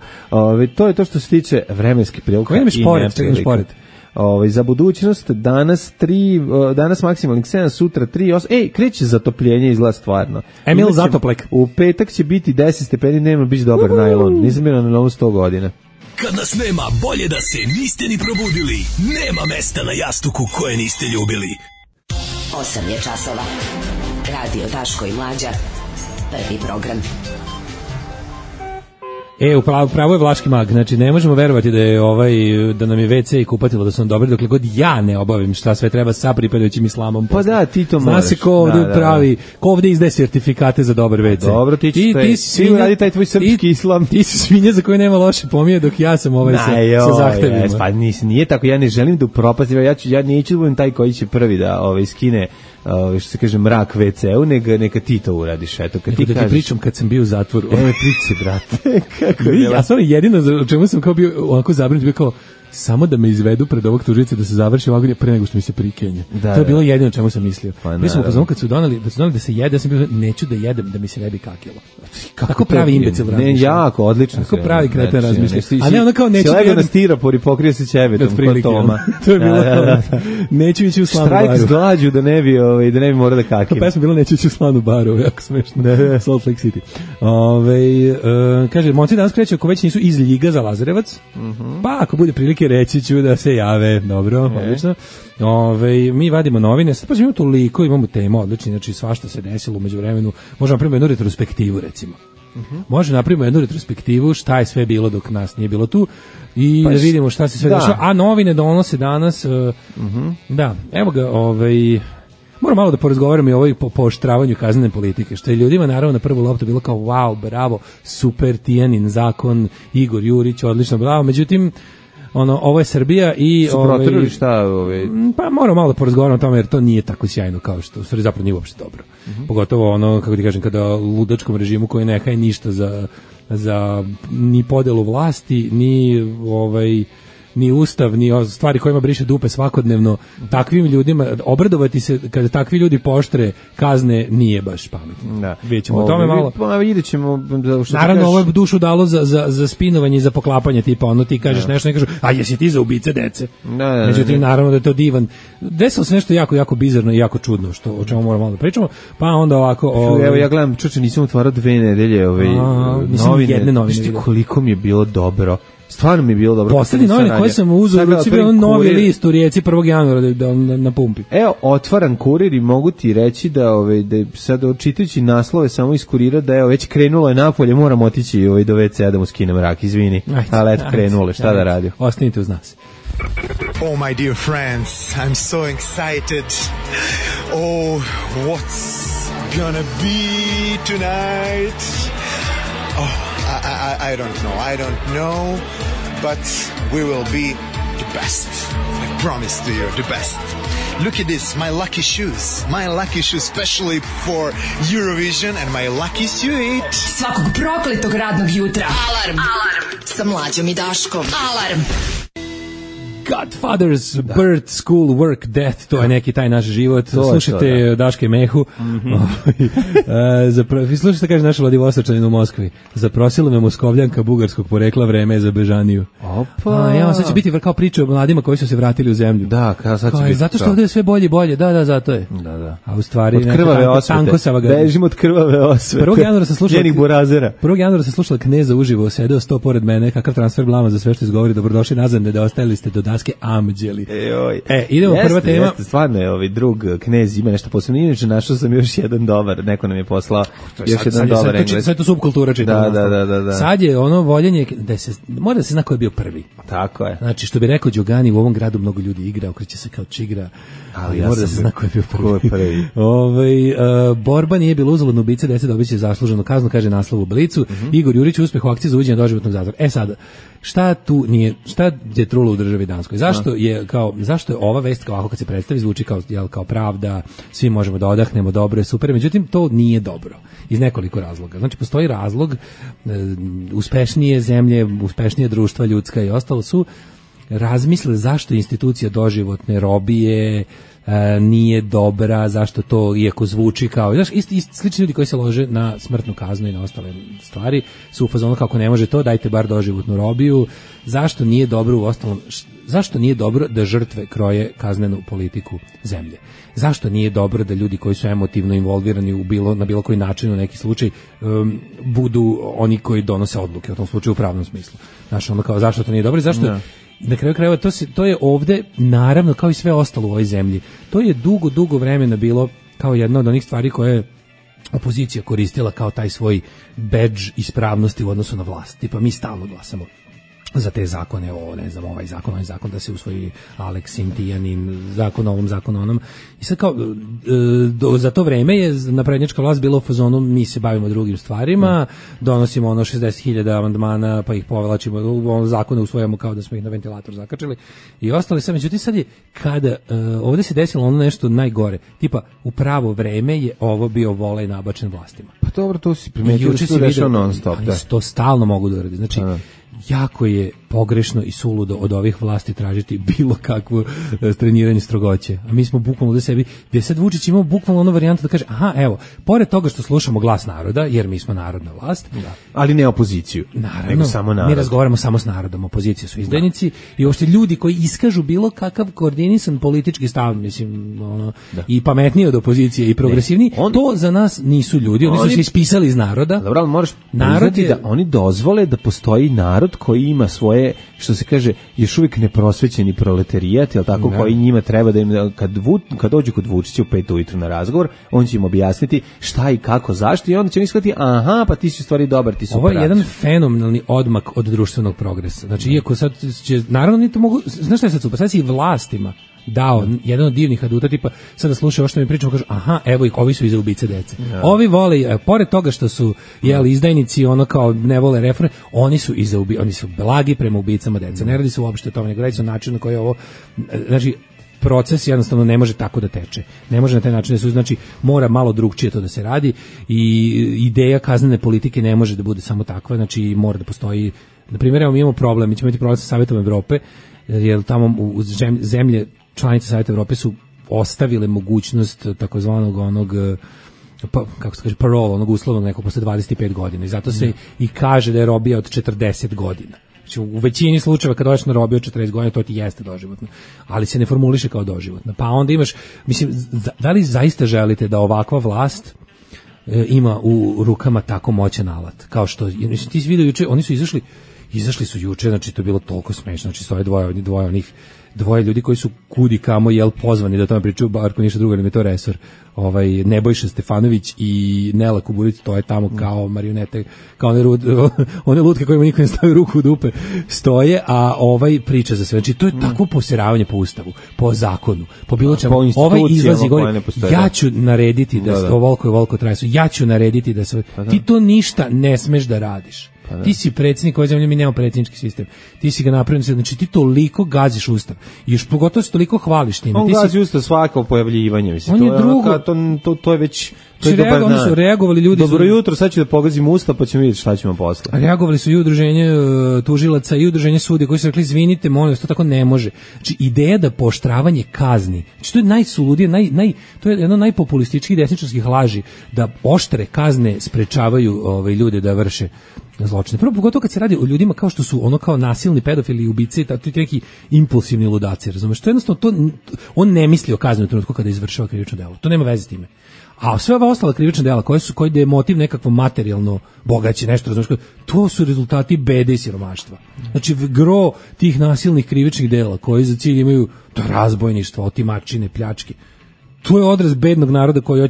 To je to što se tiče vremenske prilike. Za budućnost danas maksimalnih 7, sutra 3, 8. Kreće zatopljenje, izgleda stvarno. Emil Zatoplek. U petak će biti 10 stepeni, nema biće dobar najlon. Nisam bio na novu 100 godina. Kad nas nema, bolje da se niste ni probudili. Nema mesta na jastuku koje niste ljubili. 8 je časova. Radio Daško i Mlađa. Prvi program. Upravo je Vlaški mag, znači ne možemo verovati da je da nam je WC i kupatilo da su nam dobri, dokle god ja ne obavim šta sve treba sa pripadajućim islamom. Pa da, ti to moraš. Zna se ko ovde pravi, ko ovde izdaje sertifikate za dobar WC. Dobro, ti radi taj tvoj srpski islam. Ti si svinja za koju nema loše pomije, dok ja sam sa zahtevima. Pa nije tako, ja ne želim da upropastim, ja neću da budem taj koji će prvi da skine što se kaže mrak WC-u, neka ti to uradiš. Eto, kad ti kažeš. Pričam kad sam bio u zatvoru. Priči, brate. Ja sam jedino o čemu sam kao bio ovako zabrinut, bio kao samo da me izvedu pred ovog tužice da se završi vagonje pre nego što mi se prikenje. To je bilo jedino čemu sam mislio. Mi smo pozvali kad su doneli da se jede, ja sam bio neću da jedem da mi se ne bi kakilo. Kako pravi imbecil razmišlja. Ne, jako, odlično. Kako pravi kreten razmišlja. A ne, ona kao neću da jedem. Na stiropor i pokrije se ćevetom kod Toma. To je bilo neću ići u slanu baru. Štrajk s glađu da ne bi morao da kakim. Pesma bila neću ići u slanu baru, jako smešno. Salt Lake City. Kaže, momci danas kreću ako već nisu iz Ljiga za Lazarevac. Pa ako bude prilike reći ću da se jave. Dobro, odlično. Mi vadimo novine, sad pa imamo toliko, imamo tema odlični, znači svašta se desilo u međuvremenu. Možemo napraviti jednu retrospektivu, recimo. Možemo napraviti jednu retrospektivu šta je sve bilo dok nas nije bilo tu i da vidimo šta se sve dešava. A novine donose danas, da, evo ga, moram malo da porazgovaram i o ovoj pooštravanju kaznene politike, što je ljudima naravno na prvu loptu bilo kao wow, bravo, super, Tijanin zakon, Igor Jurić, odlično, bravo, međutim, ovo je Srbija i su proterali šta pa moram malo da porazgovaram o tome jer to nije tako sjajno kao što u stvari zapravo nije uopšte dobro. Pogotovo kako ti kažem, kada ludačkom režimu koji ne haje ništa za ni podelu vlasti, ni ustav, ni stvari kojima briše dupe svakodnevno, takvim ljudima obradovati se kada takvi ljudi pooštre kazne nije baš pametno. Da. Vidjet ćemo o tome malo. Ćemo, naravno, ovo je dušu dalo za spinovanje i za poklapanje, tipa ti kažeš nešto, ne kažu, a jesi ti za ubice dece? Međutim, naravno da je to divan. Desilo se nešto jako, jako bizarno i jako čudno, o čemu moramo malo da pričamo, pa onda ovako... Evo, ja gledam, nisam otvarao 2 nedelje novine. Koliko mi je bilo dobro. Stvarno mi je bilo dobro. Poslednji novine koje sam uzeo, bio novi list u Rijeci 1. januara na pumpi. Evo, otvaram Kurir i mogu ti reći da sad čitajući naslove samo iz Kurira da je već krenulo je napolje, moram otići do WC-a da mu skinem mrak, izvini. Ali eto, krenulo, šta da radio? Ostanite uz nas. Oh, my dear friends, I'm so excited. Oh, what's gonna be tonight? Oh, I don't know, but we will be the best. I promise to you, the best. Look at this, my lucky shoes, especially for Eurovision, and my lucky suit. Svakog prokletog radnog jutra. Alarm sa Mlađom i Daškom. Alarm. Godfathers, birth, school, work, death, to je neki taj naš život. Slušajte Daške Mehu. Slušajte, kaže naša Vladivostočanin u Moskvi. Zaprosila me Moskovljanka bugarskog porekla, vreme je za bežaniju. Opa. Sad će biti kao priča o mladima koji su se vratili u zemlju. Da, sad će biti. Zato što ovdje je sve bolje i bolje. Da, zato je. Da. A u stvari od krvave osvete. Bežimo od krvave osvete. 1. januara sam slušala njenih burazera. 1. januara sam slušala Kneza uživo, sedeo 100 pored mene, kakav transfer blama za sve što izgovori. Dobrodošli nazad, ne da ostajali ste do daske Amđeli. Joj. Idemo prva tema. Jeste, stvarno je ovaj drug knez ima nešto posebno. Inače, našao sam još jedan dobar, neko nam je poslao još jedan dobar engleski. Sad to subkultura čita. Da. Sad je ono voljenje, mora da se zna ko je bio prvi. Tako je. Znači, što bi rekao Đogani, u ovom gradu mnogo ljudi igra, okreće se kao čigra, ali mora da se zna ko je bio prvi. Borba nije bila uzaludna, ubica dece dobiće zasluženu kaznu, kaže naslov u Blicu. Igor Jurić uspeh u akciji za uvođenje doživotnog zatvora. Sad, šta je trulo u državi Danskoj? Zašto je ova vest kao kad se predstavi zvuči kao pravda, svi možemo da odahnemo, dobro je, super, međutim to nije dobro iz nekoliko razloga. Znači postoji razlog, uspešnije zemlje, uspešnije društva ljudska i ostalo su razmisle zašto institucija doživotne robije nije dobra, zašto to iako zvuči kao, znaš, slični ljudi koji se lože na smrtnu kaznu i na ostale stvari su u fazonu kako ne može to, dajte bar doživotnu robiju. Zašto nije dobro u ostalom, zašto nije dobro da žrtve kroje kaznenu politiku zemlje? Zašto nije dobro da ljudi koji su emotivno involvirani na bilo koji način u neki slučaj budu oni koji donose odluke, u tom slučaju u pravnom smislu? Znaš, ono kao zašto to nije dobro i zašto na kraju krajeva to je ovde naravno kao i sve ostalo u ovoj zemlji. To je dugo vremena bilo kao jedna od onih stvari koje je opozicija koristila kao taj svoj bedž ispravnosti u odnosu na vlast. Tipa mi stalno glasamo za te zakone, ovaj zakon da se usvoji Alex Sintijanin, zakon onom. I sad kao, za to vreme je naprednjačka vlast bila u fazonu, mi se bavimo drugim stvarima, donosimo 60.000 amandmana, pa ih povelačimo, zakone usvojamo kao da smo ih na ventilator zakačili i ostali sad. Međutim, sad je kada, ovdje se desilo ono nešto najgore, tipa, u pravo vreme je ovo bio volej nabačen vlastima. Pa dobro, to si primetio da se to dešava non stop. To stalno mogu da uradi. Znači, jako je pogrešno i suludo od ovih vlasti tražiti bilo kakvo treniranje strogoće. A mi smo bukvalno da sebi, gdje sad Vučić imao bukvalno ono varijantu da kaže, pored toga što slušamo glas naroda, jer mi smo narodna vlast, ali ne opoziciju, nego samo narod. Mi razgovaramo samo s narodom, opozicija su izdajnici i uopšte ljudi koji iskažu bilo kakav koordinisan politički stav, mislim, i pametniji od opozicije i progresivniji, to za nas nisu ljudi, oni su se ispisali iz naroda. Dobro, ali moraš priznati da oni dozvole da postoji narod koji ima svoje, što se kaže, još uvijek neprosvećeni proletarijat, jel tako, koji njima treba da im, kad dođu kod Vučića u 5 ujutru na razgovor, on će im objasniti šta i kako, zašto, i onda će oni shvatiti, pa ti si stvari dobar, ti su ovo je jedan fenomenalni odmak od društvenog progresa. Znači, iako sad će, naravno, ni to mogu, znaš šta je sad super, sad si i vlastima dao jedan od divnih aduta, tipa sada slušaj ovo što mi pričamo, kažu evo ih, ovi su iza ubice dece. Ovi vole, pored toga što su izdajnici, ono kao ne vole reforme, oni su oni su blagi prema ubicama dece. Ne radi se uopšte o tome, nego radi se o načinu na koji je ovo, znači proces jednostavno ne može tako da teče. Ne može na taj način da se, znači mora malo drugčije to da se radi i ideja kaznene politike ne može da bude samo takva, znači mora da postoji, na primjer, evo mi imamo problem, mi ćemo imati problem sa Savetom Evrope, jer tamo u zemlje članice Saveta Evrope su ostavile mogućnost takozvanog kako se kaže, parole, onog uslovnog nekog posle 25 godina i zato se i kaže da je robija od 40 godina. Znači, u većini slučajeva kad dođeš na robiju od 40 godina, to ti jeste doživotno, ali se ne formuliše kao doživotno. Pa onda imaš, mislim, da li zaista želite da ovakva vlast ima u rukama tako moćan alat? Kao što, ti si vidio juče, oni su izašli su juče, znači to je bilo toliko smešno, znači stoje dvoje ljudi koji su kudi kamo pozvani da o tome pričaju, bar ko ništa drugo, ne je to resor. Nebojša Stefanović i Nela Kuburić stoje tamo kao marionete, kao one lutke kojima niko ne stavi ruku u dupe, stoje, a priča za sve. Znači to je takvo poseravanje po ustavu, po zakonu, po bilo čemu. Izlazi govori, ja ću narediti da to volko traje, ja ću narediti da se... Ti to ništa ne smeš da radiš. Ti si predsjednik ove zemlje, mi nemamo predsjednički sistem. Ti si ga napravio, znači ti toliko gaziš ustav. I još pogotovo se toliko hvališ time. On gazi ustav svako pojavljivanje, mislim. On je drugo. To je već... Oni su reagovali ljudi. Dobro jutro, sad ću da pogazim ustav pa ćemo vidjeti šta ćemo posle. Reagovali su i udruženje tužilaca i udruženje sudija koji su rekli izvinite, molim vas, to tako ne može. Znači ideja da pooštravanje kazni, znači to je najsuludije, to je jedno najpopulističkih desničarskih laži, da oštre kazne sprečavaju ljude da vrše zločine. Prvo, pogotovo kad se radi o ljudima kao što su ono kao nasilni pedofili i ubice, to je neki impulsivni ludaci, razumeš? To jednostavno, on ne misli o kazni u trenutku kada izvršava krivično delo. To nema veze s time. A sve ova ostala krivična dela koji da je motiv nekakvo materijalno bogaće, nešto, razumiješ, to su rezultati bede i siromaštva. Znači, gro tih nasilnih krivičnih dela koji za cilj imaju razbojništvo, otimačine, pljačke, to je odraz bednog naroda koji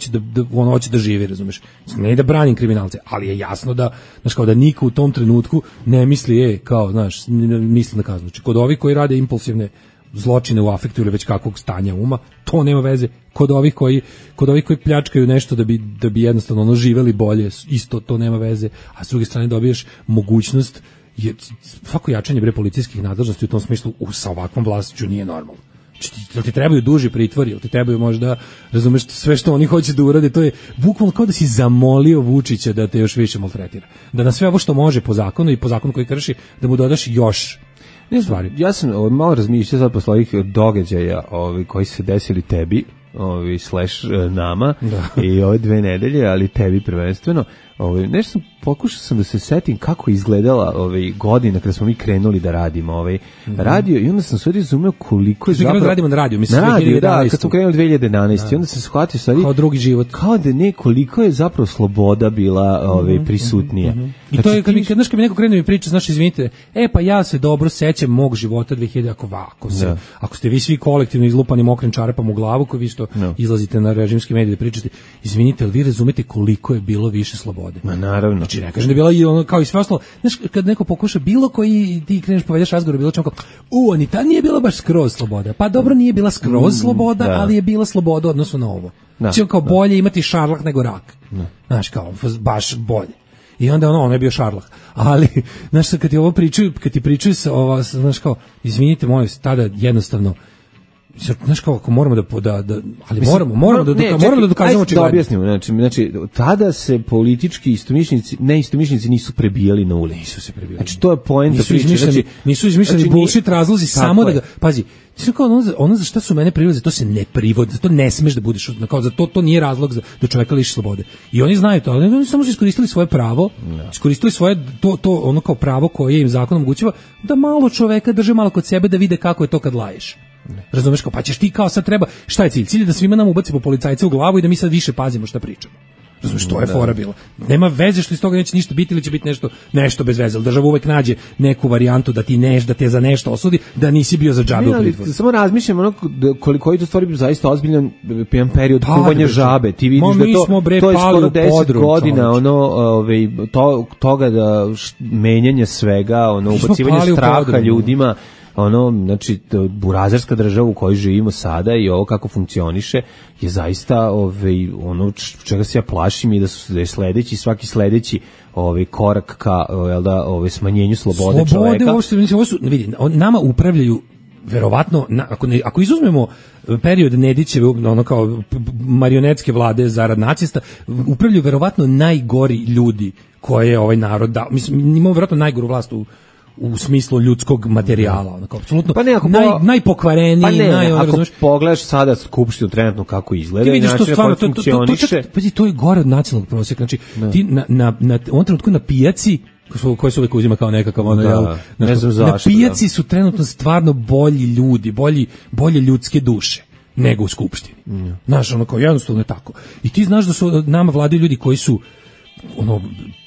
hoće da živi, razumeš. Ne da branim kriminalce, ali je jasno da, znaš, kao da niko u tom trenutku ne misli, kao, znaš, misli na kaznu. Znači, kod ovih koji rade impulsivne zločine u afektu ili već kakvog stanja uma, to nema veze. Kod ovih koji pljačkaju nešto da bi jednostavno živeli bolje, isto to nema veze. A s druge strane dobiješ mogućnost, svako jačanje policijskih nadležnosti u tom smislu sa ovakvom vlašću nije normalno. Jel ti trebaju duži pritvori, jel ti trebaju možda, razumeš, sve što oni hoće da urade, to je bukvalno kao da si zamolio Vučića da te još više maltretira. Da na sve ovo što može po zakonu i po zakonu koji krši, da mu dodaš još stvari. Ja sam malo razmišljao sad posle ovih događaja koji se desili tebi, / nama, i ove 2 nedelje, ali tebi prvenstveno. Nešto pokušao da se setim kako izgledala godina kada smo mi krenuli da radimo radio, i onda sam sve razumeo koliko je zapravo... radimo na radio, mislim, na radio, da, kad smo krenuli 2011. I onda sam shvatio sad kao drugi život. Kao da koliko je zapravo sloboda bila prisutnija. I to je, kad mi neko krene mi priča, znaš, izvinite, pa ja se dobro sećam mog života 2000, ako ste vi svi kolektivno izlupani mokrim čarapama u glavu, koji vi što izlazite na režimski medij da pričate, izvinite, ali vi razumete koliko je bilo više slobode. Ma naravno. Znači, ne kažem da je bila i ono kao i sve ostalo. Znaš, kad neko pokuša bilo koji, ti kreneš povedeš razgovor, bilo čemu kao, ni ta nije bila baš skroz sloboda. Pa dobro, nije bila skroz sloboda, ali je bila sloboda odnosno na ovo. Znači, kao bolje imati šarlah nego rak. Znaš, kao, baš bolje. I onda ono je bio šarlah. Ali, znaš, kad ti pričaju znaš, kao, izvinite, molim se, tada jednostavno, znaš kao, ako moramo ali moramo da dokazamo očigledno. Da objasnimo, znači, tada se politički neistomišljenici nisu prebijali na ulici. Nisu se prebijali. Znači, to je poenta priče. Nisu izmišljeni bullshit razlozi, samo da ga, pazi, ono za šta su mene prilaze, to se ne privodi, to ne smeš da budeš, kao za to nije razlog da čoveka liši slobode. I oni znaju to, ali oni samo su iskoristili svoje pravo, iskoristili svoje, to ono kao pravo koje im zakon omogućava, da malo čoveka drže malo kod sebe da vide kako je to kad laješ. Razumeš, kao, pa ćeš ti kao sad treba, šta je cilj? Cilj je da svima nam ubaci po policajce u glavu i da mi sad više pazimo šta pričamo. Razumeš, to je fora bilo. Nema veze što iz toga neće ništa biti ili će biti nešto bez veze. Država uvek nađe neku varijantu da te za nešto osudi, da nisi bio za džabe u pritvoru. Samo razmišljam koliko je to stvari zaista ozbiljan jedan period kuvanja žabe. Ti vidiš da to je skoro 10 godina toga da menjanje svega, ubacivanje straha ljudima. Znači, burazerska država u kojoj živimo sada i ovo kako funkcioniše je zaista ono čega se ja plašim i da je svaki sledeći korak ka smanjenju slobode čoveka. Vidi, nama upravljaju verovatno, ako izuzmemo period Nedićeve, ono kao marionetske vlade zarad nacista, upravljaju verovatno najgori ljudi koje je ovaj narod dao. Mislim, imamo verovatno najgoru vlast u smislu ljudskog materijala, onako apsolutno najpokvareniji, ako pogledaš sada skupštinu trenutno kako izgleda, ti vidiš to stvarno, to je gore od nacionalnog prosjeka. Znači, ti na ovom trenutku na pijaci, koji se uvijek uzima kao nekakav na pijaci su trenutno stvarno bolji ljudi, bolje ljudske duše nego u skupštini. Znaš, ono kao jednostavno je tako. I ti znaš da su nama vladaju ljudi koji su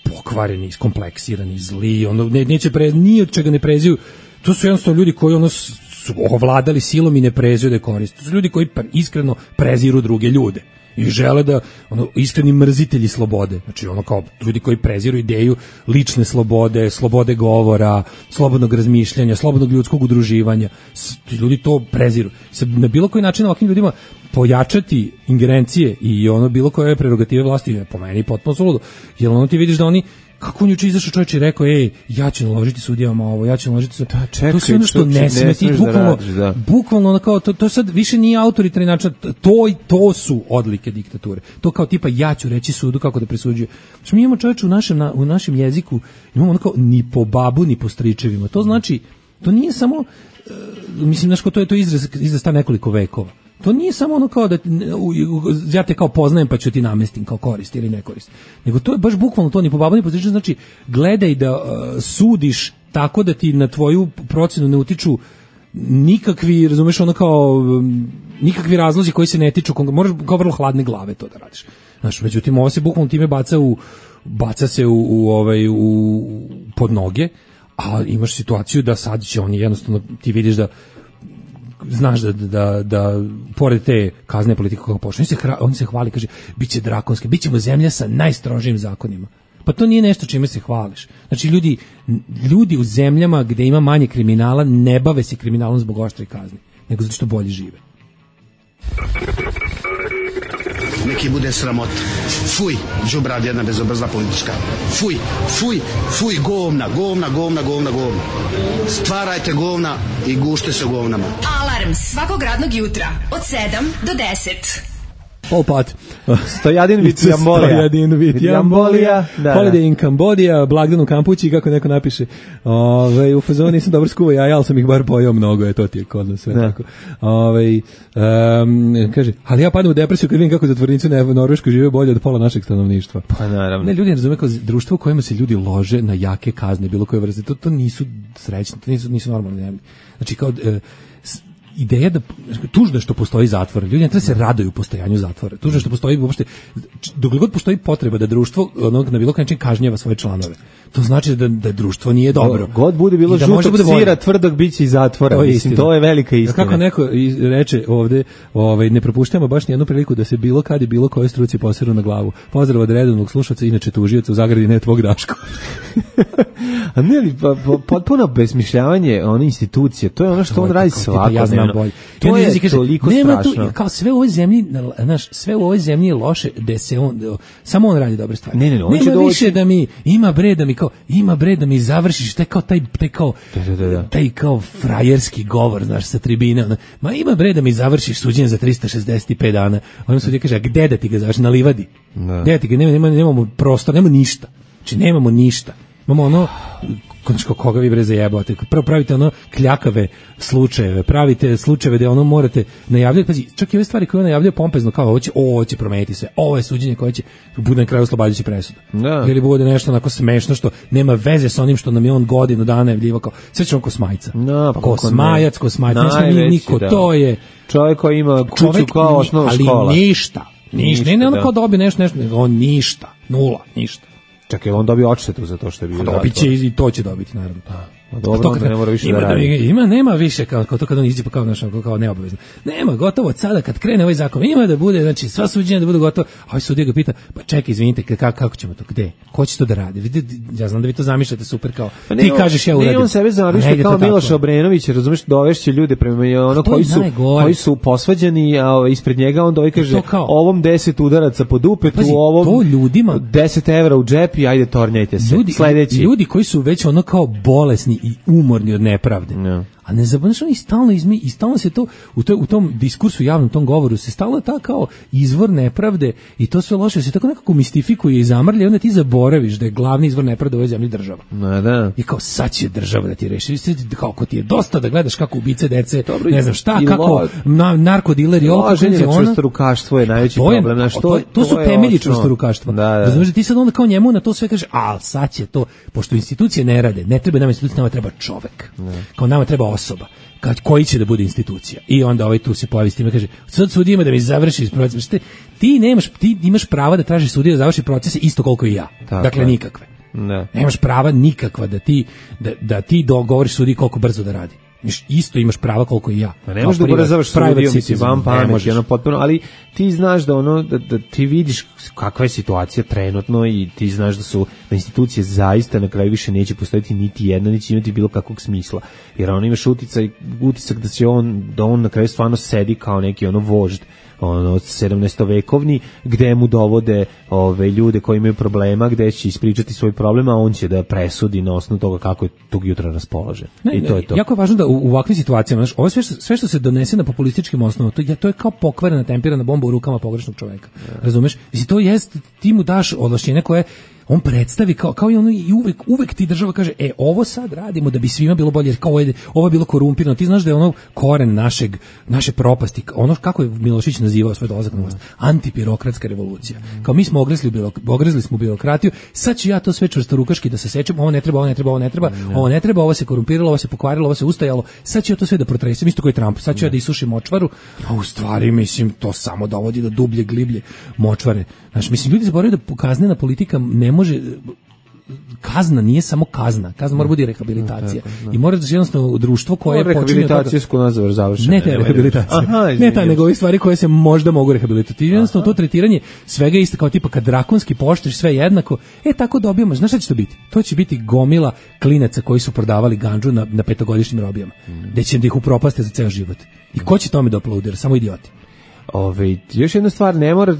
pokvareni, iskompleksirani, zli, ni od čega ne preziju. To su jednostavno ljudi koji su ovladali silom i ne preziju da je koriste. To su ljudi koji iskreno preziru druge ljude i žele da, iskreni mrzitelji slobode. Znači, kao ljudi koji preziru ideju lične slobode govora, slobodnog razmišljanja, slobodnog ljudskog udruživanja. Ljudi to preziru. Na bilo koji način ovakvim ljudima pojačati ingerencije i bilo koje prerogative vlasti je po meni potpuno suludo. Jer ti vidiš da oni, kako on juče izašao čovječ i rekao, ja ću naložiti sudijama ovo, ja ću naložiti to sve ono što ne sme ti, bukvalno kao, to sad više nije autoritarni način, to su odlike diktature. To kao tipa, ja ću reći sudu kako da presuđuje. Znači, mi imamo čovječ u našem jeziku, imamo kao ni po babu, ni po stričevima. To znači, to nije samo, mislim, znaš, to je izraz ta nekoliko vekova. To nije samo kao da ja te kao poznajem pa ću ti namestim kao korist ili ne korist. Nego to je baš bukvalno to, ni po babu ni po stričevima. Znači, gledaj da sudiš tako da ti na tvoju procenu ne utiču nikakvi, razumeš, kao nikakvi razlozi koji se ne tiču, moraš kao vrlo hladne glave to da radiš. Znaš, međutim, ovo se bukvalno time baca se u pod noge, a imaš situaciju da sad će oni jednostavno, ti vidiš da znaš da pored te kazne politike kako počne, on se hvali, kaže, biće drakonski, bićemo zemlja sa najstrožijim zakonima. Pa to nije nešto čime se hvališ. Znači, ljudi u zemljama gde ima manje kriminala ne bave se kriminalom zbog oštrih kazni, nego zato što bolje žive. Neki bude sramot. Fuj, đubrad jedna bezobrazna politička. Fuj, fuj, fuj, govna. Stvarajte govna i gušte se govnama. Alarm svakog radnog jutra od 7 do 10. Polpat. Stojadin vit Jambolija. Holiday in Cambodia, blagdan u Kampući, kako neko napiše. U fazonu nisam dobro skuvao jaja, ali sam ih bar pojao mnogo, to ti je kod nas sve tako. Kaže, ali ja padam u depresiju kad vidim kako zatvornici u Norveškoj žive bolje od pola našeg stanovništva. Pa naravno. Ne, ljudi ne razume kao društvo u kojima se ljudi lože na jake kazne, bilo koje vrste. To nisu srećni, to nisu normalni zemlji. Znači, kao ideja da tužno što postoji zatvor, ljudi ne treba se raduju postojanju zatvora. Tužno što postoji uopšte, dokle god postoji potreba da društvo na bilo koji način kažnjava svoje članove. To znači da društvo nije dobro. God bude bilo žutog sira, tvrdog biće i zatvora. Mislim, to je velika istina. Kako neko reče ovde, ne propuštamo baš nijednu priliku da se bilo kad i bilo koje struci poseru na glavu. Pozdrav od redovnog slušaoca, inače tužioca u zagradi, ne tvog Daško. A ne li, potpuno besmišljavanje one institucije, to je ono što on radi svakodnevno. To je toliko strašno. Kao sve u ovoj zemlji, sve u ovoj zemlji je loše, da se samo on radi dobre stvari. Ne, on će doći više da mi ima bre da mi završiš taj kao frajerski govor, znaš, sa tribine. Ma ima bre da mi završiš suđenje za 365 dana. On sudija kaže, a gde da ti ga završi? Na livadi. Gde ti ga? Nemamo prostor, nemamo ništa. Znači, nemamo ništa. Imamo ono, koga vi bre zajebate, prvo pravite ono kljakave slučajeve, pravite slučajeve gde ono morate najavljati, pazi, čak i ove stvari koje on najavljaju pompezno, kao ovo će promeniti sve, ovo je suđenje koje će bude na kraju oslobađajuća presuda. Ili bude nešto onako smešno što nema veze sa onim što nam je on godinu dana najavljivao, kao sve ćemo Kosmajica. Kosmajac, niko, to je čovjek koji ima kuću kao osnovna škola. Ali ništa, ne ono kao dobi nešto, on ništa, nula, ništa. Čak je on dobio odštetu za to što je bio. Dobit će i to će dobiti, naravno. Dobro, onda ne mora više da radi. Nema više kao to kad on iđe kao neobavezno. Nema, gotovo od sada kad krene ovaj zakon. Ima da bude, znači sva suđenja da budu gotovo. A ovaj sudija ga pita, pa čekaj, izvinite, kako ćemo to, gde? Ko će to da radi? Vidite, ja znam da vi to zamišljate super kao. Ti kažeš ja uradim. Ne, on sebe zamišlja kao Miloš Obrenović, razumeš, dovešće ljude prema ono koji su posvađani, a ispred njega on dovi kaže ovom 10 udaraca po dupetu, ovom 10 evra u džep i ajde tornjajte se. Sledeći. Ljudi koji su već ono kao bolesni i umorni od nepravde. A ne zaboraveš, oni stalno se to u tom diskursu javnom, tom govoru se stalno ta kao izvor nepravde i to sve loše se tako nekako mistifikuje i zamrlja, onda ti zaboraviš da je glavni izvor nepravde u ovoj zemlji država. I kao sad će država da ti reši. Kako ti je dosta da gledaš kako ubice dece, ne znam šta, kako narkodileri, čvrstorukaštvo je najveći problem. To su temelji čvrstorukaštva. Razumeš da ti sad onda kao njemu na to sve kaže, a sad će to, pošto institucije ne rade, ne treba nama institucija, nama treba čovek. Kao nama treba osoba koji će da bude institucija. I onda tu se pojavi s time, kaže, sad sudija ima da mi završi proces. Ti imaš prava da tražiš sudija da završi procese isto koliko i ja. Dakle, nikakve. Nemaš prava nikakva da ti dogovoriš sudiji koliko brzo da radi. Isto imaš prava koliko i ja. Ne možeš da ubrzavaš sudijom, mislim, vam pameti, potpuno, ali ti znaš da ti vidiš kakva je situacija trenutno i ti znaš da institucije zaista na kraju više neće postojiti niti jedna, neće imati bilo kakvog smisla. Jer on imaš utisak da on na kraju stvarno sedi kao neki vožd 17-vekovni, gde mu dovode ljude koji imaju problema, gde će ispričati svoj problem, a on će da presudi na osnovu toga kako je tog jutra raspoložen. I to je to. Jako je važno da u ovakvim situacijama, ovo sve što se donese na populističkim osnovama, to je kao pokvarena, tempirana bomba u rukama pogrešnog čoveka. Razumeš? To jest, ti mu daš ovlašćenje koje on predstavi kao i ono i uvek ti država kaže ovo sad radimo da bi svima bilo bolje, jer kao ovo je bilo korumpirano. Ti znaš da je ono koren naše propasti, ono kako je Milošević nazivao svoj dolazak na vlast, antibirokratska revolucija. Kao mi smo ogrezli smo birokratiju, sad ću ja to sve čvrstorukaški da se sečem, ovo ne treba, ovo se korumpiralo, ovo se pokvarilo, ovo se ustajalo, sad ću ja to sve da protresem, isto kao i Trump, sad ću ja da isušim močvaru, a u stvari mislim to samo dovodi do dublje gliblje močvare. Znaš, mislim, ljudi zaboravljaju da kaznena politika ne može, kazna nije samo kazna mora biti rehabilitacija. I mora da jednostavno društvo koje počinje rehabilitacijsku nazvar završeno. Ne te rehabilitacija. Ne ta, nego ovih stvari koje se možda mogu rehabilitirati. Jednostavno to tretiranje svega isto kao tipa kad drakonski poštriš sve jednako, tako dobijamo. Znaš šta će to biti? To će biti gomila klinaca koji su prodavali gandžu na 5-godišnjim robijama. Gde će da ih upropaste za ceo život. I ko će tome da aplaudira? Samo idioti. Još jedna stvar, ne mora,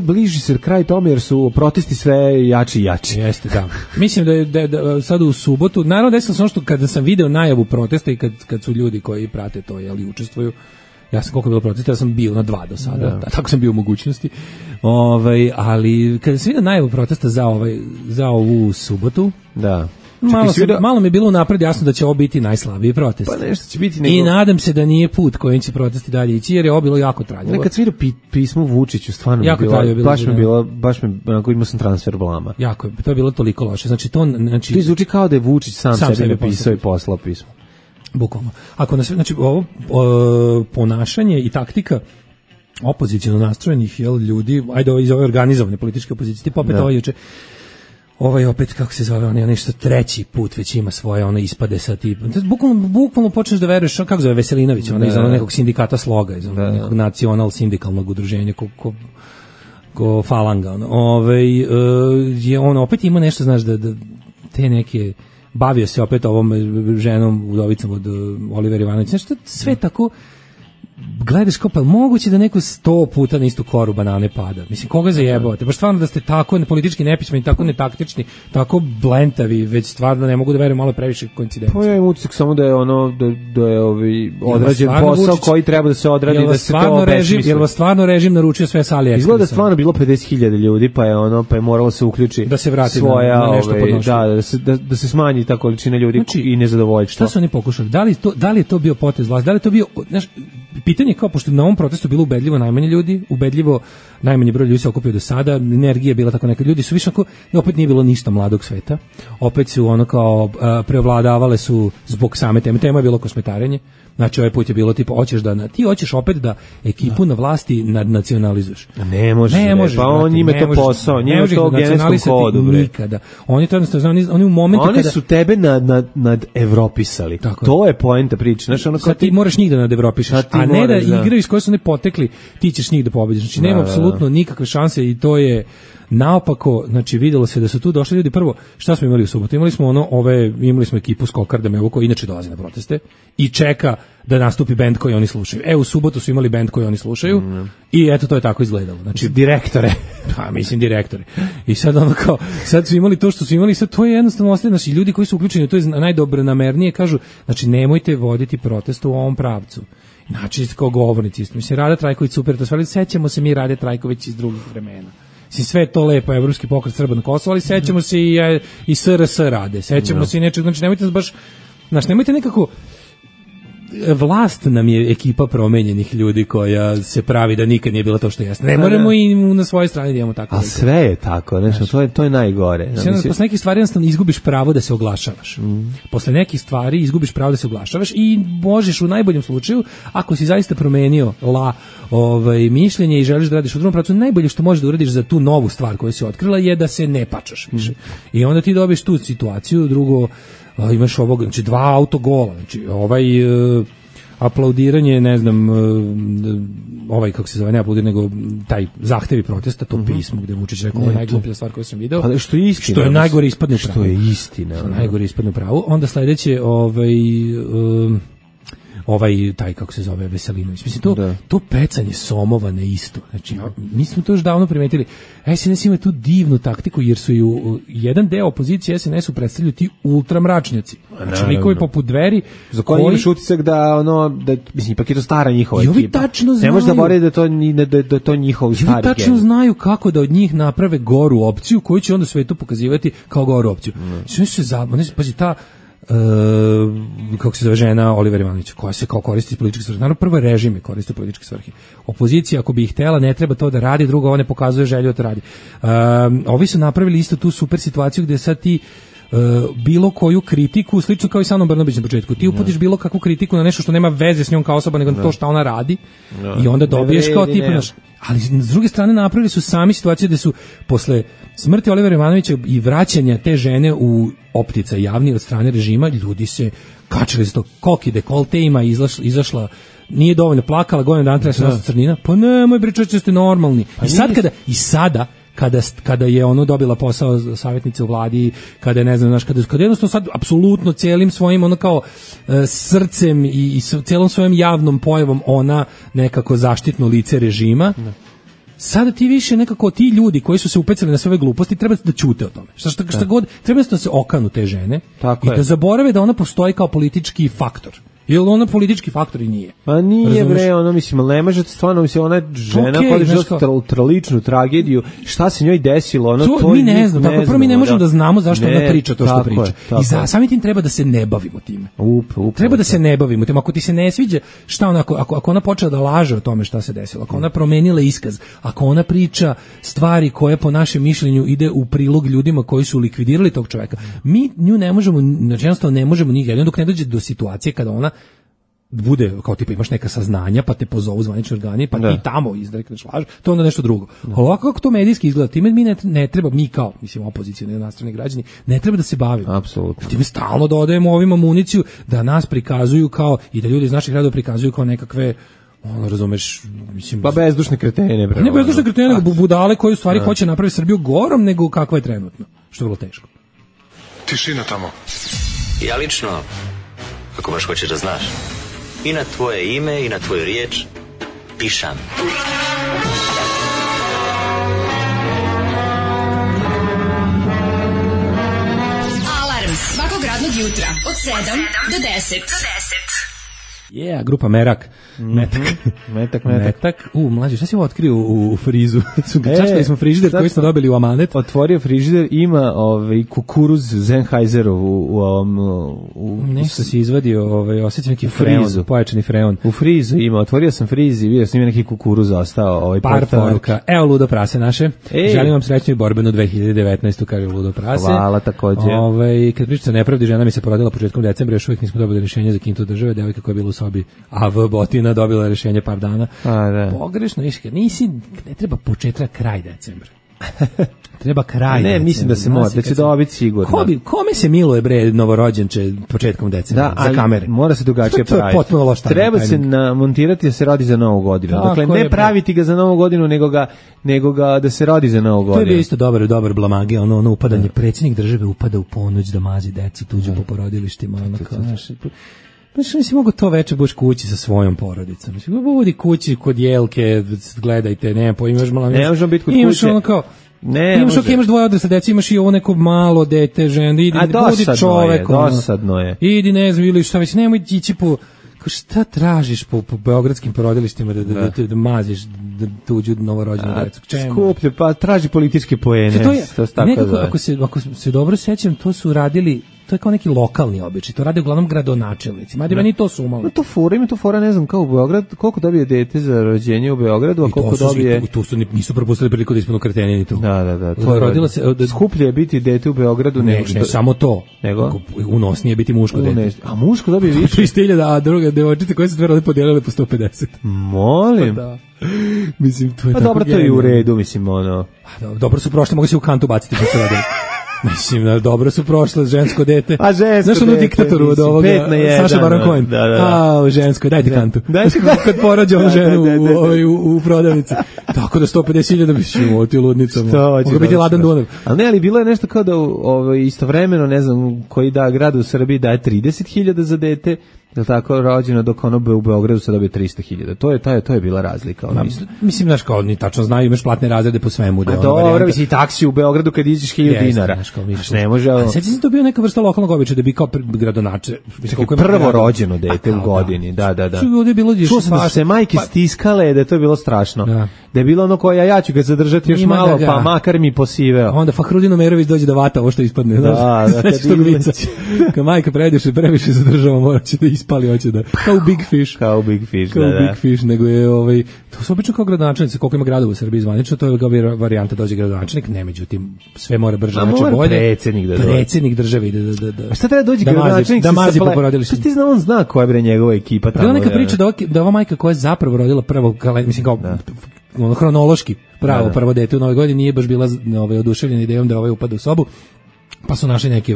bliži se kraj tome jer su protesti sve jači i jači. Jeste, da. Mislim da sad u subotu, naravno desilo se ono što kada sam video najavu protesta i kad su ljudi koji prate to, učestvuju, ja sam koliko je bilo protesta, ja sam bio na 2 do sada, tako sam bio u mogućnosti, ali kada sam vidio najavu protesta za ovu subotu, da. Malo mi je bilo unapred jasno da će ovo biti najslabiji protest. Pa nešto će biti I nadam se da nije put kojim će protesti dalje ići, jer je ovo bilo jako traljivo. Nekad sam vidio pismo Vučiću, stvarno jako baš me onako imao sam transfer blama. Jako je, to je bilo toliko loše. Znači to zvuči kao da je Vučić sam sebi napisao i poslao pismo. Bukvalno. Znači ovo ponašanje i taktika opoziciono nastrojenih ljudi, iz ove organizovane političke opozicije, tipa opet ovo juče. Opet, kako se zove, on je nešto treći put već ima svoje ispade sa tipom. Bukvalno počneš da veruješ, kako zove Veselinović, iz nekog sindikata Sloga, iz nekog nacional sindikalnog udruženja, ko falanga. On opet ima nešto, znaš, da te neke, bavio se opet ovom ženom, udovicom od Olivera Ivanovića, nešto sve tako, gledaš kao, pa moguće da neko 100 puta na istu koru banane pada. Mislim, koga zajebavate? Baš stvarno da ste tako politički nepismeni, tako netaktični, tako blentavi, već stvarno ne mogu da verujem, malo previše koincidencije. Pa ja imam utisak samo da je da je odrađen posao koji treba da se odradi, da se to obesmisli. Jel vas stvarno režim naručio sve sa AliExpressa? Izgleda stvarno bilo 50.000 ljudi, pa je moralo se uključi da se vrati svoja, na nešto podnošljivo. Da se smanji ta količina ljudi i nezadovoljstva. Šta su oni pokušali? Da li je to bio potez vlasti? Da li je to bio, pitanje je kao, pošto na ovom protestu bilo ubedljivo najmanje ljudi, ubedljivo najmanji broj ljudi se okupio do sada, energija je bila tako neka, ljudi su više ako, opet nije bilo ništa mladog sveta, opet su preovladavale su zbog same teme je bilo kosmetarenje, znači ovaj put je bilo tipa, ti hoćeš opet da ekipu na vlasti nadnacionalizuješ. Ne može, pa on njime to posao, njime to u genetskom kodu. Nikada. Oni to jednostavno, oni u momentu oni su tebe nad Evropisali. To je poenta priče. Znači, sad ti moraš njih da nad Evropišaš, a ne da igraju iz koje su ne potekli, ti ćeš njih da pobediš. Znači nema apsolutno nikakve šanse i to je naopako, znači videlo se da su tu došli ljudi. Prvo, šta smo imali u subotu? Imali smo ekipu Skokarda koji inače dolazi na proteste i čeka da nastupi bend koji oni slušaju. U subotu su imali bend koji oni slušaju i eto to je tako izgledalo. Znači direktore. Direktore. I sad sad su imali to što su imali, sad to je jednostavno ostaje, znači ljudi koji su uključeni, to je najdobronamernije kažu, znači nemojte voditi protest u ovom pravcu. Znači kao govornici, mislim Rada Trajković super, to sve, sećamo se mi Rade Trajković iz drugih vremena. Sve to lepo, Evropski pokret Srba na Kosovo, ali sećamo se i SRS Rade, sećamo se i nečeg, znači nemojte baš, nemojte nekako, vlast nam je ekipa promenjenih ljudi koja se pravi da nikad nije bila to što jeste. Ne moramo i na svojoj strani da imamo tako. A sve je tako, to je najgore. Posle nekih stvari jednostavno izgubiš pravo da se oglašavaš. Posle nekih stvari izgubiš pravo da se oglašavaš i možeš u najboljem slučaju, ako si zaista promenio mišljenje i želiš da radiš u drugom pravcu, najbolje što možeš da uradiš za tu novu stvar koju si otkrila je da se ne pačaš više. I onda ti dobiješ tu situaciju, drugo imaš znači 2 autogola, znači aplaudiranje, ne znam, kako se zove, ne aplaudiranje, nego taj zahtevi protesta, to pismo gde Vučić rekao, ovo je najgluplja stvar koju sam video. Pa što je istina. Što je najgore ispadne pravo. Što je istina. Najgore ispadne pravo. Onda sledeće, taj kako se zove Veselinović. Mislim to pecanje somova ne isto. Znači mi smo to još davno primetili. SNS ima tu divnu taktiku jer su ju jedan deo opozicije SNS-u predstavljaju ti ultramračnjaci. Znači likovi poput Dveri za koji imaš utisak da mislim ipak je to stara njihova ekipa. I ovi tačno znaju. Ne možeš zaboraviti da to njihov stari. Ovi tačno znaju kako da od njih naprave goru opciju koju će onda svetu pokazivati kao goru opciju. Pazi, ta kako se zove žena Oliver Ivanović, koja se kao koristi iz političke svrhe. Naravno, prvo režime koriste političke svrhe. Opozicija, ako bi ih htela, ne treba to da radi, drugo, ovo ne pokazuje želju da to radi. Ovi su napravili isto tu super situaciju gde sad ti bilo koju kritiku, slično kao i sa Anom Brnabić na početku, ti uputiš bilo kakvu kritiku na nešto što nema veze s njom kao osoba, nego na to šta ona radi i onda dobiješ kao tipa naš. Ali s druge strane napravili su sami situaciju gde su posle smrti Olivera Ivanovića i vraćanja te žene u optica javni od strane režima, ljudi se kačili za to, koki dekolte ima, izašla, nije dovoljno plakala, godinu dana treba se nositi crnina, pa nemoj pričati, ste normalni. I sada kada je ono dobila posao savjetnice u vladi, kada je ne znam, kada jednostavno sad apsolutno celim svojim ono kao srcem i celom svojom javnom pojavom ona nekako zaštitno lice režima. Sada ti više nekako ti ljudi koji su se upecali na sve ove gluposti treba da ćute o tome. Šta god, treba da se okanu te žene i da zaborave da ona postoji kao politički faktor. Jer ona politički faktor i nije. Pa nije bre, ono mislim, ne može stvarno, mislim, ona žena koja je žela traličnu tragediju, šta se njoj desilo, ono to mi ne znamo, tako prvo mi ne možemo da znamo zašto ona priča to što priča. I samim tim treba da se ne bavimo time. Treba da se ne bavimo time. Ako ti se ne sviđa, šta ona, ako ona počela da laže o tome šta se desilo, ako ona promenila iskaz, ako ona priča stvari koje po našem mišljenju ide u prilog ljudima koji su likvidirali tog čoveka, mi nju ne možemo, jednostavno ne možemo nikad, dok ne dođe do situacije kada ona bude, kao tipa imaš neka saznanja, pa te pozovu zvanični organi, pa ti tamo izrekneš laž, to je onda nešto drugo. Ovako kako to medijski izgleda, time mi ne treba, mi kao, mislim, opozicijni nastrani građani, ne treba da se bavimo. Apsolutno. Time stalno dodajemo ovim amuniciju da nas prikazuju kao, i da ljudi iz naših gradova prikazuju kao nekakve, ono, razumeš, mislim... Pa bezdušne kretene, bre. Ne bezdušne kretene, nego budale koji u stvari hoće napraviti Srbiju gorom nego kakva je trenutno, što je vrlo teško. Tišina tamo. Ja lično, ako baš hoćeš da znaš, i na tvoje ime i na tvoju riječ pišam. Alarm svakog radnog jutra od 7 do 10. Grupa Merak. Metak. Mlađe, šta si ovo otkrio u frizu? Čačkali smo frižider koji smo dobili u amanet. Otvorio frižider, ima kukuruz Sennheiserov nešto si izvadio, osjećam neki freon, pojačani freon. U frizu ima, otvorio sam friz i vidio sam ima neki kukuruz ostao. Par poruka. Evo Ludo prase naše. Želim vam srećnu i borbenu 2019. kaže Ludo prase. Hvala takođe. Kad pričate nepravdi, žena mi se porodila početkom decembra, još uvijek nismo dobili rješenje za kintu države, devojka koja je bila u sobi AV Botina dobila rješenje par dana. Pogrešno, ne treba početak, kraj decembra. Treba kraj. Ne, mislim da se mora, da će dobiti sigurno. Kome se miluje bre novorođenče početkom decembra za kamere? Mora se drugačije praviti. To je potpuno loš timing. Treba se montirati da se rodi za Novu godinu. Dakle, ne praviti ga za Novu godinu, nego ga da se rodi za Novu godinu. To je bio isto dobar blamage, ono upadanje, predsjednik države upada u ponoć da mazi decu tuđu po porodilištima, Mislim mogu to veče budeš kući sa svojom porodicom. Mislim, budi kući kod Jelke, gledajte, ne možemo biti kod kuće. Imaš ono kao, imaš dvoje odrasle dece, imaš i ovo neko malo dete, žena, budi čovek. Dosadno je. Idi, ne znam, ili šta već, nemoj ići po... Šta tražiš po beogradskim porodilištima da maziš tuđu novorođenu decu? Skuplje, pa traži političke poene. Ako se dobro sećam, to su radili, to je kao neki lokalni običaj, to rade uglavnom gradonačelnici, mada meni to su umalo. Ima to fora, ne znam, kao u Beograd, koliko dobije dete za rođenje u Beogradu, a koliko dobije... Nisu propustili priliku da ispunu kreteni ni to. Da. Skuplje je biti dete u Beogradu nego što... Ne samo to, unosnije biti muško dete. A muško dobije više? 300.000, a druga devojčice koje se dve rode podijelile po 150. Molim? Da. Mislim, to je tako dobro, to je u redu, mislim, ono... Dobro su prošli, mogu se u kantu baciti po sve. Mislim, dobro su prošle žensko dete. A žensko znaš ono diktatoru od ovoga, Saša Baron Cohen. A, žensko, dajte kantu. Kad porađa ženu u prodavnici. Tako da 150.000 mislim, ti ludnicom. Mogu biti Ladan Dunav. Ali bilo je nešto kao da istovremeno, ne znam, koji grad u Srbiji daje 30.000 za dete, je tako, rođeno, dok ono u Beogradu se dobije 300.000. To je bila razlika. Mislim, znaš, kao oni tačno znaju, imaš platne razrede po svemu. A dobro, misli, taksi u Beogradu kad iđeš 1.000 dinara. Znaš, ne može... Sad si to bio neka vrsta lokalnog običaja da bi kao gradonačelnik. Prvo rođeno dete u godini, da. Čuo sam da su se majke stiskale, da je to bilo strašno. Da je bilo ono koja ja ću ga zadržati još malo, pa makar mi posiveo. Onda Fahrudin Omerović dođe da vata ovo što ispadne. Da, kad majka previše zadržava, morat će da ispali, hoće da... Kao u Big Fish. Kao u Big Fish, kao Big Fish, nego je to su obično kao gradonačelnici, koliko ima gradova u Srbiji zvanično, to je kao varijanta dođe gradonačelnik, ne, međutim, sve mora brže, znači bolje. Predsjednik države ide da. A šta treba dođi gradonačelnik da mazi po porodilištima? Ti on zna koja je njegova ekipa tamo. Bila neka priča da ova majka koja je zapravo rodila prvo, mislim kao hronološki prvo dete u Novoj godini nije baš bila oduševljena idejom da upada u sobu, pa su našli neke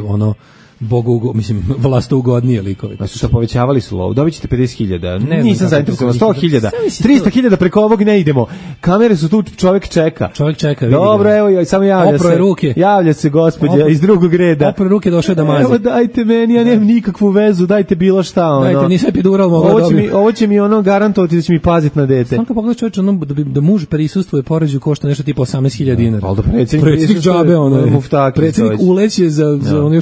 vlastougodnije likove. Pa su to povećavali su lov. Dobit ćete 50.000. Nisam zainteresovan. 100.000. 300.000 preko ovog ne idemo. Kamere su tu, čovjek čeka. Dobro, evo, samo javlja se. Ruke. Javlja se gospođa iz drugog reda. Opro ruke, došao da mazi. Evo, dajte meni, ja nemam nikakvu vezu, dajte bilo šta. Dajte, nisam epidural mogla dobiti. Ovo će mi garantovati da će mi paziti na dete. Samo kad pogledaš čovječe, da muž prisustvuje porođaju košta nešto tipa 18.000 dinara. Ali da predsjednik džabe, predsjednik uleće za ono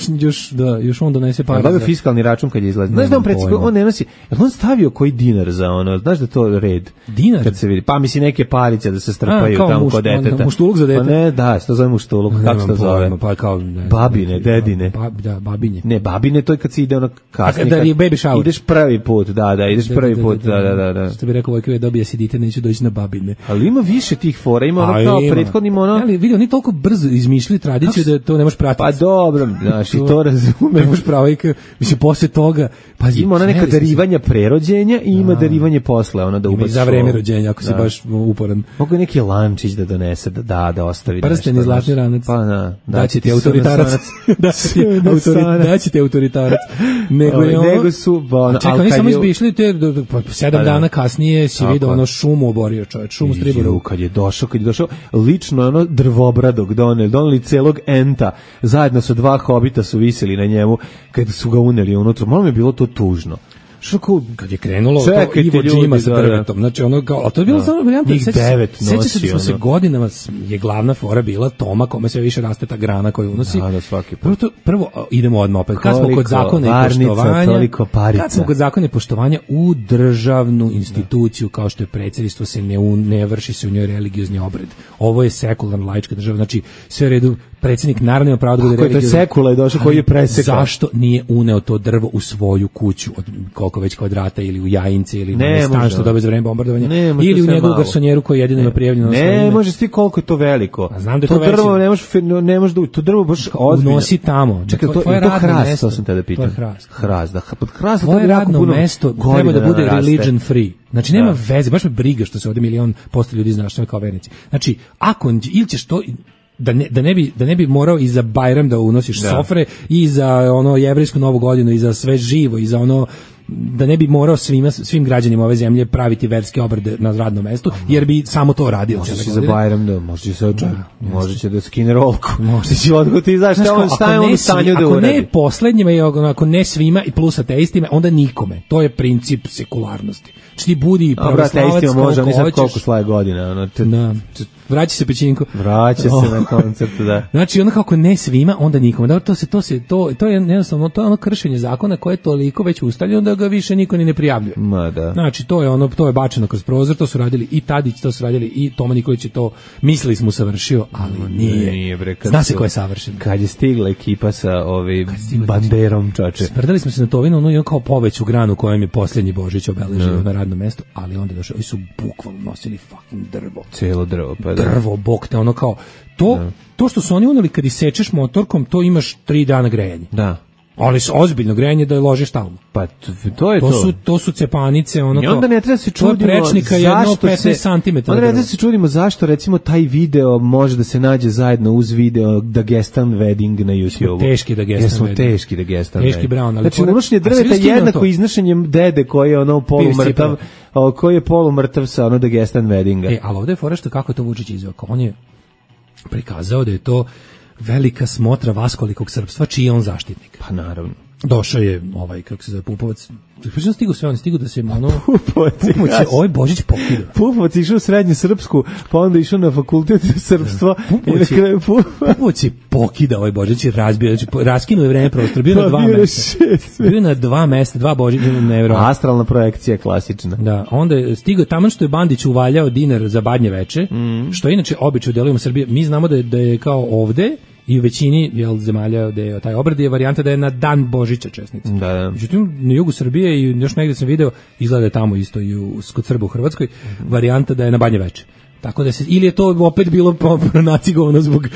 još on donese pare. Dobio fiskalni račun kad je izlazi. Znaš da on predsjednik, on ne nosi, on stavio koji dinar za ono, znaš da to red? Dinar? Kad se vidi, pa misli neke parice da se strpaju tamo kod deteta. Muštuluk za dete? Pa ne, da, se to zove muštuluk, kako se to zove? Pa kao, babine, dedine. Da, babinje. Ne, babine, to je kad se ide ono kasnije. Da je baby shower. Ideš prvi put, ideš prvi put, da. Što bi rekao Vojković, dobija se dite, neću doći na babine. Ali ima više tih fora, ima ono kao prethodnim ono. Ali vidi, oni toliko brzo izmišljaju tradiciju da to ne možeš pratiti. Pa dobro, znaš, i to razumem. Pravo, mislim, posle toga ima ona neka darivanja prerođenja i ima darivanje posle, ona da ubaci za vreme rođenja, ako si baš uporan. Mogu neki lančić da donese, da ostavi. Prsten i zlatni ranac. Pa da će ti autoritarac. Da će ti autoritarac. Nego su... Čekaj, oni samo izbišli te 7 dana kasnije si vidio ono šumu oborio čovječ, šumu striboru. Kad je došao, lično ono drvobradog doneli celog enta, zajedno sa 2 hobita su visili na njemu, kad su ga uneli unutra, malo mi je bilo to tužno. Kad je krenulo to Ivo Džima sa drvetom, znači ono kao, a to je bilo samo varijanta, seća se da smo se godinama, je glavna fora bila Toma, kome sve više raste ta grana koju unosi. Prvo idemo odmah opet, kad smo kod zakona i poštovanja, u državnu instituciju kao što je predsjedništvo se ne vrši se u njoj religiozni obred. Ovo je sekularna laička država, znači sve u redu, predsjednik naravno ima pravo da bude religiozni. To je sekula je došao koji je presekao. Zašto nije uneo to drvo u svoju kuću od koliko već kvadrata ili u Jajince ili na stan što dobije za vreme bombardovanja ili u njegovu garsonjeru koji jedino ima prijavljeno na svoje ime. Ne može ti koliko je to veliko. A znam da to drvo ne može da to drvo baš ozbiljno. Unosi tamo. Čekaj, to je hrast, to sam te da pitam. Hrast, da. Pod hrast to je radno mesto, treba da bude religion free. Znači nema veze, baš me briga što se ovdje 1.000.000% ljudi zna što je kao vernici. Znači, ako ili ćeš to da ne bi morao i za Bajram da unosiš sofre i za ono jevrejsku novu godinu i za sve živo i za ono da ne bi morao svim građanima ove zemlje praviti verske obrede na radnom mestu, jer bi samo to radio. Može se za Bajram da, može će da skine rolku, može će odgoti, znaš šta je on u stanju da uradi. Ako ne poslednjima i ako ne svima i plus ateistima, onda nikome. To je princip sekularnosti. Znači ti budi pravoslavac može, oni sad koliko slaje godina. Vraća se Pećinko. Vraća se na koncertu, da. Znači ono kako ne svima, onda nikome. Dobro, to je jednostavno, to je ono kršenje zakona koje je toliko već ustaljeno da ga više niko ni ne prijavljuje. Znači to je bačeno kroz prozor, to su radili i Tadić, to su radili i Toma Nikolić je to, mislili smo savršio, ali nije. Zna se ko je savršen. Kad je stigla ekipa sa banderom, čoče. Sprdali smo se na Tovinu, ono je kao poveću granu kojem je posljednji Božić obeležio na radnom mestu, ali onda došli, oni su bukvalno nosili fucking drvo. Cijelo drvo, pa da. Drvo, bok te, ono kao, to što su oni uneli kad isečeš motorkom, to imaš 3 dana grejanje. Da. Ali ozbiljno grejanje da je ložiš tamo. Pa to je to. To su cepanice, ono. I onda ne treba se čudimo. To je prečnika jedno 15 cm. Onda ne treba se čudimo zašto recimo taj video može da se nađe zajedno uz video Dagestan Wedding na YouTube. Teški Dagestan Wedding. Teški Dagestan Wedding. Teški Brown, ali znači unošenje drveta jednako iznošenjem dede koji je ono polumrtav, koji je polumrtav sa ono Dagestan Weddinga. Ali ovdje je fora što kako je to Vučić izveo. On je prikazao da je to velika smotra vaskolikog srpstva, čiji je on zaštitnik. Pa naravno. Došao je kako se zove, Pupovac. Pričam stigu da se ono... Pupovac ovaj Božić pokida. Pupovac išao u srednju srpsku, pa onda išao na fakultet srpstva. Pupovac je pokida ovaj Božić i razbio, znači raskinuo je vreme prostor, bio na 2 mesta. Bio na 2 mesta, 2 Božića, nevjerojatno. Astralna projekcija, klasična. Da, onda je stigao taman što je Bandić uvaljao dinar za Badnje veče, što je inače običaj u delovima Srbije. Mi znamo da je kao ovde, i u većini zemalja gde je taj obrad je varijanta da je na dan Božića česnica. Da. Međutim, na jugu Srbije i još negde sam video, izgleda tamo isto i kod Srba u Hrvatskoj, varijanta da je na Banje veče. Tako da se, ili je to opet bilo nacigovano zbog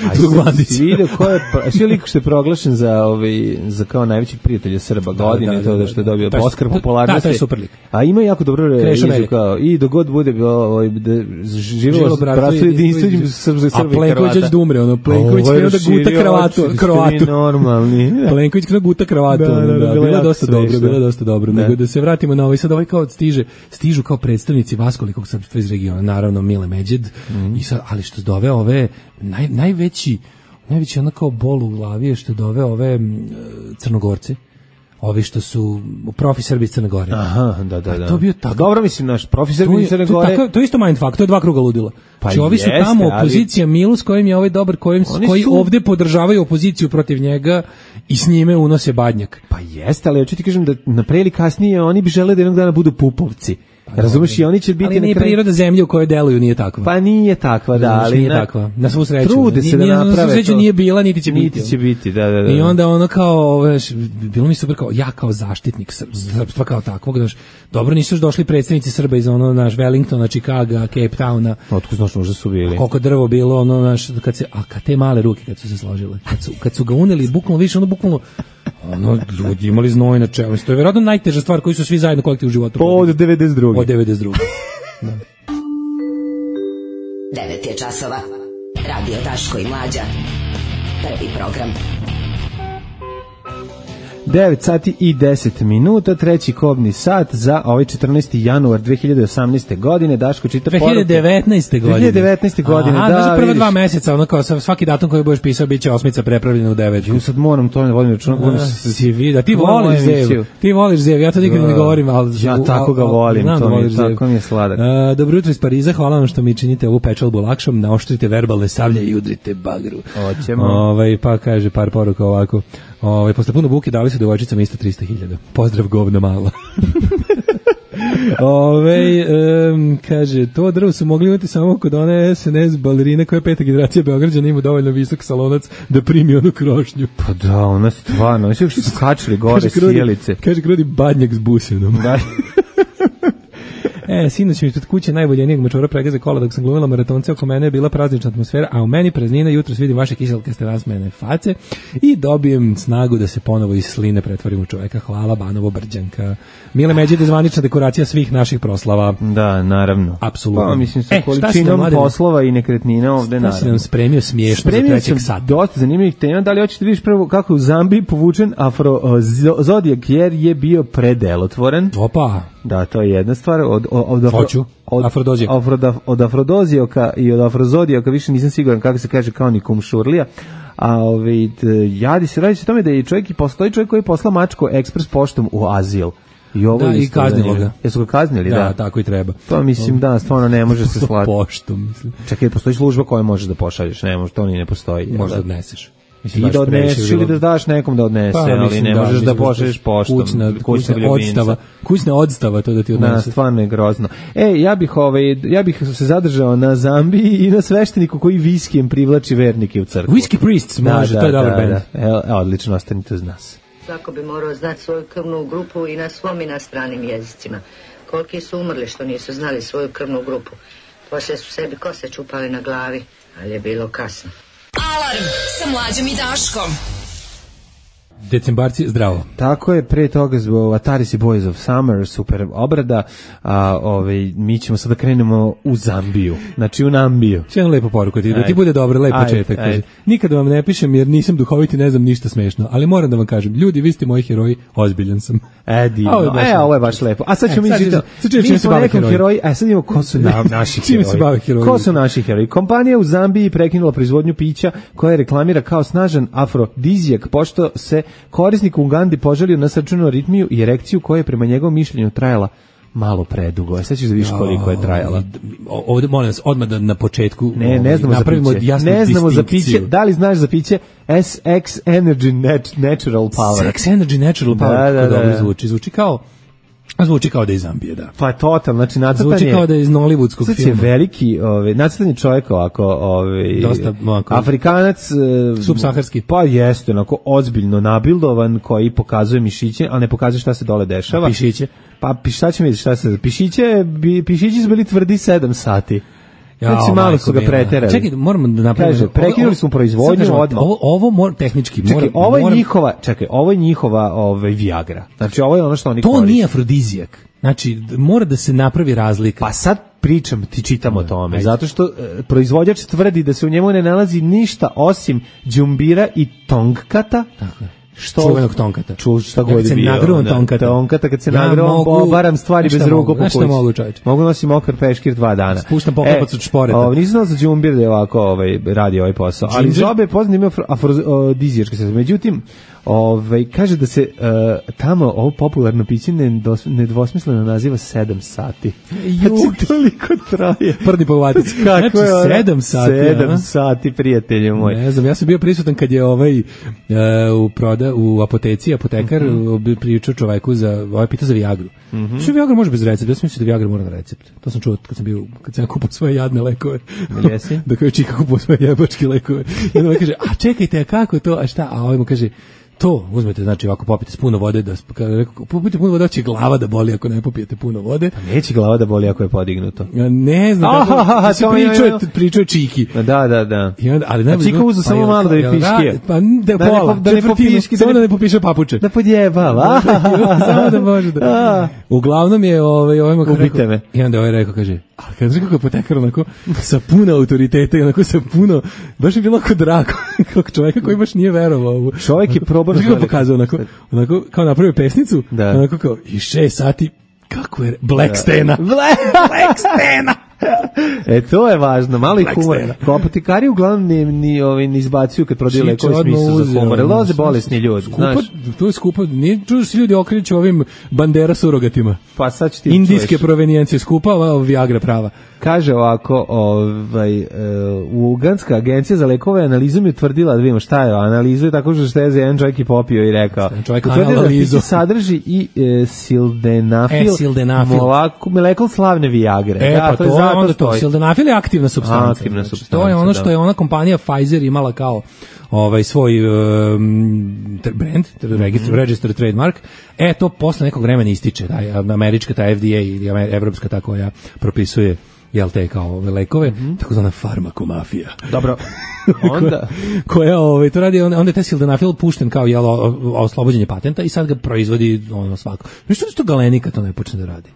Bandića. Vidio ko je, svi liko što je proglašen za kao najvećih prijatelja Srba godine, to da što je dobio Oskar popularnosti. Da, to je super lik. A ima jako dobro režiju kao, i dogod bude živjelo bratstvo jedinstvo između Srba i Hrvata. A Plenković već da umre, Plenković krenuo da guta kravatu. Normalni. Plenković krenuo da guta kravatu. Bilo dosta dobro. Nego da se vratimo na ovaj, sad ovaj kao stižu kao predstavnici vaskolikog srpstva iz regiona, naravno Mile Međed. I sad, ali što dove ove najveći onako bol u glavi je što dove ove Crnogorce, ovi što su profi Srbi iz Crne Gore. Aha, da. To bio tako. Dobro, mislim, naš profi Srbi iz Crne Gore. To je isto mindfuck, to je 2 kruga ludila. Znači, ovi su tamo opozicija Milu s kojim je ovaj dobar, koji ovde podržavaju opoziciju protiv njega i s njime unose Badnjak. Pa jeste, ali hoću ti kažem da na pre ili kasnije oni bi želeli da jednog dana budu Pupovci. Razumeš, i oni će biti ali nije priroda zemlje u kojoj deluju nije takva. Pa nije takva, da, ali nije takva. Na svu sreću. Trude se da naprave. Na svu sreću nije bila, niti će biti. Da. I onda ono kao, bilo mi super kao, ja kao zaštitnik srpstva kao takvog, znaš, dobro nisu još došli predstavnici Srba iz ono, naš, Wellingtona, Chicaga, Cape Towna. Otkud znaš, možda su bili. Koliko drvo bilo, ono, naš, kad te male ruke kad su se složile, kad su ga uneli, bukvalno više, bukvalno, ljudi imali znoj na čelu. To je vjerojatno najteža stvar koju su svi zajedno kolektiv u životu. Od 92. Od 92. Da. 9 je časova. Radio Daško i Mlađa. Prvi program. 9 sati i 10 minuta, treći kobni sat za ovaj 14. januar 2018. godine. Daško čita poruke. 2019. godine. Aha, da, prva 2 meseca, ono kao svaki datum koji budeš pisao biće osmica prepravljena u 9. Ja sad moram to ne vodim računa. Ti voliš Zev, ja to nikad ne govorim, ali ja tako ga volim, tako mi je sladak. Dobro jutro iz Pariza, hvala vam što mi činite ovu pečalbu lakšom, naoštrite verbalne savlje i udrite bagru. Hoćemo. Pa kaže par poruka ovako. Posle puno buke dali su devojčicama isto 300.000. Pozdrav govna mala. Kaže, to drvo su mogli imati samo kod one SNS balerine koja je 5. generacija Beograđana, ima dovoljno visok salonac da primi onu krošnju. Pa da, ona stvarno, oni su skačili gore sjelice. Kaže, krodi Badnjak s busenom. Sinoć mi ispred kuće najboljenijeg mačora pregaze kola dok sam glumila maratonce, oko mene je bila praznična atmosfera, a u meni praznina, jutros vidim vaše kiselkaste nasmejane face i dobijem snagu da se ponovo iz sline pretvorim u čoveka. Hvala, Banovo Brđanka. Mile Međede, zvanična dekoracija svih naših proslava. Da, naravno. Apsolutno. Pa, mislim, sa količinom poslova i nekretnina ovde, naravno. Šta si nam spremio smiješno za trećeg sata? Dosta zanimljivih tema. Da li hoćete vidiš prvo kako u Zambiji povučen afrozodijak, jer je bio predelotvoren. Opa. Da, to je jedna stvar. Od afrodozijaka i od afrozodijaka više nisam siguran kako se kaže, kao ni kumšurlija. A radi se o tome da je postoji čovjek koji je poslao mačku ekspres poštom u azil. I kaznilo ga. Jesu ga kaznili, da? Da, tako i treba. To mislim, da, stvarno ne može se slati. Poštom, mislim. Čekaj, postoji služba koja možeš da pošalješ, ne može, to ni ne postoji. Možda odneseš. I da odneseš ili da daš nekom da odnese, ali ne možeš da pošalješ poštom. Kućna odstava, to da ti odnese. Da, stvarno je grozno. Ja bih se zadržao na Zambiji i na svešteniku koji viskijem privlači vernike u crkvu. Whisky Priests, može, to je dobar band. Odlično, ostanite uz nas. Svako bi morao znati svoju krvnu grupu i na svom i na stranim jezicima. Koliki su umrli što nisu znali svoju krvnu grupu. Poslije su sebi kose čupali na glavi, ali je bilo kasno. Alarm sa Mlađom i Daškom. Decembarci, zdravo. Tako je, pre toga zbog Ataris i Boys of Summer, super obrada, a mi ćemo sada krenemo u Zambiju, znači u Nambiju. Še jednu lepu poruku da ti bude dobro, lep početak. Nikad vam ne pišem jer nisam duhovit i ne znam ništa smešno, ali moram da vam kažem, ljudi, vi ste moji heroji, ozbiljan sam. Ovo je baš lepo. A sad ćemo mi smo nekom heroji, a sad imamo ko su naši heroji. Ko su naši heroji? Kompanija u Zambiji prekinula proizvodnju pića koja reklamira kao snažan afrodizijak, pošto se Korisnik u Ugandi poželio na srčanu aritmiju i erekciju koja je prema njegovom mišljenju trajala malo predugo. Sad ćeš da vidiš koliko je trajala. Ovdje, molim vas, odmah da na početku ne znamo za piće. Ne znamo za piće. Da li znaš za piće? SX Energy Natural Power. SX Energy Natural Power. Da, dobro zvuči. Zvuči kao da je iz Zambije, da. Pa totalno, znači nacrtan je... Zvuči kao da je iz Nollywoodskog filma. Znači veliki, nacrtan je čovjek ovako, dosta, Afrikanac... subsaharski. Pa jeste, onako ozbiljno nabildovan, koji pokazuje mišiće, ali ne pokazuje šta se dole dešava. A pišiće? Pa šta će mi vidjeti šta se... Pišići su bili tvrdi 7 sati. Znači malo su ga preterali. Čekaj, moramo da napravimo. Kaže, prekinuli smo proizvodnju odmah. Ovo tehnički Čekaj, ovo je njihova Viagra. Znači ovo je ono što oni koriste. To nije afrodizijak. Znači mora da se napravi razlika. Pa sad čitam o tome, zato što proizvođač tvrdi da se u njemu ne nalazi ništa osim đumbira i tongkata. Tako je. Čuvenog tonkata. Šta god je bio. Tonkata, kad se nagrao, obaram stvari bez ruku po kući. Mogu, čovječe? Mogu nosim okar peškir 2 dana. Spuštam poklopac od šporeta. Nisam znao za džumbir da je ovako radi ovaj posao. Ali žobe je poznat imao afrodizijačke sredstva. Međutim, kaže da se tamo ovo popularno piće nedvosmisleno naziva 7 sati. Znači, toliko traje. Prdi povatici. Kako je 7 sati. 7 sati, prijatelju moj. Ne znam, ja sam bio prisutan kad je u apoteci, apotekar pričao čoveku pita za Viagru. Što Viagra može bez recepta? Ja sam mislio da Viagra mora na recept. To sam čuo kad sam kupao svoje jadne lekove. Jesi? Da kao je čika kupao svoje jebačke lekove. I onda kaže, a čekajte, a kako to, a šta? A ovaj mu kaže, to uzmete, znači ovako popijete s puno vode, popijete puno vode, će glava da boli ako ne popijete puno vode. Pa neće glava da boli ako je podignuto. Ja ne znam, pričao je Čiki. Da. Ali Čika uzu samo malo da je piškije. Pa da ne popiški, samo da ne popiše papuče. Da podjebava. Samo da može da. Uglavnom je ubite me. I onda ovaj rekao, kaže, ali kad rekao kao potekar onako sa puno autoriteta i onako sa puno, baš je bilo ako drago, kao čovjeka koji baš nije verovao. Čovjek je probao da pokazao onako kao napravio pesnicu, onako kao i 6 sati, kako je Black Stena. Black Stena. To je važno, malo i humor. Kao apotekari uglavnom ne izbacuju kad prodaju lekove smislu za humor. Loze bolesni ljudi, znaš. To je skupo, nije čuo se ljudi okreću ovim bandera surogatima. Pa sad ću ti indijske provenijencije skupa, Viagra prava. Kaže ovako, Uganska agencija za lekove analizom je tvrdila, da vidimo šta je, analizu je tako što je za jedan čovjek i popio i rekao. Utvrdila da piće sadrži i sildenafil, molekul slavne Viagre. Pa to onda to. Sildenafil je aktivna supstanca. To je ono što je ona kompanija Pfizer imala kao svoj brand, register trademark. To posle nekog vremena ističe. Američka ta FDA ili evropska ta koja propisuje te kao lekove, takozvana farmakomafija. Dobro. Onda koja to radi, onda je taj sildenafil pušten kao oslobođenje patenta i sad ga proizvodi svako. Što što Galenika to ne počne da radi?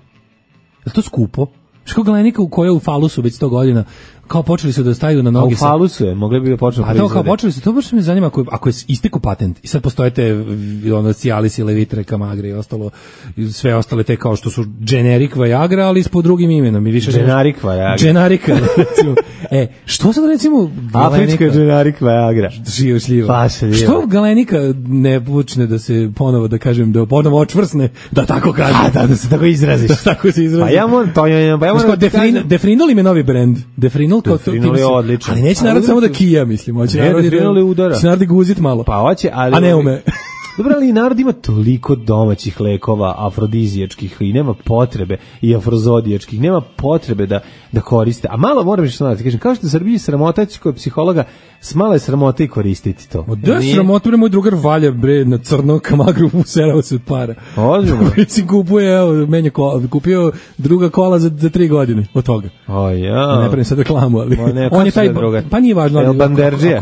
Je to skupo? Što Galenika u kojoj je u falusu već 100 godina, kao počeli su da staju na noge. A u falusu je, mogli bi da počnu proizvode. A to kao počeli su, to baš me zanima ako je istekao patent i sad postoje te Cialis i Levitre, Camagre i ostalo, sve ostale te kao što su generic Viagra, ali pod drugim imenom. Generic Viagra. Generica, recimo. Što sad recimo Galenika? Afrička generic Viagra. Šljiva. Što Galenika ne počne da se ponovo, da kažem, da ponovo očvrsne, da tako kažem. Da se tako izraziš. Da tako se izraziš. Pa ja moram Defrinol im je novi brend. Defrinol je odličan. Ali neće narod samo da kija, mislim. Defrinol je udara. Će narod guzit malo. Pa hoće, ali... A ne ume. Dobro, ali narod ima toliko domaćih lekova afrodizijačkih i nema potrebe, i afrozodijačkih, nema potrebe da koriste. A malo moram što znati, kažem, kao što u Srbiji sramotać kod psihologa, malo je sramota i koristiti to. Da, sramota, moj drugar valja na crno Camagru, userao se od para. Ozbiljno. Si kupio druga kola za 3 godine od toga. Ne pravim sad reklamu, ali on je taj drugar. Pa nije važno. El Banderđija.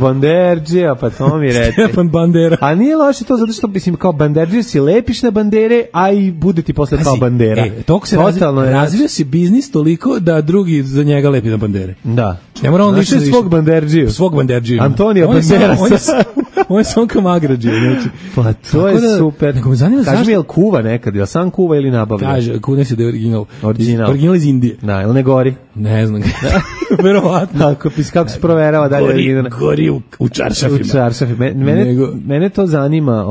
Banderđija, pa to mi reći. Stefan Bandera. A nije loše to zato što, mislim, kao Banderđija si lepiš na bandere, a i bude ti posle kao bandera. Toko se razvio si biznis toliko da drugi za njega lepi na bandere. Da. Ne mora on svog Banderđiju. Svog Banderđiju. Antonio Banderas. On je samo kamagrađe, znači. Pa to je super. Nego me zanima zašto. Kaži mi, je li kuva nekad, je sam kuva ili nabavlja? Kaže, kune se da je original. Original. Original iz Indije. Da, ili ne gori? Ne znam. Verovatno. Kako se proverava dalje original? Gori u čaršafima. U čaršafima. Mene to zanima,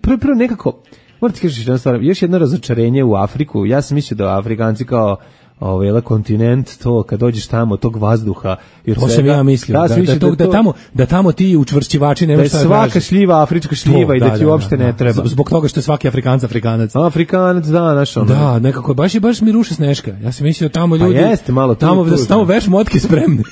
prvo nekako, moram ti kažeš jedna stvar, još jedno razočarenje u Afriku. Ja sam mislio da Afrikanci kao kontinent, to kad dođeš tamo, tog vazduha i od to sam ja mislio, da tamo ti učvršćivači nemaš šta da svaka traži. Šljiva afrička šljiva i da ti uopšte ne treba. Zbog toga što je svaki Afrikanac. Afrikanac, da, znaš ono. Da, nekako baš mi ruše Sneška. Ja sam mislio tamo ljudi, pa jeste, malo da su tamo veš motke spremne.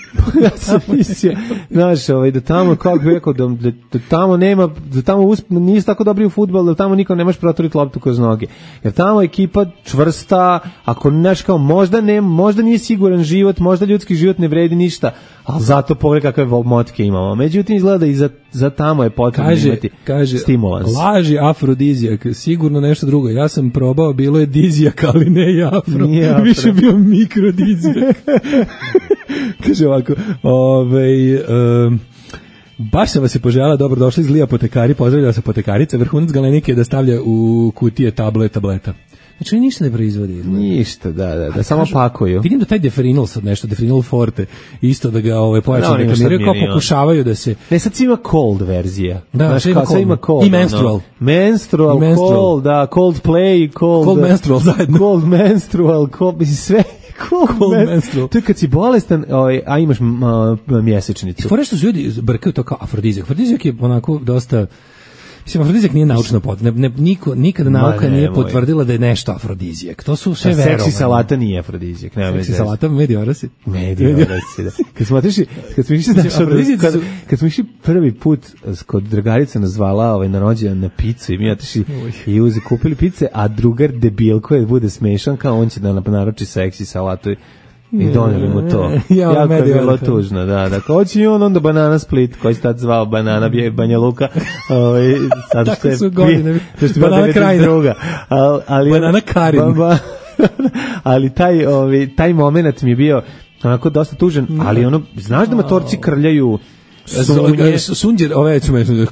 Ja sam mislio, znaš, da tamo, kako bih rekao, da tamo nema, da tamo nisi tako dobri u fudbal, da tamo niko nemaš proturiti loptu kroz noge. Jer tamo ekipa čvrsta, ako znaš kao možda nije siguran život, možda ljudski život ne vredi ništa, ali zato pogledaj kakve motke imamo. Međutim, izgleda i za tamo je potrebno imati stimulans. Laži afrodizijak, sigurno nešto drugo. Ja sam probao, bilo je dizijak, ali ne afro. Više bio mikrodizijak. Kaže ovako, baš sam vas je poželjala, dobrodošli iz Li apotekari, pozdravljala se apotekarica, vrhunac galenike je da stavlja u kutije tableta. Znači, ništa ne proizvodi. Ništa, da samo pakuju. Vidim da taj Deferinal sad nešto, Deferinal Forte, isto da ga pojačano reklamiraju, kao pokušavaju da se... Ne, sad ima cold verzija. Da, sad ima cold. I menstrual. Menstrual, cold, da, cold play, cold menstrual zajedno. Cold menstrual, mislim, sve... Cold menstrual. To je kad si bolestan, a imaš mjesečnicu. I fore što su ljudi brkaju to kao afrodizijak. Afrodizijak je onako dosta... Mislim, afrodizijak nije naučno nikada nauka nije potvrdila da je nešto afrodizijak. To su sve verovanje. Seksi salata nije afrodizijak. Seksi salata, mediorasi. Mediorasi, da. Kad smo išli prvi put kod drugarica nas zvala na rođendan na picu i mi otišli i kupili pice, a drugar debil koji bude smešan, kao on će da naruči seksi salatu i doneli mu to. Jako je bilo tužno, da. Hoće i on onda Banana Split, koji se tad zvao Banana Banja Luka. Tako su godine. Banana Krajina. Banana Karin. Ali taj moment mi je bio onako dosta tužan, ali znaš da matorci krljaju sunđer,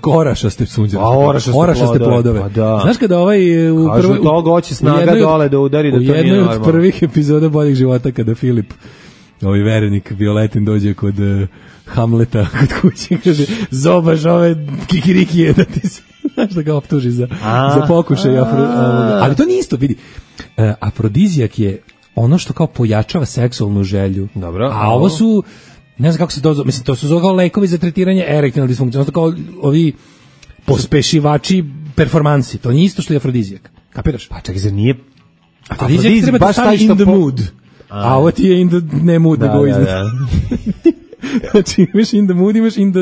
orašaste sunđer. Orašaste plodove. Pa da. Znaš kada kažu toga hoće snaga dole da udari da to nije normalno. U jednoj od prvih epizoda Boljeg života kada Filip, verenik Violetin, dođe kod Hamleta kod kuće, kaže, zobaš ove kikirikije da ti se, znaš, da ga optuži za pokušaj. Ali to nije isto, vidi. Afrodizijak je ono što kao pojačava seksualnu želju. Dobro. A ovo su, ne znam kako se to zove, mislim, to su kao lekovi za tretiranje erektilne disfunkcije, to kao ovi pospešivači performansi. To nije isto što je afrodizijak. Kapiraš? Pa čak, zar nije... Afrodizijak treba da stavi in the mood. A ovo ti je in the ne mood, nego iznad. Znači, imaš in the mood, imaš in the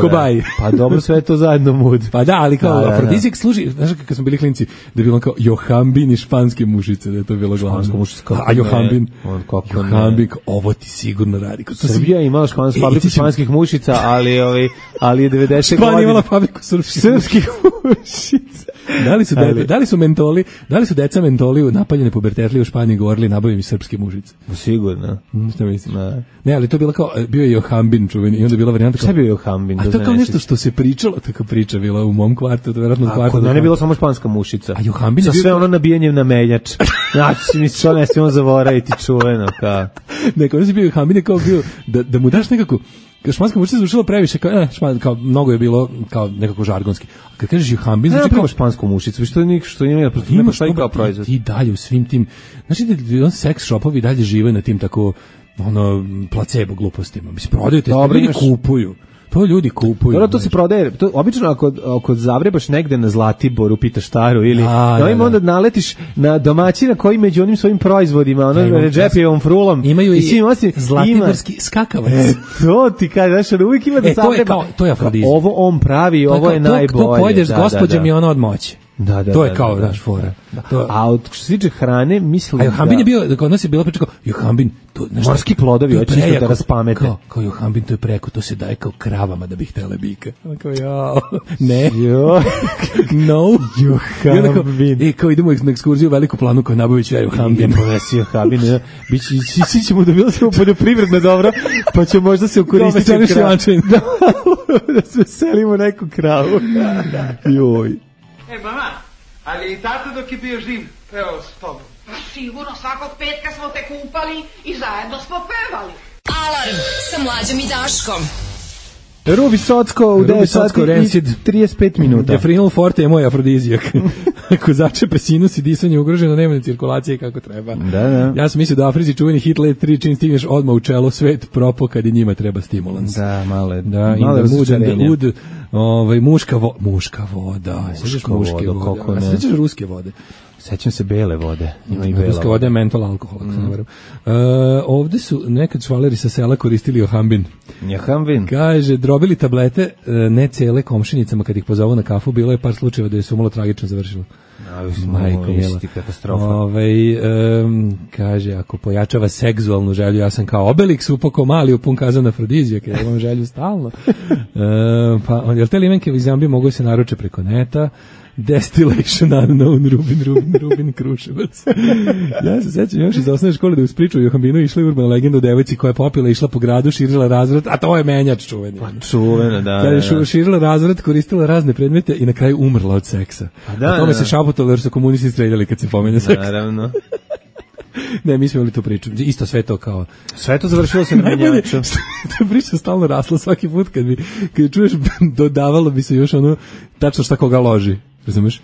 kobaj. Pa dobro, sve je to zajedno mood. Pa da, ali kao afrodizijak služi, znaš kad smo bili klinci, da je bilo kao Johambin i španske mušice, da je to bilo glavno. A Johambin, ovo ti sigurno radi. Srbija je imala fabriku španskih mušica, ali je 90. godine. Španija imala fabriku srpskih mušica. Da li su deca mentoli napaljene pubertetli u Španiji govorili nabavim i srpske mušice? Sigurno. Šta mislim? Ne, ali to je bilo kao, bio je Johambin čuveni i onda je bila varijanta kao... Šta je bio Johambin? A to kao nešto što se pričalo, tako priča bila u mom kvartu, to je vjerojatno kvartu. Kod mene je bilo samo španska mušica. A Johambin je bio... Sa sve ono nabijanjem na meljač. Znači, mi što ne smijemo zaboraviti čuveno, kao... Neko, ono si bio Johambin je kao bio, da mu daš nekako... Španska mušica zvučila previše, kao mnogo je bilo kao nekako žargonski. A kad kažeš Johambin, znači kao špansku mušicu, što ima imaš kao proizvod. I dalje u svim tim, znači da seks shopovi dalje žive na tim tako placebo glupostima. Mislim, prodaju te, ljudi kupuju. To ljudi kupuju. Dobro, to se prodaje. To obično ako zavrebaš negde na Zlatiboru, pitaš Staru ili onda naletiš na domaćina koji među onim svojim proizvodima, Redžepijevom frulom imaju i zlatiborski skakavac. To ti kaže, znaš, uvijek ima da zavrebaš. To je afrodizijak. Ovo on pravi, ovo je najbolje. To pojedeš s gospođom i ona odmoće. To je kao naš fora. A što se tiče hrane, mislim a Johambin je bio, kod nas je bilo priča kao Johambin, to morski plodovi, hoće isto da raspamete. Kao Johambin, to je preko, to se daje kao kravama da bi htele bika. Kao ne. No. Johambin. I kao idemo na ekskurziju u Veliku Planu kao Nabović, Johambin. Ponesi Johambin. Ići ćemo da bilo samo poljoprivredno dobro, pa će možda se ukoristiti da se selimo neku kravu. Joj. Mama, ali i tato dok je bio živ pevao s tobom? Pa sigurno, svakog petka smo te kupali i zajedno smo pevali. Alarm sa Mlađom i Daškom. Rubi Socko u 9 sati i 35 minuta. Defrinol Forte je moj afrodizijak. Ako začepe sinus i disanje ugroženo, nema ni cirkulacije kako treba. Da. Ja sam mislio da u Africi čuveni hit Let 3 čim stigneš odmah u čelo, svet propo kad i njima treba stimulans. Da, male muška voda. Sećaš muške vode? Sećaš ruske vode? Sećam se bele vode. Ima i bela. Ruska voda je mentol alkohol, ako se ne varam. Ovde su nekad švaleri sa sela koristili Johambin. Johambin? Kaže, drobili tablete, ne cele komšinicama kad ih pozovu na kafu, bilo je par slučajeva da je sumalo tragično završilo. Majko mila. Katastrofa. Kaže, ako pojačava seksualnu želju, ja sam kao Obelix upako mali u pun kazan afrodizijak, ja imam želju stalno. Jel te limenke u Zambiji mogu se naruče preko neta? Destillation unknown, Rubin Kruševac. Ja se sećam još iz osnovne škole da uz priču o Johambinu išla urbana legenda o devojci koja je popila, išla po gradu, širila razvrat, a to je menjač čuveni. Čuvena, da. Širila razvrat, koristila razne predmete i na kraju umrla od seksa. A tome se šaputalo jer su komunisti streljali kad se pomenja seks. Naravno. Ne, mi smo imali tu priču. Isto sve to kao... Sve to završilo se na menjaču. Ta priča stalno rasla svaki put kad čuješ, dodavalo bi se još ono tačno šta koga loži. Razumeš?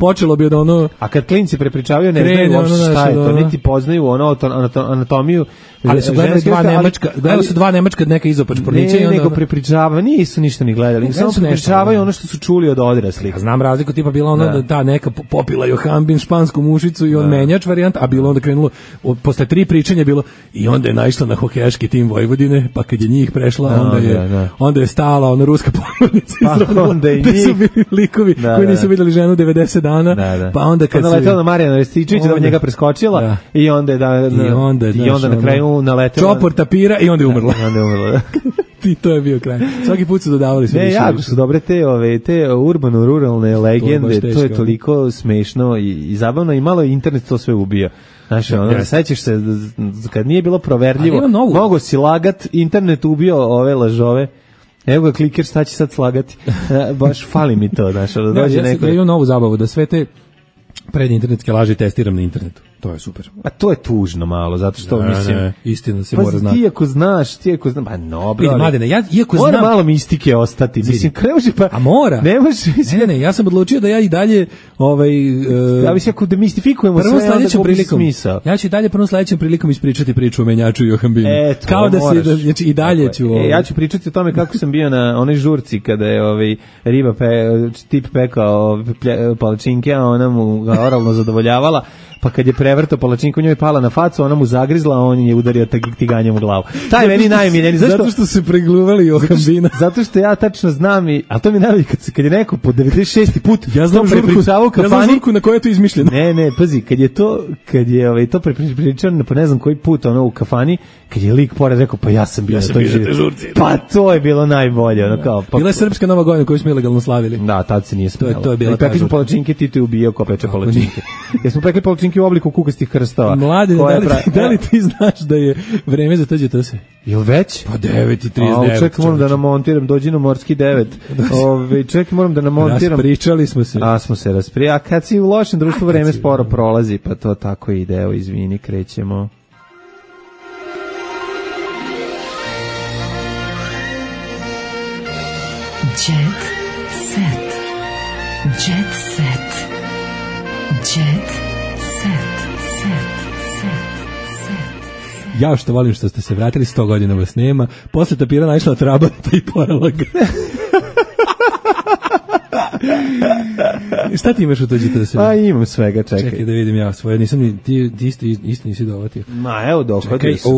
Počelo bi od ono... A kad klinci prepričavaju, ne znaju uopšte šta je to, niti poznaju ono anatomiju. Ali su gledali dva nemačka neka izopač pornića. Ne, nego prepričavaju, nisu ništa ni gledali. Samo prepričavaju ono što su čuli od odraslih. Znam razliku, tipa bila ono da ta neka popila Johambin, špansku mušicu i on menjač varijant, a bilo onda krenulo, posle 3 pričanja bilo, i onda je naišla na hokejaški tim Vojvodine, pa kad je njih prešla, onda je stala ona ruska pomornica. Pa onda je njih. Su bili likovi koji nisu videli ženu 90 dana, pa onda kad se letela na Marijana Rističevića da njega preskočila i onda na kraju naletela čopor tapira i onda je umrla. I to je bio kraj. Svaki put su dodavali sve više. Jako su dobre te urbano-ruralne legende, to je toliko smešno i zabavno i malo internet to sve ubija. Znaš, sećaš se, kad nije bilo proverljivo, mogo si lagat, internet ubio ove lažove. Evo ga kliker, šta će sad slagati? Baš fali mi to, znaš, da dođe neko. Ja imam novu zabavu, da sve te predinternetske laži testiram na internetu. To je super. A to je tužno malo, zato što mislim... istina se mora znati. Ti ako znaš, pa no, bro. Mladene, ja iako mora znam... malo mistike ostati. Mislim, krenuši pa... A mora? Ne može... Ne, ja sam odlučio da ja i dalje... Ja mislim, ako demistifikujemo sve, onda gubi smisao. Ja ću i dalje prvom sledećem prilikom ispričati priču o menjaču i Johambinu. Kao da se... Znači, i dalje ću... Ja ću pričati o tome kako sam bio na onoj žurci kada je riba tip pekao palačinke, a ona mu ga oralno zadovoljavala. Pa kad je prevrtao palačinku, njoj je pala na facu, ona mu zagrizla, a on je udario tiganjem u glavu. Taj meni najmiljeniji. Zato što su pregluvali Johambina. Zato što ja tačno znam a to mi najbolje kad je neko po 96. put ja znam prepričavao kafani. Ja znam žurku na kojoj je to izmišljeno. Ne, pazi, kad je to prepričano po ne znam koji put u kafani, kad je lik pored rekao, pa ja sam bio na toj žurci. Pa to je bilo najbolje. Bila je srpska Nova godina koju smo ilegalno slavili. Da, tad se nije smelo. To je bila ta žurka. Palačinke, Tito je ubijao ko peče palačinke. Jesmo pekli palačinke u obliku kukastih krstova. Mlade, da li ti znaš da je vreme za tođe to se? Jel već? Pa 9:39. Čekaj, moram da namontiram, dođi na morski 9. Čekaj, moram da namontiram. Raspričali smo se. Smo se rasprijali. A kad si u lošem društvu, vreme sporo prolazi, pa to tako ide. Evo, izvini, krećemo. Jet set. Jet set. Jet set. Ja što volim što ste se vratili, 100 godina vas nema. Posle tapira naišla Trabanta i porala ga. Šta ti imaš u tuđi da se? A imam svega, čekaj. Čekaj da vidim ja svoje, nisam ni, ti isto nisi dovatio. Ma evo dohvatio sam.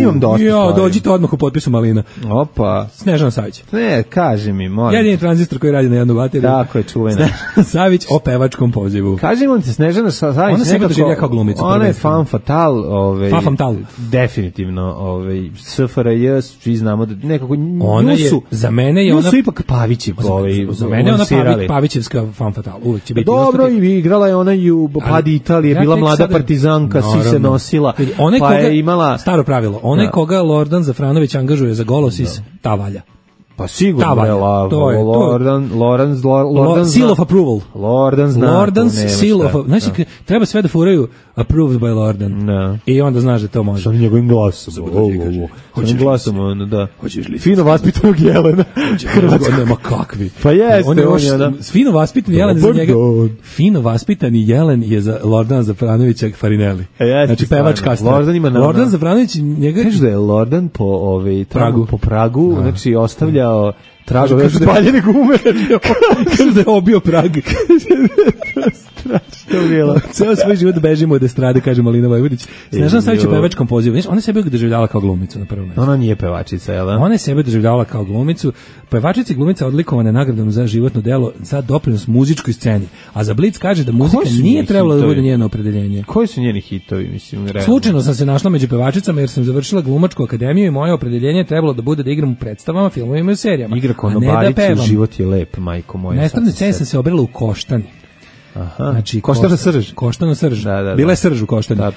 Imam dosta stvari. Dođite odmah u potpisu Malina. Opa. Snežana Savić. Ne, kaži mi, molim. Jedini tranzistor koji radi na jednu bateriju. Tako je, čuvena. Savić o pevačkom pozivu. Kaži mi ti, Snežana Savić ona sebe doživlja kao glumicu. Ona je fan fatal, fatal. Definitivno, SFRJ, svi znamo da nekako ona je, za mene je ona su ipak Pavićev, za mene je ona Pavićevska fan fatal. Uvek će biti. Dobro, i igrala je ona i u Padi Italije, bila mlada partizanka, svi se nosila. Pa je imala staro pravilo. Onaj koga Lordan Zafranović angažuje za Golosis, ta valja. Pa sigurno je Lordan seal of approval. Lordan's seal of, znači treba sve da furaju approved by Lordan. I onda znaš da to može. Sa njegovim glasom. Sa glasom, da. Fino vaspitanog Jelena. Nema kakvi. Pa jeste. Fino vaspitani Jelen za njega. Fino vaspitani Jelen je za Lordana Zafranovića Farinelli. Znači pevač kasnije. Lordan Zafranović njega... Kaže da je Lordan po Pragu, znači ostavlja tragove spaljene gume. Kaže da je obio Prag. Strašno bilo. Ceo svoj život bežimo od estrade, kaže Malina Vojvodić. Snežana Savić u pevačkom pozivu. Ona sebe doživljavala kao glumicu na prvom mjestu. Ona nije pevačica, jel da? Ona je sebe doživljavala kao glumicu. Pevačica i glumica odlikovane nagradom za životno delo za doprinos muzičkoj sceni. A za Blic kaže da muzika nije trebala da bude njeno opredeljenje. Koji su njeni hitovi, mislim? Slučajno sam se našla među pevačicama jer sam završila glumačku akademiju i moje opredeljenje je trebalo da bude da igram u predstavama, filmovima i serijama. Igra konobaricu, život je lep, majko moja. Na estradnoj sceni sam se obrela u Koštani. Aha. Znači, Koštana Srž. Koštana Srž. Bila je Srž u Koštani. Da,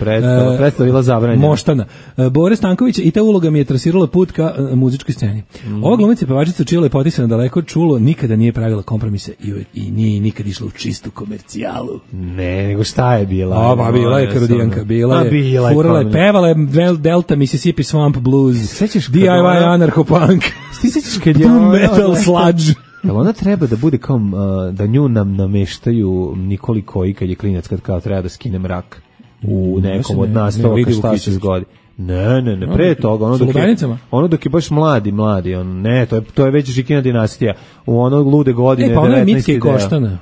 predstavila zabranjena. Moštana. Bore Stanković i ta uloga mi je trasirala put ka muzičkoj sceni. Ova glumica pevačica čija lepoti se nadaleko čulo, nikada nije pravila kompromise i nije nikad išla u čistu komercijalu. Ne, nego šta je bila? Bila je karodijanka, bila je furala je, pevala je Delta Mississippi Swamp Blues, DIY anarcho-punk, boom metal sludge. Jel ona treba da bude kao da nju nam nameštaju Nikoli Koji kad je klinac kad kao treba da skine mrak u nekom od nastavaka šta se zgodi. Ne, pre toga ono dok je baš mladi, to je već Žikina dinastija u ono lude godine 19. Pa ona je Mitke i Koštana.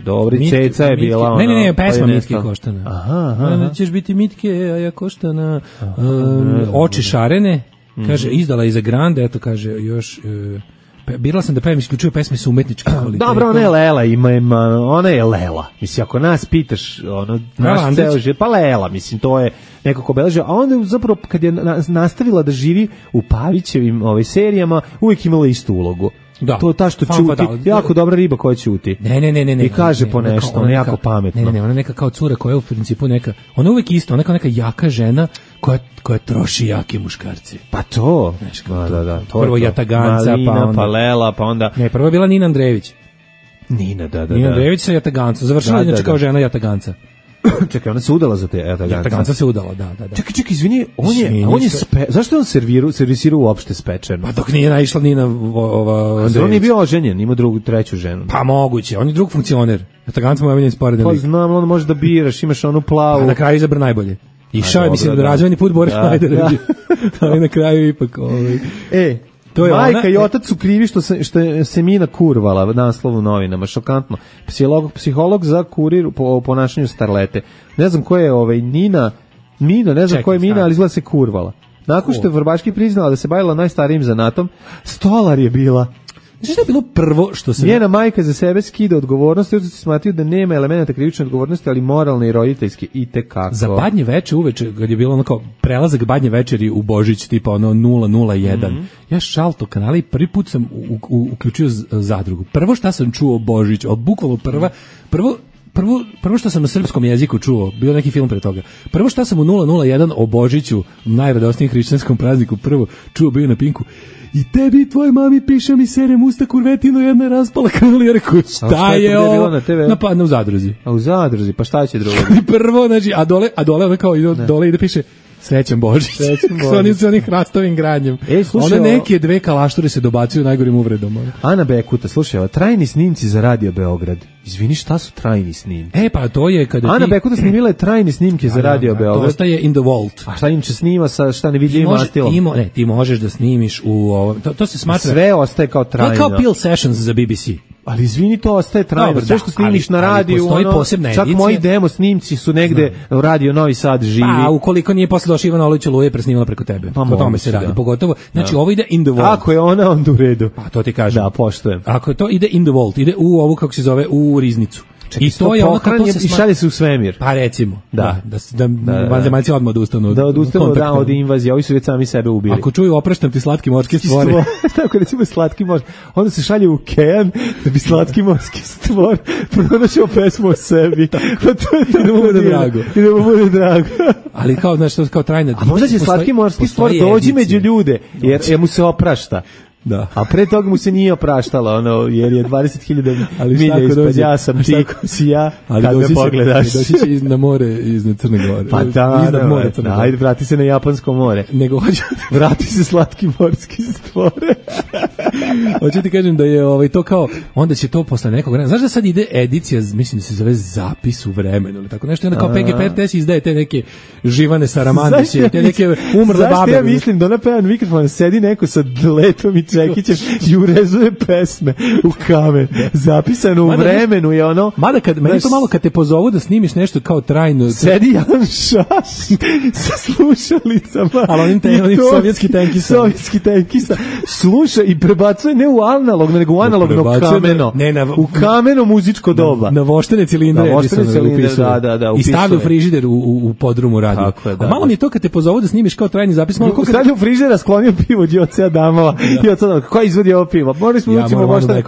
Dobri, Ceca je bila ona. Ne, pesma Mitke i Koštana. Aha. Ćeš biti Mitke, a ja Koštana. Oči šarene, kaže, izdala i za Grande, eto kaže, još... Birala sam da pevam isključivo pesme su umetničke kvalitete. Dobro, ona je Lela, ona je Lela. Mislim, ako nas pitaš, naš ceo život, pa Lela, mislim, to je nekako obeležio. A onda zapravo, kad je nastavila da živi u Pavićevim serijama, uvijek imala istu ulogu. Da. To je ta što čuti, jako dobra riba koja ćuti. Ne. I kaže po nešto, ona je jako pametno. Ne, ona neka kao cura koja je u principu neka, ona je uvijek isto, ona neka jaka žena koja troši jake muškarci. Pa to. Da. Prvo Jataganca, Malina, pa Lela, pa onda... Ne, prvo je bila Nina Andrejević. Nina, da. Nina Andrejević sa Jatagancom, završila inače kao žena Jataganca. Čekaj, ona se udala za te Jataganca. Jataganca se udala, da. Čekaj, izvini, on je zašto je on servisirao uopšte spečeno? Pa dok nije naišla Nina Andrejević. On je bio oženjen, ima treću ženu. Pa moguće, on je drug funkcioner. Jataganca mu je omiljen sporedni lik. Pa znam, on može da biraš, imaš onu plavu. Pa na kraju izabra najbolje. Išao je, mislim, da razvojni put Boris Schneider. Ali na kraju ipak... Majka i otac su krivi što se Mina kurvala, naslov u novinama, šokantno. Psiholog za kurir po ponašanju starlete. Ne znam ko je Mina, ne znam ko je Mina, ali izgleda se kurvala. Nakon što je Vrbaški priznala da se bavila najstarijim zanatom, stolar je bila. Znači što je bilo prvo što se... Njena majka za sebe skida odgovornost, jer su smatraju da nema elementa krivične odgovornosti, ali moralne i roditeljske i tekako. Za Badnje veče uveče, kad je bilo ono kao prelazak Badnje večeri u Božić, tipa ono 001, ja šalto kanale i prvi put sam uključio zadrugu. Prvo šta sam čuo o Božiću, od bukvalno prvo što sam na srpskom jeziku čuo, bio neki film pre toga. Prvo što sam u 001 o Božiću, najradosnijem hrišćanskom prazniku, prvo čuo bio na Pinku. I tebi i tvoj mami piše mi serem usta kurvetino, jedna je raspala kanal, ja rekao, šta je ovo? Na u zadruzi. A u zadruzi, pa šta će drugo? Prvo, znači, a dole ona kao dole ide piše Srećan Božić. S onih hrastovim granjem. One neke dve kalašture se dobacuju najgorim uvredom. Ana Bekuta, slušaj, trajni snimci za Radio Beograd. Izvini, šta su trajni snimci? Pa to je kada Ana Bekuta snimila je trajne snimke za Radio Beograd. To ostaje in the vault. A šta im će snima sa šta nevidljivim mastilom? Ti možeš da snimiš u ovo. To se smatra... Sve ostaje kao trajno. Kao Peel Sessions za BBC. Ali izvini, to ostaje trajno. Dobro, sve što snimiš na radiju, postoji posebna čak edicija. moji demo snimci su negde Radio Novi Sad živi. Pa, ukoliko nije posle došao Ivana Oluć Oluje presnimala preko tebe. Pa, o tome se radi. da. Pogotovo, znači ovo ide in the vault. Ako je ona, onda u redu. Pa to ti kažem. Da, poštujem. Ako je to ide in the vault, ide u ovu, kako se zove, u riznicu. Čekaj, i to je ono kako se i šalje se u svemir. Pa recimo, da vanzemaljci odmah odustanu. Da odustanu od invazije, ovi su već sami sebe ubili. Ako čuju opraštam ti slatki morski stvori. Tako recimo slatki morski, onda se šalje u okean da bi slatki morski stvor pronašao pesmu o sebi. Pa to je da mu bude drago. I da mu bude drago. Ali kao, znaš, to kao trajna. A možda će slatki morski stvor dođi među ljude, jer mu se oprašta. Da. A pre toga mu se nije opraštalo, jer je 20.000 milja ispod, ja sam ti, si ja, kad me pogledaš. Doći će na more iznad Crne Gore. Pa da, iznad mora Crne Gore. Ajde, vrati se na Japansko more. Nego hoću... Vrati se slatki morski stvore. Hoću ti kažem da je to kao, onda će to posle nekog vremena. Znaš da sad ide edicija, mislim da se zove Zapis u vremenu, ili tako nešto, onda kao PGP RTS izdaje te neke Živane Saramandiće, te neke umrle babe. Zašto ja mislim da ona pevan mikrofon, sedi neko sa Letom i Čekićem i urezuje pesme u kamen. Zapisano u vremenu je ono... Mada meni to malo kad te pozovu da snimiš nešto kao trajno... Sedi Jan Šaš sa slušalicama. Ali onim sovjetski tenkista. Sovjetski tenkista. Sluša i prebacuje ne u analogno, nego u analogno kameno. U kameno muzičko doba. Na voštene cilindre. Da. I stavlja u frižider u podrumu radiju. Tako je, da. Malo mi je to kad te pozovu da snimiš kao trajni zapis. Stavlja u frižider, sklonio pivo od Joce Adamova. Ko izvodi ovo pivo? Morali smo učimo možda.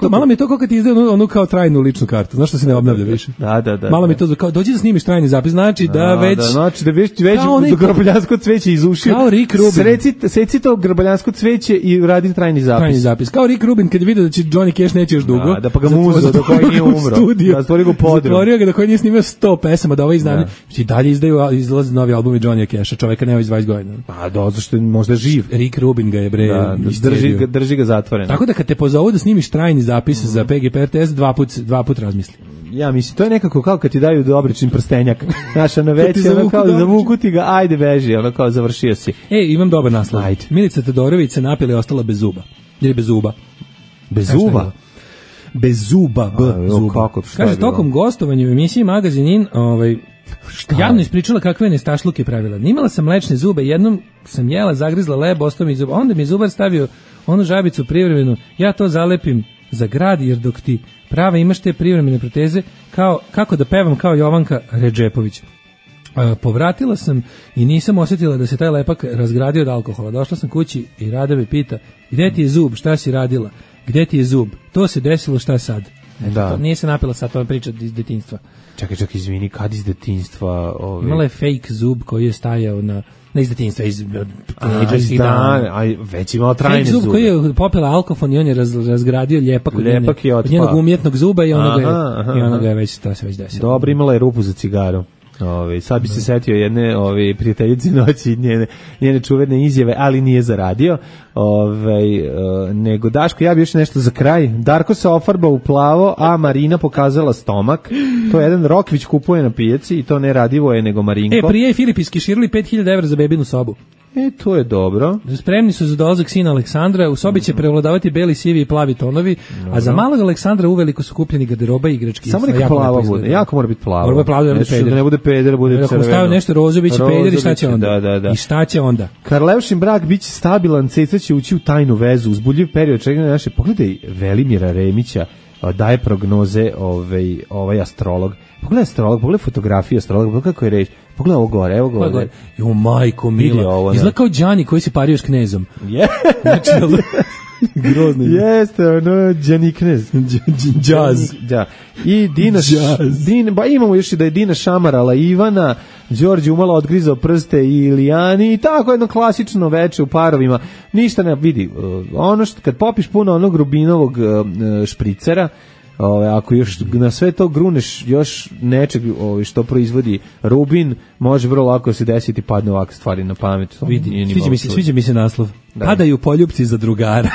Malo mi je to kako ti izdaje onu kao trajnu ličnu kartu. Znaš što se ne obnavlja više? Da. Malo mi je to kao dođi da snimiš trajni zapis, znači da već do grboljansko cveće iz ušiju. Kao Rick Rubin. Seci to grboljansko cveće i radi trajni zapis. Trajni zapis. Kao Rick Rubin kad je vidio da će Johnny Cash neće još dugo. Da pa ga muzao dok koji nije umro. Da stvorio ga podrum. Zatvorio ga da koji nije snimio 100 pesama, da ovaj izdanje. I dalje izlaze novi albumi Johnny Casha, čoveka nema iz 20 godina. Pa zašto možda živ. Rick Rubin ga je drži ga zatvoren. Tako da kad te pozovu da snimiš trajni zapis za PGP RTS, dva put razmisli. Ja mislim, to je nekako kao kad ti daju dobrični prstenjak. Znaš, ono već, ono kao zavuku ti ga, ajde beži, ono kao završio si. Imam dobar naslov. Ajde. Milica Todorović se napila i ostala bez zuba. Ili bez zuba. Bez zuba? Bez zuba, zuba. Kaže, tokom gostovanja u emisiji Magazin In, javno ispričala kakve nestašluke pravila. Nimala sam mlečne zube, jednom sam jela, zagrizla leb, ostao mi zub, onda mi zubar stavio onu žabicu privremenu, ja to zalepim za grad, jer dok ti prava imaš te privremene proteze, kako da pevam kao Jovanka Redžepović. Povratila sam i nisam osjetila da se taj lepak razgradio od alkohola. Došla sam kući i Rada me pita, gde ti je zub, šta si radila, gde ti je zub, to se desilo, šta sad? To nije se napila sad, to je priča iz detinjstva. Čekaj, izvini, kad iz detinjstva? Imala je fake zub koji je stajao na iz detinjstva, iz tinejdžerskih dana. Već imala trajne zube. Fake zub koji je popila alkofon i on je razgradio ljepak od njenog umjetnog zuba i ono ga je već, to se već desilo. Dobro, imala je rupu za cigaru. Sad bi se setio jedne prijateljice noći njene čuvene izjave, ali nije zaradio. Nego Daško, ja bi još nešto za kraj. Darko se ofarbao u plavo, a Marina pokazala stomak. To je jedan Rokvić kupuje na pijaci i to ne Radivo je nego Marinko. Prije je Filip iskeširali 5.000 evra za bebinu sobu. To je dobro. Spremni su za dolazak sina Aleksandra, u sobi će prevladavati beli, sivi i plavi tonovi, a za malog Aleksandra uveliko su kupljeni garderoba i igrački. Samo neka plava bude, jako mora biti plava. Mora biti plava, da ne bude peder, bude crveno. Ako stavio nešto rozo, biće peder i šta će onda? Da. I šta će onda? Karlevšin brak biće stabilan, Ceca će ući u tajnu vezu, uzbudljiv period čekanja naše. Pogledaj Velimira Remića, daje prognoze ovaj astrolog. Pogledaj fotografiju astrologa, pogledaj kako je reč. Pogledaj ovo gore, evo gore. Jo, majko mila, izgleda kao Đani koji se pario s knezom. Znači, grozno. Jeste, ono, Đani knez. Džaz. Da. I imamo još i da je Dina šamarala Ivana, Đorđe umalo odgrizao prste i Ilijani i tako jedno klasično veče u parovima. Ništa ne vidi. Ono što, kad popiš puno onog Rubinovog špricera, ako još na sve to gruneš još nečeg što proizvodi Rubin, može vrlo lako se desiti padne ovakve stvari na pamet. Sviđa mi se naslov. Padaju poljupci za drugara.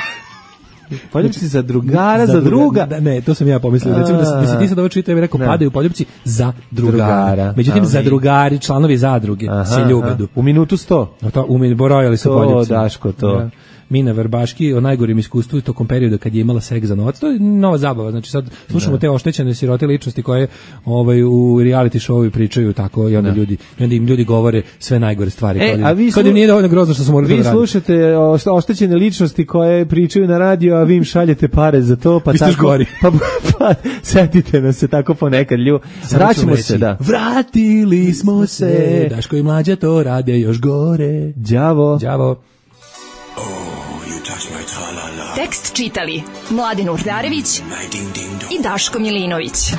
Poljupci za drugara, za druga. Ne, to sam ja pomislio. Recimo da si ti sad ovo čitao, ja bih rekao padaju poljupci za drugara. Međutim, za drugari, članovi zadruge se ljubadu. U minutu 100. Borojali su poljupci. To, Daško, to. Mina Verbaški o najgorim iskustvu tokom perioda kad je imala seks za novac. To je nova zabava. Znači sad slušamo te oštećene sirote ličnosti koje u reality showu pričaju tako i onda im ljudi govore sve najgore stvari. Kad im nije dovoljno grozno što su morali raditi. Vi slušate oštećene ličnosti koje pričaju na radio, a vi im šaljete pare za to, pa tako gori. Pa setite nas se tako ponekad vraćamo se, da. Vratili smo se. Daško i Mlađa to rade još gore. Đavo. Tekst čitali Mladin Urdarević i Daško Milinović.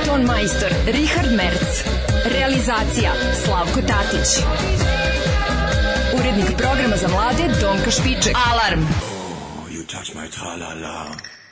Ton majstor Richard Merc. Realizacija Slavko Tatić. Urednik programa za mlade Donka Špiček. Alarm! You touch my tra-la-la.